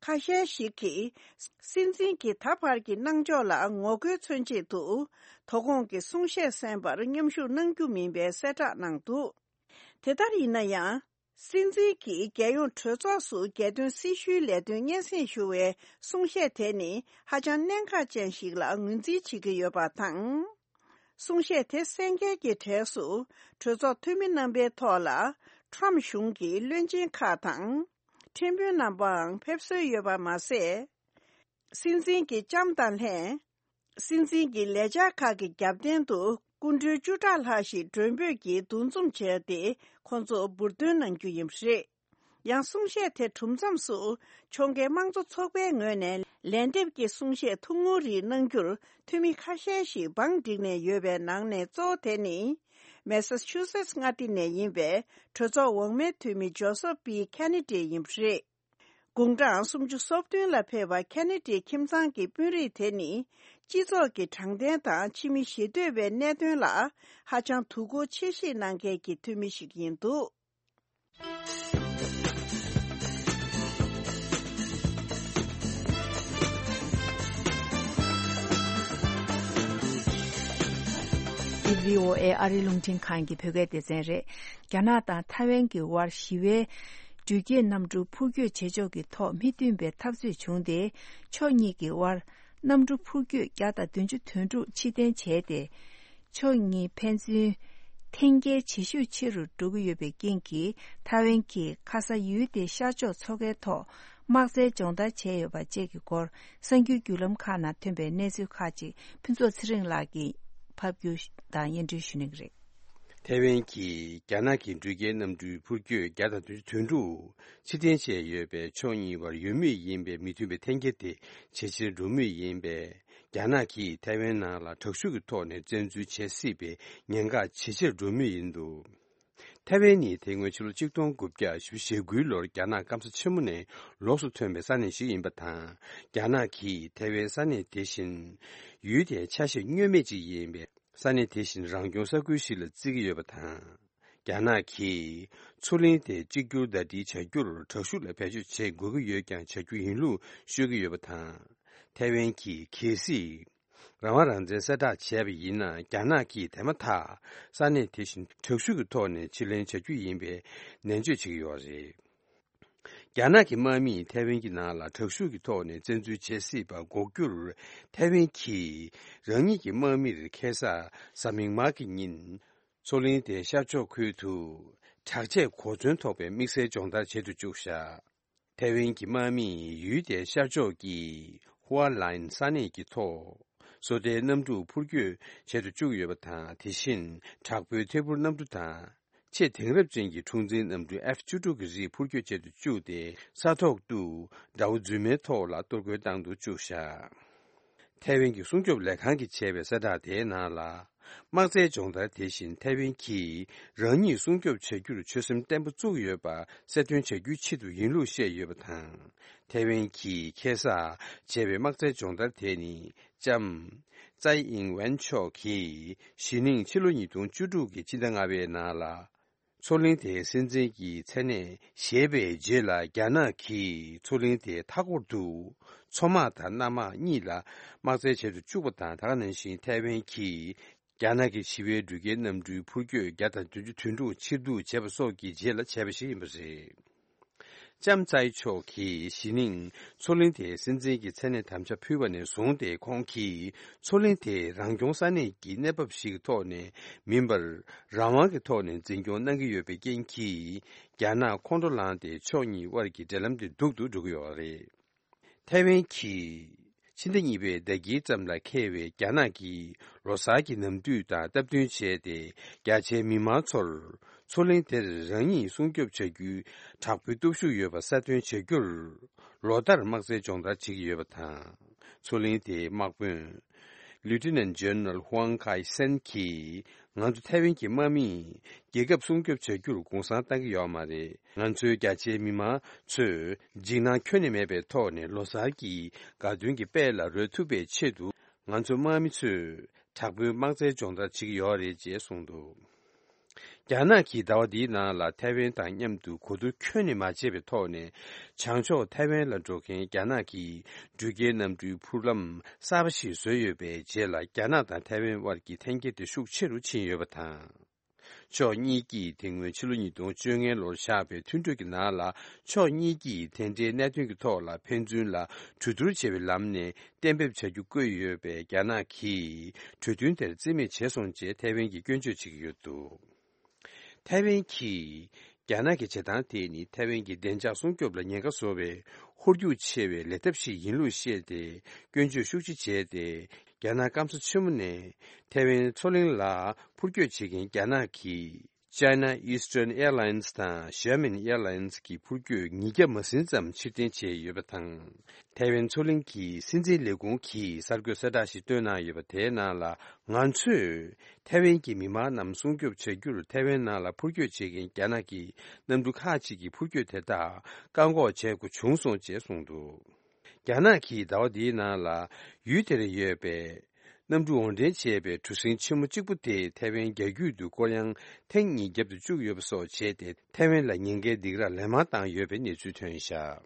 ཁ་ཤས་ཤིག་གིས་སྲིད་འཛིན་གྱི་ད་བར་གྱི་གནང་ཕྱོགས་ལ་ངོ་རྒོལ་མཚོན་ཆེད་དུ། དོ་དགོང་གི་གསུང་བཤད་གསན་པར་མཉམ་ཞུགས་གནང་རྒྱུ་མིན་པའི་གསལ་བསྒྲགས་གནང་འདུག་དེ་ལྟར་ཡིན་ན་ཡང་། སྲིད་འཛིན་གྱིས་རྒྱལ་ཡོངས་གྲོས་ཚོགས་སུ་རྒྱལ་དོན་སྲི་ཞུའི་ལས་དོན་སྙན་སེང་ཞུ་བའི་གསུང་བཤད་དེ་ནི་ཧ་ཅང་གནད་འགག་ཅན་ཞིག་ལ་ངོས་འཛིན་བྱེད་ཀྱི་ཡོད་པ་དང་། གསུང་བཤད་དེ་གསན་མཁན་གྱི་གྲས་སུ། གྲོས་ཚོགས་འཐུས་མི་རྣམ་པའི་ཐོག་ལ། ཊམ་གཞུང་གི་བློན་ཆེན་ཁག་དང་། ཁྲིམས་དཔོན་རྣམ་པའང་ཕེབས་སྲོལ་ཡོད་པ་མ་ཟད། སྲིད་འཛིན་གྱི་ལྕམ་དང་ལྷན། སྲིད་འཛིན་གྱི་ལས་འཆར་ཁག་གི་རྒྱབ་རྟེན་དུ། སྐུ་མགྲོན་བཅུ་ཕྲག་ལྷག་ཞིག་མགྲོན་འབོད་ཀྱིས་འདུ་འཛོམས་བྱས་ཏེ། ཁོང་ཚོ་འབུར་འདོན་གནང་རྒྱུ་ཡིན་པ་རེད། ཡང་གསུང་བཤད་དེ་གྲུབ་མཚམས་སུ། ཕྱོགས་འགལ་དམངས་གཙོ་ཚོགས་པའི་ངོས་ནས་ལན་འདེབས་ཀྱི་གསུང་བཤད་ཐུང་ངུ་རིགས་གནང་རྒྱུར། འཐུས་མི་ཁ་ཤས་ཤིག་བང་བསྒྲིགས་ནས་ཡོད་པའི་ནང་ནས་གཙོ་བོ་དེ་ནི། མེ་སཱ་ཆུ་སེ་ཊི་མངའ་སྡེ་ནས་ཡིན་པའི་གྲོས་ཚོགས་འོག་མའི་འཐུས་མི་ཇོ་སེབ་པི་ཁེ་ནེ་ཌི་ཡིན་པ་རེད། དགུང་གྲངས་སུམ་ཅུ་སོ་བདུན་ལ་ཕེབས་པ་ཁེ་ནེ་ཌི་ཁྱིམ་ཚང་གི་དཔོན་རིགས་དེ་ནི། སྤྱི་ཚོགས་ཀྱི་དྲང་བདེན་དང་ཕྱི་མི་ཞེ་འདོད་པའི་གནད་དོན་ལ། ཧ་ཅང་དོ་ཁུར་ཆེ་བཞེས་གནང་མཁན་གྱི་འཐུས་མི་ཞིག་ཡིན་འདུག་འདི་བྷི་ཨོ་ཨེ་ཨ་རིའི་རླུང་འཕྲིན་ཁང་གི་བོད་སྐད་སྡེ་ཚན་རེད། རྒྱ་ནག་དང་ཐའེ་ཝན་གྱི་དབར་ཞི་བའི་འགྲུལ་སྐྱེལ་གནམ་གྲུ་འཕུར་སྐྱོད་བྱེད་ཕྱོགས་ཀྱི་ཐོག་མི་མཐུན་པའི་འཐབ་རྩོད་བྱུང་སྟེ། ཕྱོགས་གཉིས་ཀྱི་དབར་གནམ་གྲུ་འཕུར་སྐྱོད་བརྒྱ་དང་བདུན་ཅུ་དོན་དྲུག་ཕྱིར་འཐེན་བྱས་ཏེ། ཕྱོགས་གཉིས་ཕན་ཚུན་འཐེན་འཁྱེར་བྱེད་ཤུགས་ཆེ་རུ་འགྲོ་གི་ཡོད་པའི་རྐྱེན་གྱིས། ཐའེ་ཝན་གྱིས་ཁ་ས་ཡུལ་དེའི་ཤར་ཕྱོགས་མཚོ་ཁའི་ཐོག་དམག་རྩལ་སྦྱོང་བརྡར་བྱས་ཡོད་པ་བཅས་ཀྱི་སྐོར། གསར་འགྱུར་བརྒྱུད་ལམ་ཁག་ནང་ཐོན་པའི་གནས་ཚུལ་ཁག་ཅིག་ཕུན་ཚོགས་ཚེ་རིང་ལགས་ཀྱིས་ཕབ་སྒྱུར་དང་སྙན་སྒྲོན་ཞུ་གནང་གི་རེད། ཐའེ་ཝན་གྱིས་རྒྱ་ནག་གི་འགྲུལ་སྐྱེལ་གནམ་གྲུའི་འཕུར་སྐྱོད་བརྒྱ་དང་བདུན་ཅུ་དོན་དྲུག་ཕྱིར་འཐེན་བྱས་ཡོད་པས། ཕྱོགས་གཉིས་བར་ཡོད་མུས་ཡིན་པའི་མི་མཐུན་པའི་འཐེན་འཁྱེར་དེ་ཇེ་ཆེར་འགྲོ་མུས་ཡིན་པས། རྒྱ་ནག་གིས་ཐའེ་ཝན་ནང་ལ་དྲག་ཤུགས་ཀྱི་ཐོག་ནས་བཙན་འཛུལ་བྱེད་སྲིད་པའི་ཉེན་ཁ་ཇེ་ཆེར་འགྲོ་མུས་ཡིན་འདུག་ཐའེ་ཝན་ནི་དེ་སྔོན་ཕྱི་ལོ་ཆིག་སྟོང་དགུ་བརྒྱ་ཞེ་བཞི་ཞེ་དགུའི་ལོར་རྒྱ་ནག་སྐམ་ས་ཆེན་མོ་ནས་ལོགས་སུ་ཐོན་པའི་ས་གནས་ཤིག་ཡིན་པ་དང་། རྒྱ་ནག་གིས་ཐའེ་ཝན་ས་གནས་དེ་བཞིན་ཡུལ་དེའི་ཆ་ཤས་བསྙོན་མེད་ཅིག་ཡིན་པའི་ས་གནས་དེ་བཞིན་རང་སྐྱོང་ས་ཁུལ་ཞིག་ལ་བརྩི་གི་ཡོད་པ་དང་། རྒྱ་ནག་གིས་མཚོ་གླིང་དེ་གཅིག་གྱུར་ཟླ་སྒྲིལ་བྱ་རྒྱུར་དྲག་ཤུགས་ལ་བེད་སྤྱོད་བྱེད་དགོས་ཀྱི་ཡོད་ཀྱང་བྱ་རྒྱུ་ཡིན་ལུགས་ཤོད་ཀྱི་ཡོད་པ་དང་། ཐའེ་ཝན་གྱིས་གལ་སྲིད་རང་དབང་རང་བཙན་གསལ་བསྒྲགས་བྱས་པ་ཡིན་ན། རྒྱ་ནག་གིས་དེ་མ་ཐག་ས་གནས་དེ་བཞིན་དྲག་ཤུགས་ཀྱི་ཐོག་ནས་ཕྱིར་ལེན་བྱ་རྒྱུ་ཡིན་པའི་ནན་བརྗོད་བྱེད་ཀྱི་ཡོད་རེད། རྒྱ་ནག་གི་དམག་མིས་ཐའེ་ཝན་གྱི་ནང་ལ་དྲག་ཤུགས་ཀྱི་ཐོག་ནས་བཙན་འཛུལ་བྱེད་སྲིད་པ་འགོག་རྒྱུར། ཐའེ་ཝན་གྱིས་རང་ཉིད་ཀྱི་དམག་མིར་ཁ་སང་གཟའ་མིག་དམར་གྱི་ཉིན། མཚོ་གླིང་དེའི་ཤར་ཕྱོགས་ཁུལ་དུ་དྲག་ཆས་གོ་མཚོན་ཐོགས་པའི་དམིགས་བསལ་སྦྱོང་བརྡར་བྱེད་དུ་བཅུག་བཞག་ཐའེ་ཝན་གྱི་དམག་མིས་ཡུལ་དེའི་ཤར་ཕྱོགས་ཀྱི་ཧུའ་ལན་ས་གནས་ཀྱི་ཐོག་སོ་ལྟའི་གནམ་གྲུ་འཕུར་སྐྱོད་བྱེད་དུ་བཅུག་ཡོད་པ་དང་། དེ་བཞིན་དྲག་པོའི་ཐད་འཕུར་གནམ་གྲུ་དང་། ཆེས་དེང་རབས་ཅན་གྱི་འཁྲུག་འཛིང་གནམ་གྲུ་ཨེཕ་བཅུ་དྲུག་གི་རིགས་འཕུར་སྐྱོད་བྱེད་དུ་བཅུག་སྟེ། ས་ཐོག་ཏུ་དགྲ་བོ་རྫུན་མའི་ཐོག་ལ་གཏོར་རྒོལ་བཏང་དུ་བཅུག་བཞག་ཐའེ་ཝན་གྱི་སྲུང་སྐྱོབ་ལས་ཁང་གིས་བྱས་པའི་གསལ་བསྒྲགས་དེའི་ནང་ལ། དམག་རྩལ་སྦྱོང་བརྡར་དེ་བཞིན་ཐའེ་ཝན་གྱིས་རང་ཉིད་སྲུང་སྐྱོབ་བྱ་རྒྱུར་ཆོད་སེམས་བརྟན་པོ་བཙུགས་ཡོད་པ་གསལ་སྟོན་བྱ་རྒྱུའི་ཆེད་དུ་ཡིན་ལུགས་བཤད་ཡོད་པ་དང་། ཐའེ་ཝན་གྱིས་ཁ་སང་བྱས་པའི་དམག་རྩལ་སྦྱོང་བརྡར་དེ་ནི། ལྕམ་ཙའེ་ཨིང་ཝན་མཆོག་གིས་གཞེས་ནིང་ཕྱི་ལོ་ཉིས་སྟོང་བཅུ་དྲུག་གི་ཕྱི་ཟླ་ལྔ་པའི་ནང་ལ། མཚོ་གླིང་དེའི་སྲིད་འཛིན་གྱི་མཚན་གནས་བཞེས་པའི་རྗེས་ལ། རྒྱ་ནག་གིས་མཚོ་གླིང་དེའི་མཐའ་འཁོར་དུ་མཚོ་དམག་དང་གནམ་དམག་གཉིས་ལ་དམག་རྩལ་བྱེད་དུ་བཅུག་པ་དང་། དེ་ག་ནང་བཞིན་ཐའེ་ཝན་གྱིས་རྒྱ་ནག་གི་བྱིས་པའི་འགྲུལ་སྐྱེལ་གནམ་གྲུའི་འཕུར་སྐྱོད་བརྒྱ་དང་བདུན་ཅུ་དོན་དྲུག་ཕྱིར་བསྡུ་བྱས་པ་སོགས་ཀྱི་རྗེས་ལ་བྱས་པ་ཞིག་ཡིན་པ་རེད། ལྕམ་ཙའེ་མཆོག་གིས་གཞེས་ནིང་མཚོ་གླིང་དེའི་སྲིད་འཛིན་གྱི་མཚན་གནས་དམ་བཅའ་ཕུལ་བ་ནས་བཟུང་སྟེ། ཁོང་གིས་མཚོ་གླིང་དེ་རང་སྐྱོང་ས་གནས་ཀྱི་གནས་བབ་ཞིག་གི་ཐོག་ནས་མིན་པར། རང་དབང་གི་ཐོག་ནས་འཛིན་སྐྱོང་གནང་གི་ཡོད་པའི་རྐྱེན་གྱིས། རྒྱ་ནག་ཁོང་ཁྲོ་ལངས་ཏེ། ཕྱོགས་གཉིས་དབར་གྱི་འབྲེལ་ལམ་དེ་སྡུག་ཏུ་འགྲོ་གི་ཡོད་རེད། ཐའེ་ཝན་གྱིས་ཕྱི་ཟླ་གཉིས་པའི་ཟླ་དཀྱིལ་ཙམ་ལ་འཁེལ་བའི་རྒྱ་ནག་གི་ལོ་གསར་གྱི་ནམ་དུས་དང་སྟབས་བསྟུན་བྱས་ཏེ། རྒྱ་ཆེའི་མི་མང་ཚོར་མཚོ་གླིང་དེར་རང་ཉིད་སྲུང་སྐྱོབ་བྱ་རྒྱུའི་དྲག་པོའི་སྟོབས་ཤུགས་ཡོད་པ་གསལ་སྟོན་བྱ་རྒྱུར། ལོ་ལྟར་དམག་རྩལ་སྦྱོང་བརྡར་བྱེད་ཀྱི་ཡོད་པ་དང་། མཚོ་གླིང་དེའི་དམག་དཔོན་Lieutenant General Huang Kai Sen གྱིས། ང་ཚོ་ཐའེ་ཝན་གྱི་དམག་མིས་རྒྱལ་ཁབ་སྲུང་སྐྱོབ་བྱ་རྒྱུར་གུང་སེང་བཏང་གི་ཡོད་མ་རེད། ང་ཚོའི་རྒྱ་ཆེའི་མི་མང་ཚོས་འཇིགས་སྣང་ཁྱོན་ནས་མེད་པའི་ཐོག་ནས་ལོ་གསར་གྱི་དགའ་སྟོན་གྱི་དཔལ་ལ་རོལ་ཐུབ་པའི་ཆེད་དུ། ང་ཚོ་དམག་མི་ཚོས་དྲག་པོའི་དམག་རྩལ་སྦྱོང་བརྡར་བྱེད་ཀྱི་ཡོད་རེད་ཅེས་གསུངས་འདུག་རྒྱ་ནག་གིས་ཟླ་བ་འདིའི་ནང་ལ་ཐའེ་ཝན་དང་མཉམ་དུ་གོ་བསྡུར་ཁྱོན་ནས་མ་བྱས་པའི་ཐོག་ནས། བྱང་ཕྱོགས་ཐའེ་ཝན་ལ་འགྲོ་མཁན་རྒྱ་ནག་གི་འགྲུལ་སྐྱེལ་གནམ་གྲུའི་འཕུར་ལམ་གསར་པ་ཞིག་བཟོས་ཡོད་པའི་རྗེས་ལ། རྒྱ་ནག་དང་ཐའེ་ཝན་དབར་གྱི་འཐེན་འཁྱེར་དེ་ཤུགས་ཆེ་རུ་ཕྱིན་ཡོད་པ་དང་། ཕྱོགས་གཉིས་ཀྱིས་དེ་སྔོན་ཕྱི་ལོ་ཉིས་སྟོང་བཅོ་ལྔ་ལོར་བཞག་པའི་མཐུན་གྲོས་ཀྱི་ནང་ལ། ཕྱོགས་གཉིས་ཀྱིས་དེ་འབྲེལ་གནད་དོན་གྱི་ཐོག་ལ་ཕན་ཚུན་ལ་གྲོས་བསྡུར་བྱེད་པའི་ལམ་ནས་གཏན་འབེབས་བྱ་རྒྱུ་བཀོད་ཡོད་པས། རྒྱ་ནག་གིས་གྲོས་མཐུན་དེར་རྩིས་མེད་བྱས་སོང་ཅེས་ཐའེ་ཝན་གྱིས་སྐྱོན་བརྗོད་བྱེད་ཀྱི་ཡོད་འདུག་ཐའེ་ཝན་གྱིས། རྒྱ་ནག་གི་བྱེད་སྟངས་དེ་ནི་ཐའེ་ཝན་གྱི་བདེ་འཇགས་སྲུང་སྐྱོབ་ལ་ཉེན་ཁ་བཟོ་བའི་ཧོལ་རྒྱུག་ཆེ་བའི་ལས་ཐབས་ཤིག་ཡིན་ལུགས་བཤད་དེ། སྐྱོན་བརྗོད་ཤུགས་ཆེ་བྱས་ཏེ། རྒྱ་ནག་སྐམ་ས་ཆེན་མོ་ནས་ཐའེ་ཝན་མཚོ་གླིང་ལ་འཕུར་སྐྱོད་བྱེད་མཁན་རྒྱ་ནག་གི་China Eastern Airlines དང་Xiamen Airlines གི་འཕུར་སྐྱོད་ཉིས་བརྒྱ་མ་ཟིན་ཙམ་ཕྱིར་འཐེན་བྱས་ཡོད་པ་དང་། ཐའེ་ཝན་མཚོ་གླིང་གི་སྲིད་འཛིན་ལས་ཁུངས་ཀྱིས་གསར་འགོད་གསལ་བསྒྲགས་ཤིག་བཏོན་གནང་ཡོད་པ། དེའི་ནང་ལ། ང་ཚོས་ཐའེ་ཝན་གྱི་མི་མང་རྣམས་སྲུང་སྐྱོབ་བྱ་རྒྱུར། ཐའེ་ཝན་ནང་ལ་འཕུར་སྐྱོད་བྱེད་མཁན་རྒྱ་ནག་གི་གནམ་གྲུ་ཁག་ཅིག་གི་འཕུར་སྐྱོད་དེ་དག་བཀག་འགོག་བྱེད་དགོས་བྱུང་སོང་ཅེས་གསུངས་འདུག་རྒྱ་ནག་གིས་ཟླ་བ་འདིའི་ནང་ལ་ཡུལ་དེར་ཡོད་པའི་གནམ་གྲུ་འོར་འདྲེན་བྱས་པའི་གྲུ་གཟིངས་ཆེན་མོ་གཅིག་པུ་དེ་ཐའེ་ཝན་རྒྱ་རྒྱུད་དུ་སྐོར་གཡང་ཐེངས་གཉིས་བརྒྱབ་ཏུ་བཅུག་ཡོད་པ་སོགས་བྱས་ཏེ། ཐའེ་ཝན་ལ་ཉེན་ཁའི་སྡིགས་ར་ལན་མང་བཏང་ཡོད་པའི་གནས་ཚུལ་ཐོན་བཞག་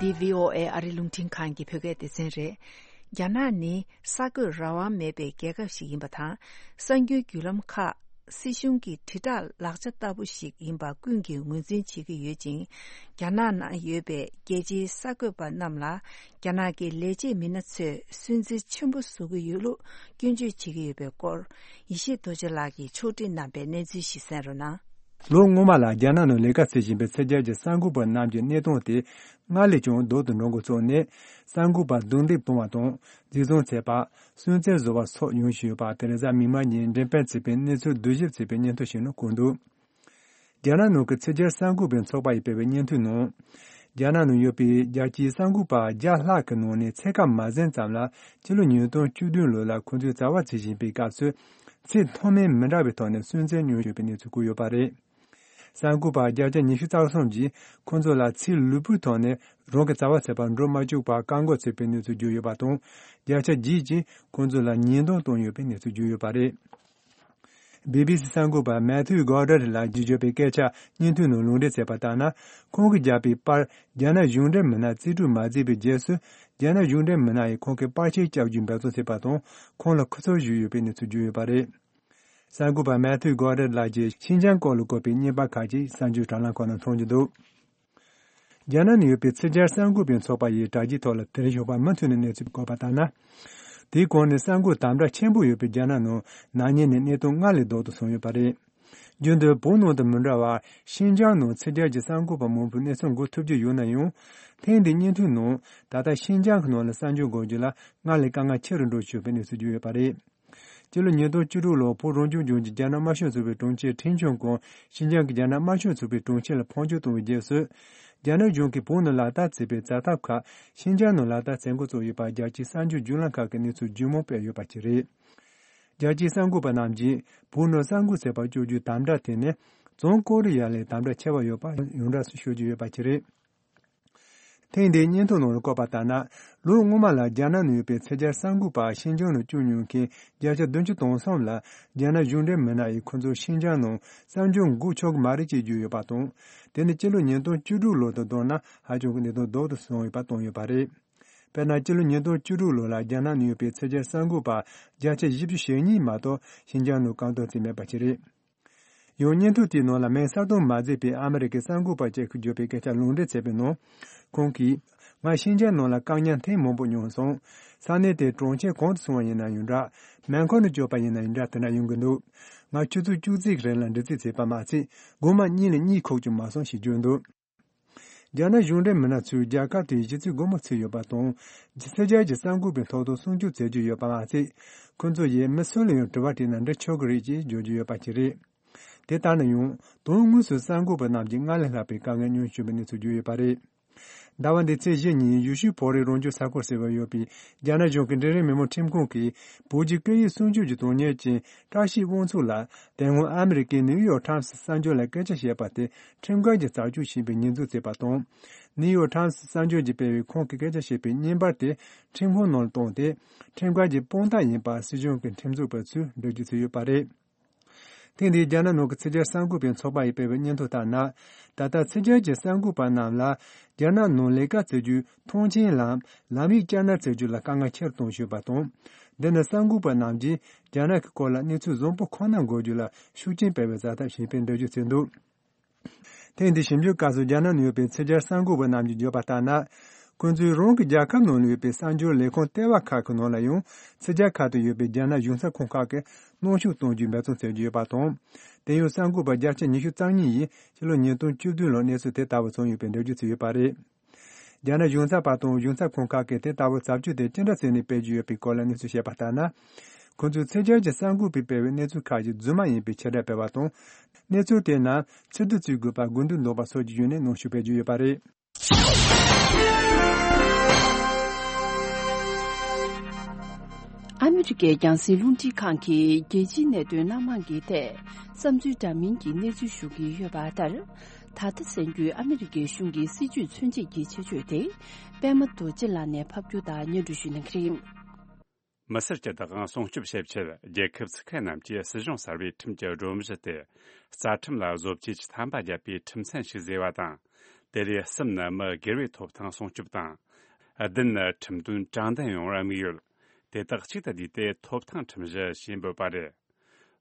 འདི་བྷི་ཨོ་ཨེ་ཨ་རི་རླུང་འཕྲིན་ཁང་གི་བོད་སྐད་སྡེ་ཚན་རེད། རྒྱ་ནག་ནི་གསར་འགོད་རང་དབང་མེད་པའི་རྒྱལ་ཁབ་ཞིག་ཡིན་པ་དང་། གསར་འགྱུར་བརྒྱུད་ལམ་ཁག་སྲིད་གཞུང་གི་དྲིལ་བསྒྲགས་ལག་ཆ་ལྟ་བུ་ཞིག་ཡིན་པ་ཀུན་གྱིས་ངོས་འཛིན་བྱེད་ཀྱི་ཡོད་ཅིང་། རྒྱ་ནག་ནང་ཡོད་པའི་རྒྱལ་སྤྱིའི་གསར་འགོད་པ་རྣམས་ལ་རྒྱ་ནག་གི་ལས་བྱེད་མི་སྣ་ཚོས་སུན་གཙེར་ཆེན་པོ་བཟོ་གི་ཡོད་ལུགས་སྐྱོན་བརྗོད་བྱེད་ཀྱི་ཡོད་པའི་སྐོར། ཡེ་ཤེས་རྡོ་རྗེ་ལགས་ཀྱིས་ཕྱོགས་སྒྲིག་གནང་པའི་གནས་ཚུལ་ཞིག་གསན་རོགས་གནང་། ལོ་སྔོན་མ་ལ་རྒྱ་ནག་ནང་ལས་ཀ་བྱེད་བཞིན་པའི་ཕྱི་རྒྱལ་གྱི་གསར་འགོད་པ་རྣམས་ཀྱི་གནས་སྟངས་དེ་སྔར་ལས་ཀྱང་སྡུག་ཏུ་འགྲོ་འགོ་ཚུགས་ནས། གསར་འགོད་པ་རྡུང་རྡེག་གཏོང་བ་དང་། འཛིན་བཟུང་བྱས་པ། སུན་གཙེར་བཟོ་བ་སོགས་ཡོང་བཞིན་ཡོད་པ། དེ་རེས་གཟའ་མིག་དམར་ཉིན་འགྲེམས་སྤེལ་བྱས་པའི་གནས་ཚུལ་བསྡུ་ཞིབ་བྱས་པའི་སྙན་ཐོ་ཞིག་ནང་བཀོད་འདུག་རྒྱ་ནག་ནང་གི་ཕྱི་རྒྱལ་གསར་འགོད་པའི་ཚོགས་པ་ཡིས་སྤེལ་བའི་སྙན་ཐོའི་ནང་། རྒྱ་ནག་ནང་ཡོད་པའི་རྒྱལ་སྤྱིའི་གསར་འགོད་པ་བརྒྱ་ལྷག་གི་ནང་ནས་ཕྱེད་ཀ་མ་ཟིན་ཙམ་ལ་ཕྱི་ལོ་ཉིས་སྟོང་བཅུ་བདུན་ལོ་ལ་ཁོང་ཚོས་བྱ་བ་བྱེད་བཞིན་པའི་སྐབས་སུ་ཚེ་ཐོག་མའི་མི་འདྲ་བའི་ཐོག་ནས་སུན་གཙེར་མྱོང་ཡོད་པའི་གནས་ཚུལ་བཀོད་ཡོད་པ་རེད། གསར་འགོད་པ་བརྒྱ་ཆ་ཉི་ཤུ་རྩ་གསུམ་གྱིས་ཁོང་ཚོ་ལ་ཚེ་ལུས་པོའི་ཐོག་ནས་རང་གི་བྱ་བ་ཟེར་བར་འགྲོ་མ་བཅུག་པར་བཀག་འགོག་བྱས་པའི་གནས་ཚུལ་བརྗོད་ཡོད་པ་དང་། བརྒྱ་ཆ་བརྒྱད་ཀྱིས་ཁོང་ཚོ་ལ་ཉེས་རྡུང་བཏང་ཡོད་པའི་གནས་ཚུལ་བརྗོད་ཡོད་པ་རེད། བྷི་བྷི་སི་གསར་འགོད་པ་མེ་ཐིའུ་གོ་ཌར་ལགས་ཀྱིས་བརྗོད་པའི་སྐད་ཆ་སྙན་ཐོའི་ནང་ལུང་འདྲེན་བྱས་པ་ལྟར་ན། ཁོང་གིས་བརྒྱབ་པའི་པར་རྒྱ་ནག་གཞུང་འབྲེལ་མི་སྣ་རྩིས་སྤྲོད་མ་མཛད་པའི་རྗེས་སུ། རྒྱ་ནག་གཞུང་འབྲེལ་མི་སྣ་ཡིས་ཁོང་གི་པར་ཆས་བཀྱག་རྒྱུའི་འབད་བརྩོན་བྱས་པ་དང་། ཁོང་ལ་ཁུ་ཚུར་གཞུས་ཡོད་པའི་གནས་ཚུལ་བརྗོད་ཡོད་པ་རེད། གསར་འགོད་པ་མེ་ཐིའུ་གོ་ཌར་ལགས་ཀྱིས་ཤིན་ཅང་སྐོར་ལ་བཀོད་པའི་བརྙན་པར་ཁག་ཅིག་གསར་འགྱུར་དྲ་ལམ་ཁག་ནང་མཐོང་རྒྱུ་འདུག་རྒྱ་ནག་ནང་ཡོད་པའི་ཚིག་སྦྱོར་གསར་འགོད་པའི་ཚོགས་པ་ཡིས་དྲ་རྒྱའི་ཐོག་ལ་དེར་ཞོགས་པ་མུ་མཐུད་ནས་གནས་ཚུལ་བཀོད་པ་ལྟར་ན། དེའི་གོང་ནས་གསར་འགོད་དམ་དྲག་ཆེན་པོ་ཡོད་པའི་རྒྱ་ནག་ནང་ན་ནིང་ནས་གནས་སྟངས་སྔར་ལས་སྡུག་ཏུ་སོང་ཡོད་པ་རེད། རྒྱུན་དུ་བོད་ནང་དང་མི་འདྲ་བར་ཤིན་ཅང་ནང་ཚིག་སྦྱོར་གྱི་གསར་འགོད་པ་མང་པོས་གནས་ཚུལ་འགོད་ཐུབ་ཀྱི་ཡོད་ན་ཡང་། ཐེངས་འདིའི་སྙན་ཐོའི་ནང་ད་ལྟ་ཤིན་ཅང་གི་ནང་ལ་གསར་འགྱུར་འགོད་རྒྱུ་ལ་སྔར་ལས་དཀའ་ངལ་ཆེ་རུ་འགྲོ་བཞིན་ཡོད་པའི་གནས་ཚུལ་བརྗོད་ཡོད་པ་རེད། སྤྱི་ལོ་ཉིས་སྟོང་བཅུ་དྲུག་ལོར་བོད་རང་སྐྱོང་ལྗོངས་ཀྱི་རྒྱ་ནག་དམར་ཤོག་ཚོགས་པའི་དྲུང་ཆེ་ཁྲིན་ཆོན་ཀོང་ཤིན་ཅང་གི་རྒྱ་ནག་དམར་ཤོག་ཚོགས་པའི་དྲུང་ཆེ་ལ་ཕོན་ཆེན་བཏང་བའི་རྗེས་སུ། རྒྱ་ནག་གཞུང་གིས་བོད་ནང་ལག་བསྟར་བྱས་པའི་བྱ་ཐབས་ཁག་ཤིན་ཅང་ནང་ལག་བསྟར་བྱེད་འགོ་བཙུགས་ཡོད་པ་རྒྱལ་སྤྱིའི་གསར་འགྱུར་བརྒྱུད་ལམ་ཁག་གིས་གནས་ཚུལ་ལྗིད་མོ་སྤེལ་ཡོད་པ་ཞིག་རེད། རྒྱལ་སྤྱིའི་གསར་འགོད་པ་རྣམས་ཀྱིས་བོད་ནང་གསར་འགོད་བྱེད་པར་སྤྱོད་རྒྱུའི་དམ་དྲག་དེ་ནི་བྱང་ཀོ་རི་ཡ་ལས་དམ་དྲག་ཆེ་བ་ཡོད་པ་ཡོངས་གྲགས་སུ་ཤོད་ཀྱི་ཡོད་པ་ཞིག་རེད། ཐེངས་འདིའི་སྙན་ཐོ་ནང་ལ་བཀོད་པ་ལྟར་ན། ལོ་སྔོན་མ་ལ་རྒྱ་ནག་ནང་ཡོད་པའི་ཚིག་སྦྱོར་གསར་འགོད་པ་ཤིན་ཅང་ནང་བཅུག་མྱོང་མཁན་བརྒྱ་ཆ་བདུན་ཅུ་དོན་གསུམ་ལ་རྒྱ་ནག་གཞུང་འབྲེལ་མི་སྣ་ཡིས་ཁོ་ཚོ་ཤིན་ཅང་ནང་གསར་འགྱུར་འགོད་ཆོག་གི་མ་རེད་ཅེས་བརྗོད་ཡོད་པ་དང་། དེ་ནི་སྤྱི་ལོ་ཉིས་སྟོང་བཅུ་དྲུག་ལོ་དང་བསྡུར་ན་ཧ་ཅང་གི་གནད་དོན་ལྡོག་ཏུ་སོང་ཡོད་པ་བཏོན་ཡོད་པ་རེད། དཔེར་ན། སྤྱི་ལོ་ཉིས་སྟོང་བཅུ་དྲུག་ལོ་ལ་རྒྱ་ནག་ནང་ཡོད་པའི་ཚིག་སྦྱོར་གསར་འགོད་པ་བརྒྱ་ཆ་བཞི་བཅུ་ཞེ་གཉིས་མ་གཏོགས་ཤིན་ཅང་ནང་བཀག་སྡོམ་བྱས་མེད་པ་ཞིག་རེད། ཡང་སྙན་ཐོ་དེའི་ནང་ལ་མིང་གསལ་སྟོན་མ་མཛད་པའི་ཨ་མི་རི་ཀའི་གསར་འགོད་པ་ཅིག་གིས་བརྗོད་པའི་སྐད་ཆ་ལུང་འདྲེན་བྱས་པའི་ནང་། ཁོང་གིས། ང་ཤིན་ཅང་ནང་ལ་བཀག་ཉར་ཐེངས་མང་པོ་མྱོང་སོང་། ས་གནས་དེའི་གྲོང་ཁྱེར་གང་དུ་སོང་བ་ཡིན་ན་ཡང་འདྲ། སྨན་ཁང་དུ་བསྐྱོད་པ་ཡིན་ན་ཡང་འདྲ། དེ་འདྲ་ཡོང་གི་འདུག་ང་ཆུ་ཚོད་བཅུ་གཅིག་གི་རིང་ལ་འདྲི་རྩད་བྱས་པ་མ་ཚད། སྒོ་མ་གཉིས་ལས་གཉིད་ཁུག་ཀྱང་མ་སོང་ཞེས་བརྗོད་འདུག་རྒྱ་ནག་གཞུང་འབྲེལ་མི་སྣ་ཚོས་རྒྱལ་ཁབ་དེའི་གཞི་རྩའི་སྒོ་མོ་ཚུགས་ཡོད་པ་དང་། ཚིག་སྦྱོར་གྱི་གསར་འགོད་པའི་ཐོབ་ཐང་སྲུང་སྐྱོབ་བྱེད་ཀྱི་ཡོད་པ་མ་ཟད། ཁོ་ཚོ་ཡིས་མི་སུ་ལ་ཡང་དྲི་བ་དྲིས་ན་འདྲི་ཆོག་གི་རེད་ཅེས་བརྗོད་ཀྱི་ཡོད་པ་ཞིག་རེད། དེ་ལྟར་ན་ཡང་། དོན་དངོས་སུ་གསར་འགོད་པ་རྣམས་ཀྱིས་སྔར་ལས་ལྷག་པའི་དཀའ་ངལ་མྱོང་བཞིན་པའི་གནས་ཚུལ་བརྗོད་ཡོད་པ་རེད། ཟླ་བ་འདིའི་ཚེས་བཞི་ཉིན་ཡུལ་ཤུལ་བོད་རིགས་རང་སྐྱོང་ས་ཁུལ་ཟེར་བ་ཡོད་པའི་རྒྱ་ནག་གཞུང་གི་འབྲིང་རིམ་མི་དམངས་ཁྲིམས་ཁང་གིས་བོད་ཀྱི་སྐད་ཡིག་སྲུང་སྐྱོབ་ཀྱི་དོན་གཉེར་ཅན་བཀྲ་ཤིས་དབང་ཕྱུག་ལ། དེ་སྔོན་ཨ་མི་རི་ཀའི་ནིའུ་ཡོག་ཊའིམ་སི་གསར་འགྱུར་ལ་སྐད་ཆ་བཤད་པ་དེ་ཁྲིམས་འགལ་གྱི་བྱ་སྤྱོད་ཡིན་པའི་ཉེས་འཛུགས་བྱས་པ་དང་། ནིའུ་ཡོག་ཊའིམ་སི་གསར་འགྱུར་གྱིས་སྤེལ་བའི་ཁོང་གིས་སྐད་ཆ་བཤད་པའི་བརྙན་པར་དེ་ཁྲིམས་ཁང་ནང་ལ་བཏོན་ཏེ། ཁྲིམས་འགལ་གྱི་དཔང་རྟགས་ཡིན་པ་སྲིད་གཞུང་གི་ཁྲིམས་བཟོ་བ་ཚོས་འགྲེལ་བརྗོད་བྱས་ཡོད་པ་རེད། ཐེངས་འདིའི་རྒྱ་ནག་ནང་གི་ཚིག་སྦྱོར་གསར་འགོད་པའི་ཚོགས་པ་ཡིས་སྤེལ་བའི་སྙན་ཐོ་ལྟར་ན། ད་ལྟ་ཚིག་སྦྱོར་གྱི་གསར་འགོད་པ་རྣམས་ལ་རྒྱ་ནག་ནང་ལས་ཀ་བྱེད་རྒྱུའི་ཐོངས་མཆན་ལམ་ལམ་ཡིག་བསྐྱར་ནན་བྱེད་རྒྱུ་ལ་དཀའ་ངལ་ཆེ་རུ་གཏོང་བཞིན་པ་དང་། འདི་ནི་གསར་འགོད་པ་རྣམས་ཀྱིས་རྒྱ་ནག་གི་སྐོར་ལ་གནས་ཚུལ་བཟང་པོ་ཁོ་ན་འགོད་རྒྱུ་ལ་ཤུགས་རྐྱེན་སྤེལ་བའི་བྱ་ཐབས་ཡིན་པའི་འགྲེལ་བརྗོད་བྱས་འདུག་ཐེངས་འདིའི་ཞིབ་འཇུག་སྐབས་སུ་རྒྱ་ནག་ནང་ཡོད་པའི་ཚིག་སྦྱོར་གསར་འགོད་པ་རྣམས་ཀྱིས་བརྗོད་པ་ལྟར་ན། ཁོང་ཚོས་རང་གི་རྒྱལ་ཁབ་ནང་ལ་ཡོད་པའི་གསར་འགྱུར་ལས་ཁུངས་ལྟེ་བ་ཁག་གི་ནང་ལ་ཡང་ཚིག་སྦྱོར་ཁག་ཏུ་ཡོད་པའི་རྒྱ་ནག་གཞུང་ཚབ་ཁང་ཁག་གིས་གནོན་ཤུགས་གཏོང་རྒྱུའི་འབད་བརྩོན་བྱེད་ཀྱི་ཡོད་པ་དང་། དེ་ཡང་གསར་འགོད་པ་བརྒྱ་ཆ་ཉི་ཤུ་རྩ་གཉིས་ཡིས་ཕྱི་ལོ་ཉིས་སྟོང་བཅུ་བདུན་ལོར་གནས་ཚུལ་དེ་ལྟ་བུ་བྱུང་ཡོད་པའི་འགྲེལ་བརྗོད་བྱས་ཡོད་པ་རེད། རྒྱ་ནག་གཞུང་ཚབ་པ་དང་གཞུང་ཚབ་ཁང་ཁག་གིས་དེ་ལྟ་བུའི་བྱ་སྤྱོད་དེ་ཅི་འདྲ་བྱས་ནས་སྤེལ་གྱི་ཡོད་པའི་སྐོར་ལ་གནས་ཚུལ་བཤད་པ་ལྟར་ན། ཁོང་ཚོས་ཚིག་སྦྱོར་གྱི་གསར་འགོད་པས་སྤེལ་བའི་གནས་ཚུལ་ཁག་ཅིག་རྫུན་མ་ཡིན་པའི་ཕྱིར་བསྒྲགས་སྤེལ་བ་དང་། གནས་ཚུལ་དེ་རྣམས་ཕྱིར་བསྡུ་བྱེད་དགོས་པར་དགོས་འདུན་འདོན་པ་སོགས་ཀྱི་ཡོན་ནས་གནོན་ཤུགས་སྤེལ་གྱི་ཡོད་པ་རེད། ཨ་མི་རི་ཀའི་རྒྱང་སྲིང་རླུང་འཕྲིན་ཁང་གིས་རྒྱལ་སྤྱིའི་གནད་དོན་སྣ་མང་གི་ཐད་བསམ་ཚུལ་འདྲ་མིན་གྱི་གནས་ཚུལ་ཞུ་གི་ཡོད་པ་ལྟར། ད་ལྟ་གསན་རྒྱུའི་ཨ་མི་རི་ཀའི་གཞུང་གི་སྲིད་ཇུས་མཚོན་བྱེད་ཀྱི་ཆེད་བརྗོད་དེ། པད་མ་རྡོ་རྗེ་ལགས་ནས་ཕབ་སྒྱུར་དང་སྙན་སྒྲོན་ཞུ་གནང་གི་རེད། མི་སེར་གྱི་བདག་དབང་སྲུང་སྐྱོབ་བྱེད་ཆེད། རྒྱལ་ཁབ་ཚུགས་མཁན་རྣམས་ཀྱིས་སྲིད་གཞུང་གསར་པའི་ཁྲིམས་ཀྱི་སྒྲོམ་གཞི་སྟེ། རྩ་ཁྲིམས་ལ་བཟོ་བཅོས་ཀྱི་ཐམ་པ་བརྒྱབ་པའི་ཁྲིམས་མཚན་ཞིག་བཟོས་པ་དང་། དེ་ལས་གསུམ་ནི་མི་སྒེར་བའི་ཐོབ་ཐང་སྲུང་སྐྱོབ་དང་། བདུན་ནི་ཁྲིམས་དོན་དྲང་བདེན་ཡོང་བར་དམིགས་ཡོད། དེ་དག་གཅིག་ཏུ་བསྡུས་ཏེ་ཐོབ་ཐང་ཁྲིམས་གཞི་ཞེས་འབོད་པ་རེད།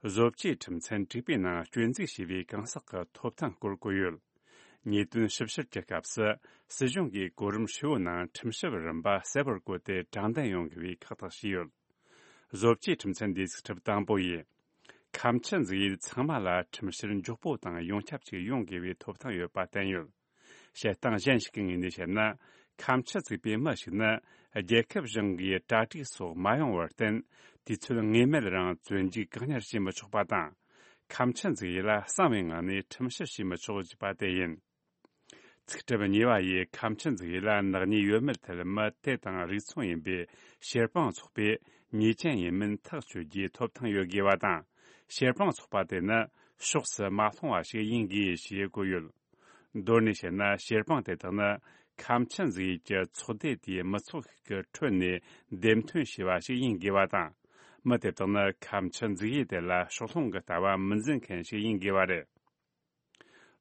བཟོ་བཅོས་ཁྲིམས་མཚན་དྲུག་པའི་ནང་སྐྱོན་འཛུགས་བྱས་པའི་གང་ཟག་གི་ཐོབ་ཐང་སྐོར་བཀོད་ཡོད། ཉེས་དོན་ཞིབ་བཤེར་གྱི་སྐབས་སུ། སྲིད་གཞུང་གིས་གོ་རིམ་ཧྲིལ་བོའི་ནང་ཁྲིམས་ཞིབ་རིམ་པ་གསལ་བོར་བཀོད་དེ་དྲང་བདེན་ཡོང་དགོས་པའི་ཁག་ཐེག་བྱས་ཡོད། བཟོ་བཅོས་ཁྲིམས་མཚན་འདིའི་ཚིག་ཁྲིམས་དང་པོ་ཡིན། ཁ་མཆུ་འཛུགས་ཡུལ་ཚང་མ་ལ་ཁྲིམས་བཤེར་མགྱོགས་པོ་དང་ཡོངས་ཁྱབ་ཅིག་ཡོང་དགོས་པའི་ཐོབ་ཐང་ཡོད་པ་བསྟན་ཡོད། བཤད་སྟངས་གཞན་ཞིག་གི་ངོས་ནས་བཤད་ན། ཁ་མཆུ་འཛུགས་པའི་མི་ཞིག་ནི། རྒྱལ་ཁབ་གཞུང་གིས་གྲ་སྒྲིག་སོགས་མ་ཡོང་བར་བརྟེན། དུས་ཚོད་ངེས་མེད་རིང་བཙོན་འཇུག་བཀག་ཉར་བྱེད་མི་ཆོག་པ་དང་། ཁ་མཆུ་འཛུགས་ཡུལ་ལ་གསང་བའི་ངང་ནས་ཁྲིམས་ཞིབ་བྱེད་མི་ཆོག་ཅེས་པ་དེ་ཡིན། ཚིག་ཁྲིམས་གཉིས་པ་ཡིས་ཁ་མཆུ་འཛུགས་ཡུལ་ལ་ནག་ཉེས་ཡོད་མེད་ཐད་མི་དེ་དང་རིགས་མཚུངས་ཡིན་པའི་ཕྱིར་སྤང་ཚོགས་པས་ཉེས་ཅན་ཡིན་མིན་ཐག་གཅོད་རྒྱུའི་ཐོབ་ཐང་ཡོད་དགོས་པ་དང་། ཕྱིར་སྤང་ཚོགས་པ་དེ་ནི་ ཕྱོགས་སུ་མ་ལྷུང་བ་ཞིག་ཡིན་དགོས་ཞེས་བཀོད་ཡོད། མདོར་ནས་བཤད་ན། བྱེད་སྤང་དེ་དག་ནི་ཁ་ཆེམས་འཛུགས་ཡུལ་གྱི་ཚོགས་སྡེ་དེའི་མི་ཚོགས་ཤིག་གི་ཁྲོད་ནས་འདེམས་ཐོན་བྱས་པ་ཞིག་ཡིན་དགོས་པ་དང་། མི་དེ་དག་ནི་ཁ་ཆེམས་འཛུགས་ཡུལ་དེ་ལ་ཕྱོགས་ལྷུང་གི་ལྟ་བ་མི་འཛིན་མཁན་ཞིག་ཡིན་དགོས་པ་རེད།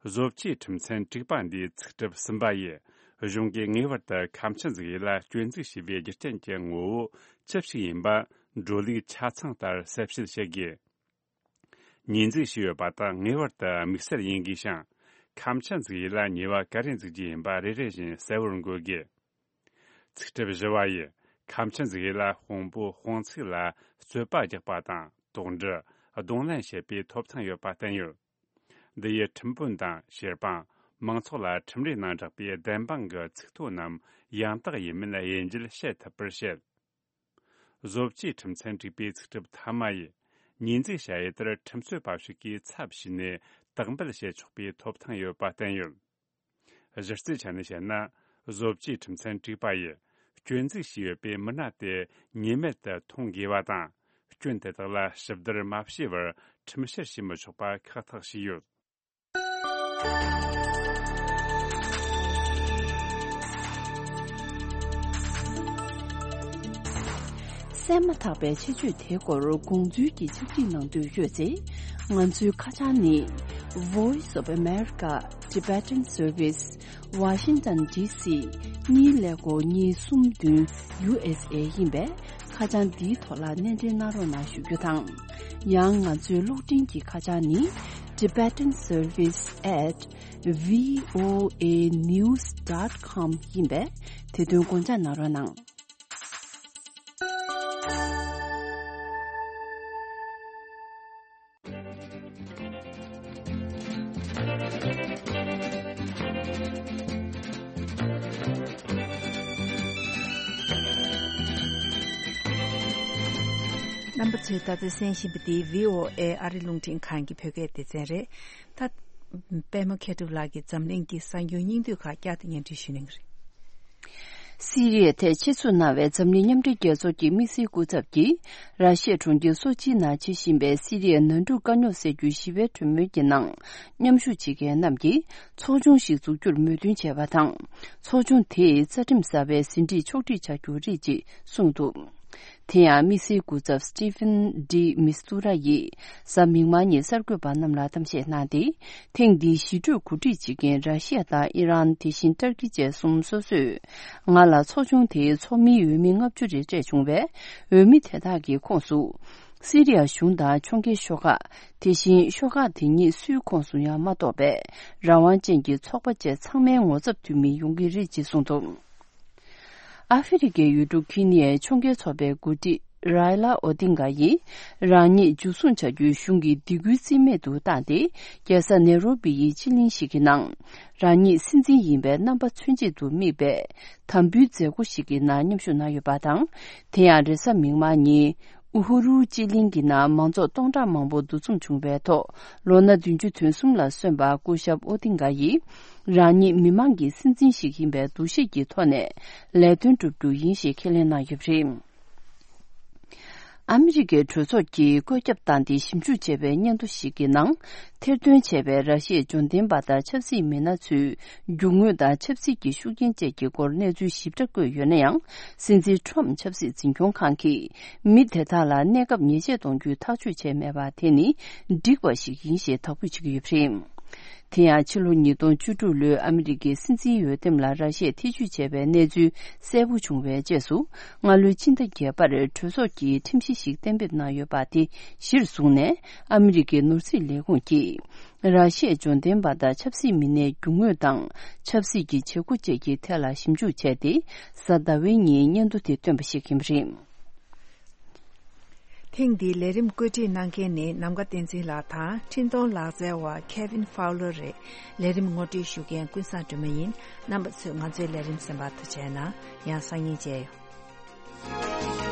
བཟོ་བཅོས་ཁྲིམས་ཚན་དྲུག་པ་འདིའི་ཚིག་གྲུབ་གསུམ་པ་ཡིས། གཞུང་གིས་ངེས་པར་དུ་ཁ་ཆེམས་འཛུགས་ཡུལ་ལ་སྐྱོན་འཛུགས་བྱས་པའི་རྒྱུ་རྐྱེན་གྱི་ངོ་བོ་ཅི་ཞིག་ཡིན་པ། འགྲོ་ལུགས་ཆ་ཚང་ལྟར་གསལ་བཤད་བྱེད་དགོས། ཉེས་འཛུགས་བྱས་ཡོད་པ་དག་ངེས་པར་དུ་དམིགས་བསལ་ཡིན་དགོས་ཤིང་། ཁ་ཆེམས་འཛུགས་ཡུལ་ལ་ཉེས་པ་ག་རེ་འཛུགས་རྒྱུ་ཡིན་པ་རེ་རེ་བཞིན་གསལ་བོར་འགོད་དགོས། ཚིག་གྲུབ་བཞི་པ་ཡིས། ཁ་ཆེམས་འཛུགས་ཡུལ་ལ་དཔང་པོ་དཔང་ཚིག་ལ་རྩོད་པ་རྒྱག་པ་དང་། དོགས་འདྲི། གདོང་ལེན་བྱེད་པའི་ཐོབ་ཐང་ཡོད་པ་བསྟན་ཡོད། འདི་ཡིས་ཁྲིམས་དཔོན་དང་། བྱེད་སྤང་། མང་ཚོགས་ལ་ཁྲིམས་རའི་ནང་བསྒྲགས་པའི་བདེན་དཔང་གི་ཚིག་ཐོ་རྣམས་ཡང་དག་ཡིན་མིན་དབྱེ་འབྱེད་བྱེད་ཐུབ་པར་བཤད། བཟོ་བཅོས་ཁྲིམས་ཚན་དྲུག་པའི་ཚིག་གྲུབ་ཐ་མ་ཡིས། ཉེས་འཛུགས་བྱ་ཡུལ་དེར་ཁྲིམས་རྩོད་པ་ཞིག་གིས་ཚབ་བྱས་ནས་དག་འབུལ་བྱེད་ཆོག་པའི་ཐོབ་ཐང་ཡོད་པ་བསྟན་ཡོད། གཞི་རྩའི་ཆ་ནས་བཤད་ན། བཟོ་བཅོས་ཁྲིམས་ཚན་དྲུག་པ་ཡིས་སྐྱོན་འཛུགས་བྱས་ཡོད་པའི་མི་སྣ་དེ་ཉེས་མེད་དུ་མཐོང་དགོས་པ་དང་། སྐྱོན་དེ་དག་ལ་ཞིབ་བསྡུར་མ་བྱས་པར་ཁྲིམས་བཤེར་བྱེད་མི་ཆོག་པ་ཁག་ཐེག་བྱས་ཡོད། གསན་མ་ཐག་པའི་ཆེད་བརྗོད་དེའི་སྐོར་དགོངས་ཚུལ་གྱི་ཕྱག་བྲིས་གནང་འདོད་ཡོད་ཚེ། ང་ཚོའི་ཁ་བྱང་ནི། Voice of America Tibetan Service, Washington D C གཉིས་ཀླད་ཀོར་གཉིས་གསུམ་བདུན། U S A ཡིན་པས། ཁ་བྱང་འདིའི་ཐོག་ལ་གནས་འབྲེལ་གནང་རོགས་གནང་ཞུ་རྒྱུ་དང་། ཡང་ང་ཚོའི་གློག་འཕྲིན་གྱི་ཁ་བྱང་ནི། Tibetan Service at V O A news dot com ཡིན་པས། དེ་དོན་དགོངས་འཇགས་གནང་རོགས་གནང་། རྣམ་པ་ཚོས་ད་ལྟ་གསན་བཞིན་པ་འདི་V O A ཨ་རི་རླུང་འཕྲིན་ཁང་གི་བོད་སྐད་སྡེ་ཚན་རེད། ད། པད་མ་མཁས་གྲུབ་ལགས་ཀྱིས་འཛམ་གླིང་གི་གསར་འགྱུར་སྙིང་བསྡུས་ཁག་བསྐྱར་དུ་སྙན་སྒྲོན་ཞུ་གནང་གི་རེད། སི་རི་ཡའི་ཐད་ཆེད་འཛུགས་གནང་བའི་འཛམ་གླིང་མཉམ་འབྲེལ་རྒྱལ་ཚོགས་ཀྱི་དམིགས་བསལ་སྐུ་ཚབ་ཀྱིས། ར་ཤི་ཡའི་གྲོང་ཁྱེར་སོ་ཆིའི་ནང་བྱེད་བཞིན་པའི་སི་རི་ཡའི་ནང་འཁྲུག་དཀའ་རྙོག་སེལ་རྒྱུའི་ཞི་བའི་གྲོས་མོལ་གྱི་ནང་མཉམ་ཞུགས་བྱེད་མཁན་རྣམས་ཀྱིས་ཚོགས་ཆུང་ཞིག་འཛུགས་རྒྱུར་མོས་མཐུན་བྱས་པ་དང་། ཚོགས་ཆུང་དེས་རྩ་ཁྲིམས་གསར་པའི་ཟིན་བྲིས་ཕྱོགས་སྒྲིག་བྱ་རྒྱུ་རེད་ཅེས་གསུངས་འདུག། དེ་ཡང་དམིགས་བསལ་སྐུ་ཚབ་Staffan de Mistura ཡིས་གཟའ་མིག་དམར་ཉིན་གསར་འགོད་པ་རྣམས་ལ་གཏམ་བཤད་གནང་སྟེ། ཐེངས་འདིའི་ཞི་གྲོས་གོ་སྒྲིག་བྱེད་མཁན་ར་ཤི་ཡ་དང་ཨི་རན། དེ་བཞིན་ཏར་ཀི་བཅས་གསུམ་སོ་སོས་ང་ལ་ཚོགས་ཆུང་དེའི་ཚོགས་མིའི་འོས་མི་ལྔ་བཅུ་རེ་སྤྲད་བྱུང་བས། འོས་མི་དེ་དག་གི་ཁོངས་སུ། སི་རི་ཡ་གཞུང་དང་ཕྱོགས་འགལ་ཤོག་ཁག། དེ་བཞིན་ཤོག་ཁག་དེ་ཉིད་སུའི་ཁོངས་སུ་ཡང་མ་གཏོགས་པའི་རང་དབང་ཅན་གྱི་ཚོགས་པ་བཅས་ཚང་མའི་ངོ་ཚབ་འཐུས་མི་ཡོང་གི་རེད་ཅེས་གསུངས་འདུག། ཨ་ཧྥེ་རི་ཁའི་ཡུལ་གྲུ་ཁི་ནི་ཡའི་ཕྱོགས་འགལ་ཚོགས་པའི་འགོ་ཁྲིད་རའི་ལ་ཨོ་ཏིང་ག་ཡིས། རང་ཉིད་འཇུ་བཟུང་བྱ་རྒྱུའི་གཞུང་གི་སྡིགས་སྐུལ་རྩིས་མེད་དུ་བཏང་སྟེ། རྒྱལ་ས་ནེ་རོ་བི་ཡི་སྤྱི་གླིང་ཞིག་གི་ནང་། རང་ཉིད་སྲིད་འཛིན་ཡིན་པའི་རྣམ་པ་མཚོན་ཆེད་དུ་དམིགས་པའི་དམ་འབུལ་མཛད་སྒོ་ཞིག་གི་ནང་མཉམ་ཞུགས་གནང་ཡོད་པ་དང་། དེ་ཡང་རེས་གཟའ་མིག་དམར་ཉིན། ཨུ་ཧུ་རུ་སྤྱི་གླིང་གི་ནང་མང་ཚོགས་སྟོང་ཕྲག་མང་པོ་འདུ་འཛོམས་བྱུང་བའི་ཐོག། ལོ་ན་བདུན་ཅུ་དོན་གསུམ་ལ་སོན་པ་སྐུ་ཞབས་ཨོ་ཏིང་ག་ཡིས། རང་ཉིད་མི་མང་གི་སྲིད་འཛིན་ཞིག་ཡིན་པའི་འདུ་ཤེས་ཀྱི་ཐོག་ནས་ལས་དོན་བསྒྲུབ་རྒྱུ་ཡིན་ཞེས་ཁས་ལེན་གནང་ཡོད་པ་རེད། ཨ་མི་རི་ཀའི་གྲོས་ཚོགས་ཀྱིས་བཀོད་ཁྱབ་བཏང་སྟེ་ཞིབ་འཇུག་བྱས་པའི་སྙན་ཐོ་ཞིག་གི་ནང་། ཐེར་འདོན་བྱས་པའི་ར་ཤི་ཡའི་འབྱོར་ལྡན་པ་དང་ཆབ་སྲིད་མི་སྣ་ཚོའི་རྒྱུ་དངོས་དང་ཆབ་སྲིད་ཀྱི་ཤུགས་རྐྱེན་བཅས་ཀྱི་སྐོར་གནས་ཚུལ་ཞིབ་ཕྲ་བཀོད་ཡོད་ན་ཡང་། སྲིད་འཛིན་ཁྲོམ་ཆབ་སྲིད་འཛིན་སྐྱོང་ཁང་གིས་མི་དེ་དག་ལ་གནས་སྐབས་ཉེས་ཆད་གཏོང་རྒྱུའི་ཐག་གཅོད་བྱས་མེད་པ་དེ་ནི་འགྲིག་པ་ཞིག་ཡིན་ཞེས་དོགས་པ་བྱེད་ཀྱི་ཡོད་པ་རེད། དེ་ཡང་ཕྱི་ལོ་ཉིས་སྟོང་བཅུ་དྲུག་ལོའི་ཨ་མི་རི་ཀའི་སྲིད་འཛིན་འོས་འདེམས་ལ་ར་ཤི་ཡས་ཐེ་བྱུས་བྱས་པའི་གནས་ཚུལ་གསལ་པོ་བྱུང་བའི་རྗེས་སུ། སྔ་ལོའི་ཕྱི་ཟླ་བརྒྱད་པར་གྲོས་ཚོགས་ཀྱིས་ཁྲིམས་གཞི་ཞིག་གཏན་འབེབས་གནང་ཡོད་པ་དེ་གཞིར་བཟུང་ནས། ཨ་མི་རི་ཀའི་ནོར་སྲིད་ལས་ཁུངས་ཀྱིས། ར་ཤི་ཡའི་འབྱོར་ལྡན་པ་དང་ཆབ་སྲིད་མི་སྣའི་རྒྱུ་དངོས་དང་ཆབ་སྲིད་ཀྱི་བྱེད་སྒོ་བཅས་ཀྱི་ཐད་ལ་ཞིབ་འཇུག་བྱས་ཏེ། གཟའ་ཟླ་བའི་ཉིན་སྙན་ཐོ་དེ་བཏོན་པ་ཞིག་ཡིན་པ་རེད། ཐེངས་འདིའི་ལས་རིམ་བཀོད་སྒྲིག་གནང་མཁན་ནི་ནམ་མཁའ་བསྟན་འཛིན་ལགས་དང་། འཕྲིན་གཏོང་ལག་རྩལ་བ་Kevin Fowler རེད། ལས་རིམ་ངོ་སྤྲོད་ཞུ་མཁན་ཀུན་བཟང་སྒྲོལ་མ་ཡིན། རྣམ་པ་ཚོས་ང་ཚོའི་ལས་རིམ་གསན་པར་ཐུགས་རྗེ་གནང་། ཡང་སང་ཉིན་མཇལ་ཡོང་།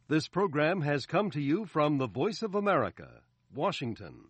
This program has come to you from the Voice of America, Washington.